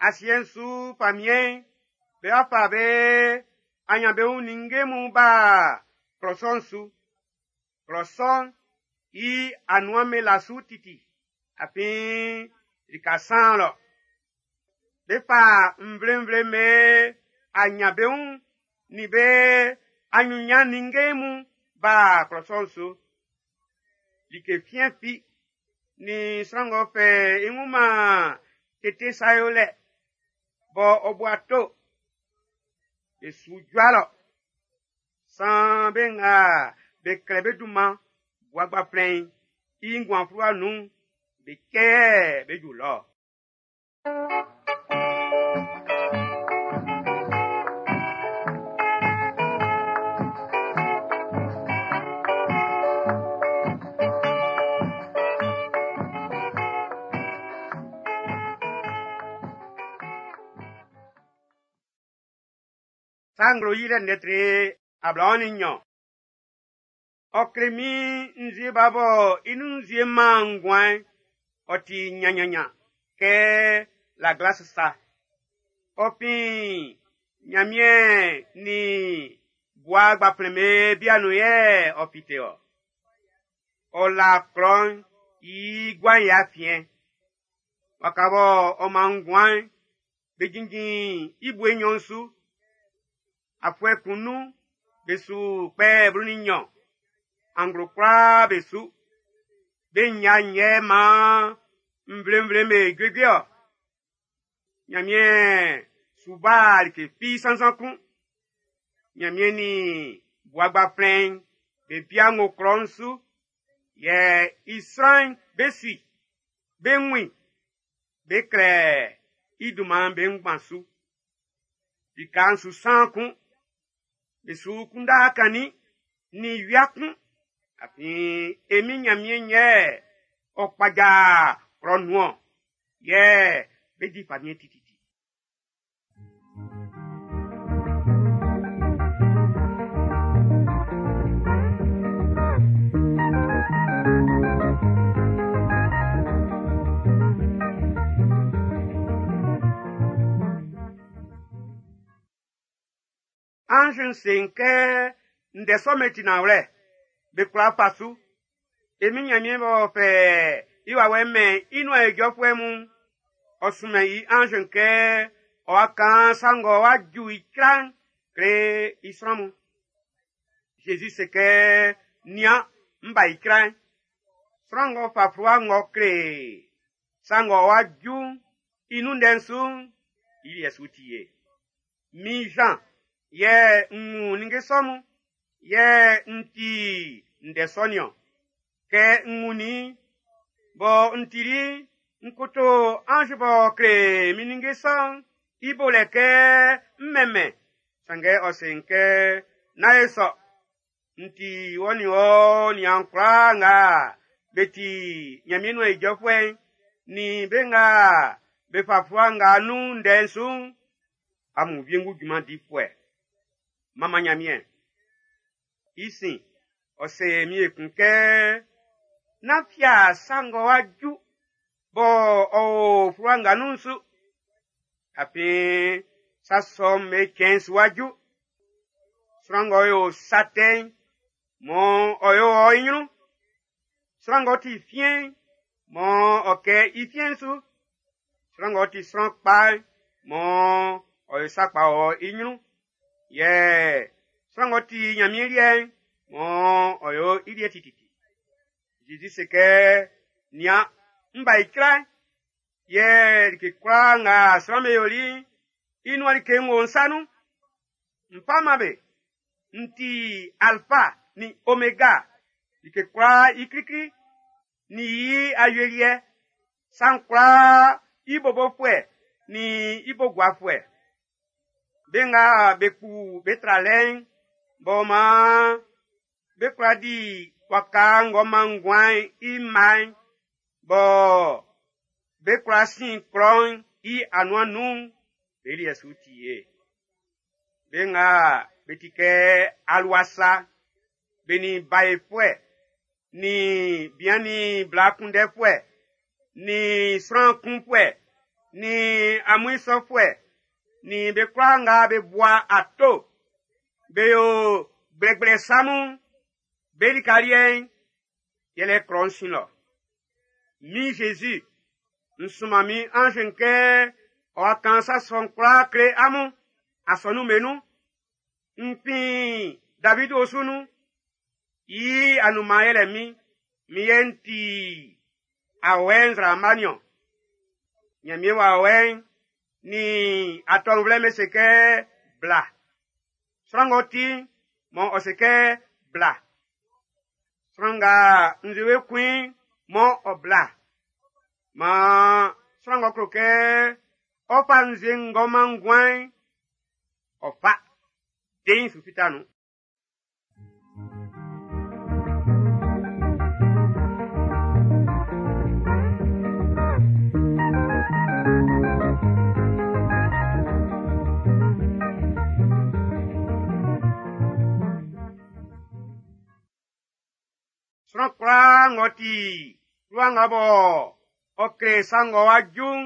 Asiɛ'n su famiɛn'n be wa fa be anyanbeun ninnge mun ba klɔ sɔ'n su. Klɔ sɔ'n i anuan be la su titi, afin lika saan lɔ. Be fa nvle-nvle'm be anyanbeun nin be anyunyan ninnge mun ba klɔ sɔ'n su. Like fiɛn fi nin sran ng'ɔ fɛ i wun man tete sa yolɛ bɔ ɔ bu ato, be su jua lɔ. San be nga be klɛ be dunman bua gbanflɛn'n i nguan fluwa nun'n, be cɛ yɛ be ju lɔ. Sa nglo yilɛ ndɛ tre ablaɔn nin nnyɔn. Ɔ kle min nzue ba bɔ i nun nzue man nguan'n, ɔ ti nyanyanyan kɛ la glace sa. Ɔ fin Nyanmiɛn nin bua gbanflɛn be bia nun yɛ ɔ fite-ɔ. Ɔ la klɔ'n i gua'n i afiɛn. Waka bɔ ɔ man nguan'n, be jinjin i bue nnyɔn su. Afuɛ kun nun, be su kpɛ blu-nin-nnyɔn. Anglo kwlaa be su. Be nya nyɛ man nvle-nvle'm be juejue-ɔ. Nyanmiɛn su ba like fi sansan kun. Nyanmiɛn nin bua gbanflɛn'n be bia ng'ɔ klɔ'n su, yɛ i sran'n be sui, be wun i, be klɛ i dunman'n be ngban su. Lika'n su san kun, be su kunndɛ kannin nin wia kun, afin e Min Nyanmiɛn'n yɛ ɔ kpaja klɔ nun-ɔn, yɛ be di famiɛn tititi. Anz'n se n kɛ ndɛ sɔ'n be ti nanwlɛ, be kwla fa su. E Min Nyanmiɛn b'ɔ fɛ i wawɛ'n mɛn i nuan ijɔfuɛ mun, ɔ sunmɛn i anz'n kɛ ɔ wa kan sa ng'ɔ wa ju i cra'n kle i sran mun. Zezi se kɛ, nian, n ba i cra'n. Sran ng'ɔ fa fluwa ng'ɔ kle sa ng'ɔ wa ju'n i nun ndɛ'n su'n, i liɛ su ti ye. Min Jean, yɛ n wun ninnge sɔ mun, yɛ n ti ndɛ sɔ nin-ɔn. Kɛ n wunnin bɔ n tili, n koto anz b'ɔ kle min ninnge sɔ'n i bo lɛ kɛ n mɛnmɛn, sanngɛ ɔ se n kɛ, nán e sɔ. N ti wɔ nin wɔ niaan kwlaa nga be ti Nyanmiɛn nuan ijɔfuɛ'n, nin be nga be fa fluwa nga nun ndɛ'n su'n, amun wiengu junman difuɛ. Manman Nyanmiɛn. I sin, ɔ se min ekun kɛ, nán fia sa ng'ɔ wa ju bɔ ɔ o fluwa nga nun'n su. Afin sa sɔ'm be cɛn'n su wa ju. Sran ng'ɔ yo sa tɛ'n, mɔ ɔ yo ɔ i nyrun. Sran ng'ɔ ti fiɛn'n, mɔ ɔ kɛ i fiɛn'n su. Sran ng'ɔ ti sran kpa'n, mɔ ɔ yo sa kpa ɔ i nyrun. Yɛ sran ng'ɔ ti Nyanmiɛn liɛ'n, mɔ ɔ yo i liɛ tititi. Zezi se kɛ, nian, n ba i cra'n. Yɛ like kwlaa nga sran'm be yoli'n, i nuan like ng'ɔ o n sa nun. N fa man be. N ti Alfa nin Omega, like kwlaa i klikli, nin i awieliɛ, sa'n kwlaa i bobofuɛ nin i bo guafuɛ. Be nga be kpu be tralɛ'n, b'ɔ maan be kwla di waka ng'ɔ man nguan'n i mma'n, bɔ be kwla sin klɔ'n i anuan nun'n, be liɛ su ti ye. Be nga be ti kɛ alua sa, be nin baefuɛ, nin bian nin bla kunndɛfuɛ, nin sran kunfuɛ, nin amuin sɔfuɛ, nin be kwlaa nga be bua ato, be yo gblɛgblɛ sa mun, be lika liɛ'n, yɛlɛ klɔ'n sin lɔ. Min Jésus, n sunman min anz'n kɛ ɔ wa kan sa sɔ'n kwlaa kle amun asɔnun'm be nun. N fin David osu nun, i anunman yɛlɛ min, min yɛ n ti awɛ nzraama nin-ɔn. Nyanmiɛn wawɛ'n nin atɔnvlɛ'n be se kɛ bla. Sran ng'ɔ ti'n, mɔ ɔ se kɛ bla. Sran nga nzue kun i'n, mɔ ɔ bla. Maan sran ng'ɔ klo kɛ ɔ fa nzue ng'ɔ man nguan'n, ɔ fa. Dein su fita nun. Sran kwlaa ng'ɔ ti fluwa nga bɔ ɔ kle sa ng'ɔ wa ju'n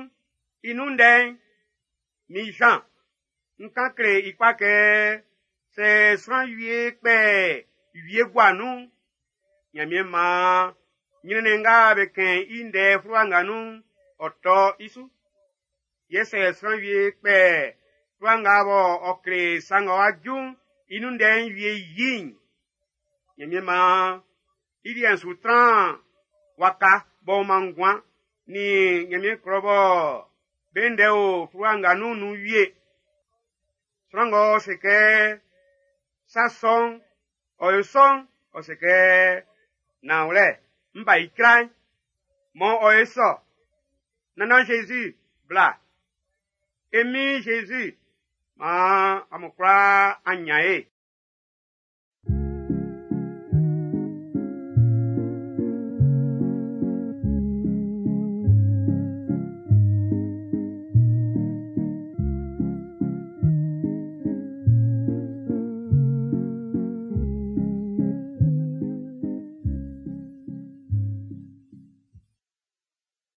i nun ndɛ'n, min Jean, n kan kle i kpa kɛ sɛ sran wie kpɛ wie gua nun'n, Nyanmiɛn maan nyrɛnnɛn nga be kɛn i ndɛ fluwa nga nun'n, ɔ tɔ i su. Yɛ sɛ sran wie kpɛ fluwa nga bɔ ɔ kle sa ng'ɔ wa ju'n i nun ndɛ'n wie yi'n, Nyanmiɛn maan i liɛ'n su tran waka b'ɔ man nguan nin Nyanmiɛn klɔ bɔ be ndɛ o fluwa nga nun nun wie. Sran ng'ɔ se kɛ sa sɔ'n, ɔ yo sɔ'n, ɔ se kɛ nanwlɛ, n ba i cra'n, mɔ ɔ ye sɔ. Nannan Jésus, bla. E Min Jésus, maan amun kwlaa an nyan ye.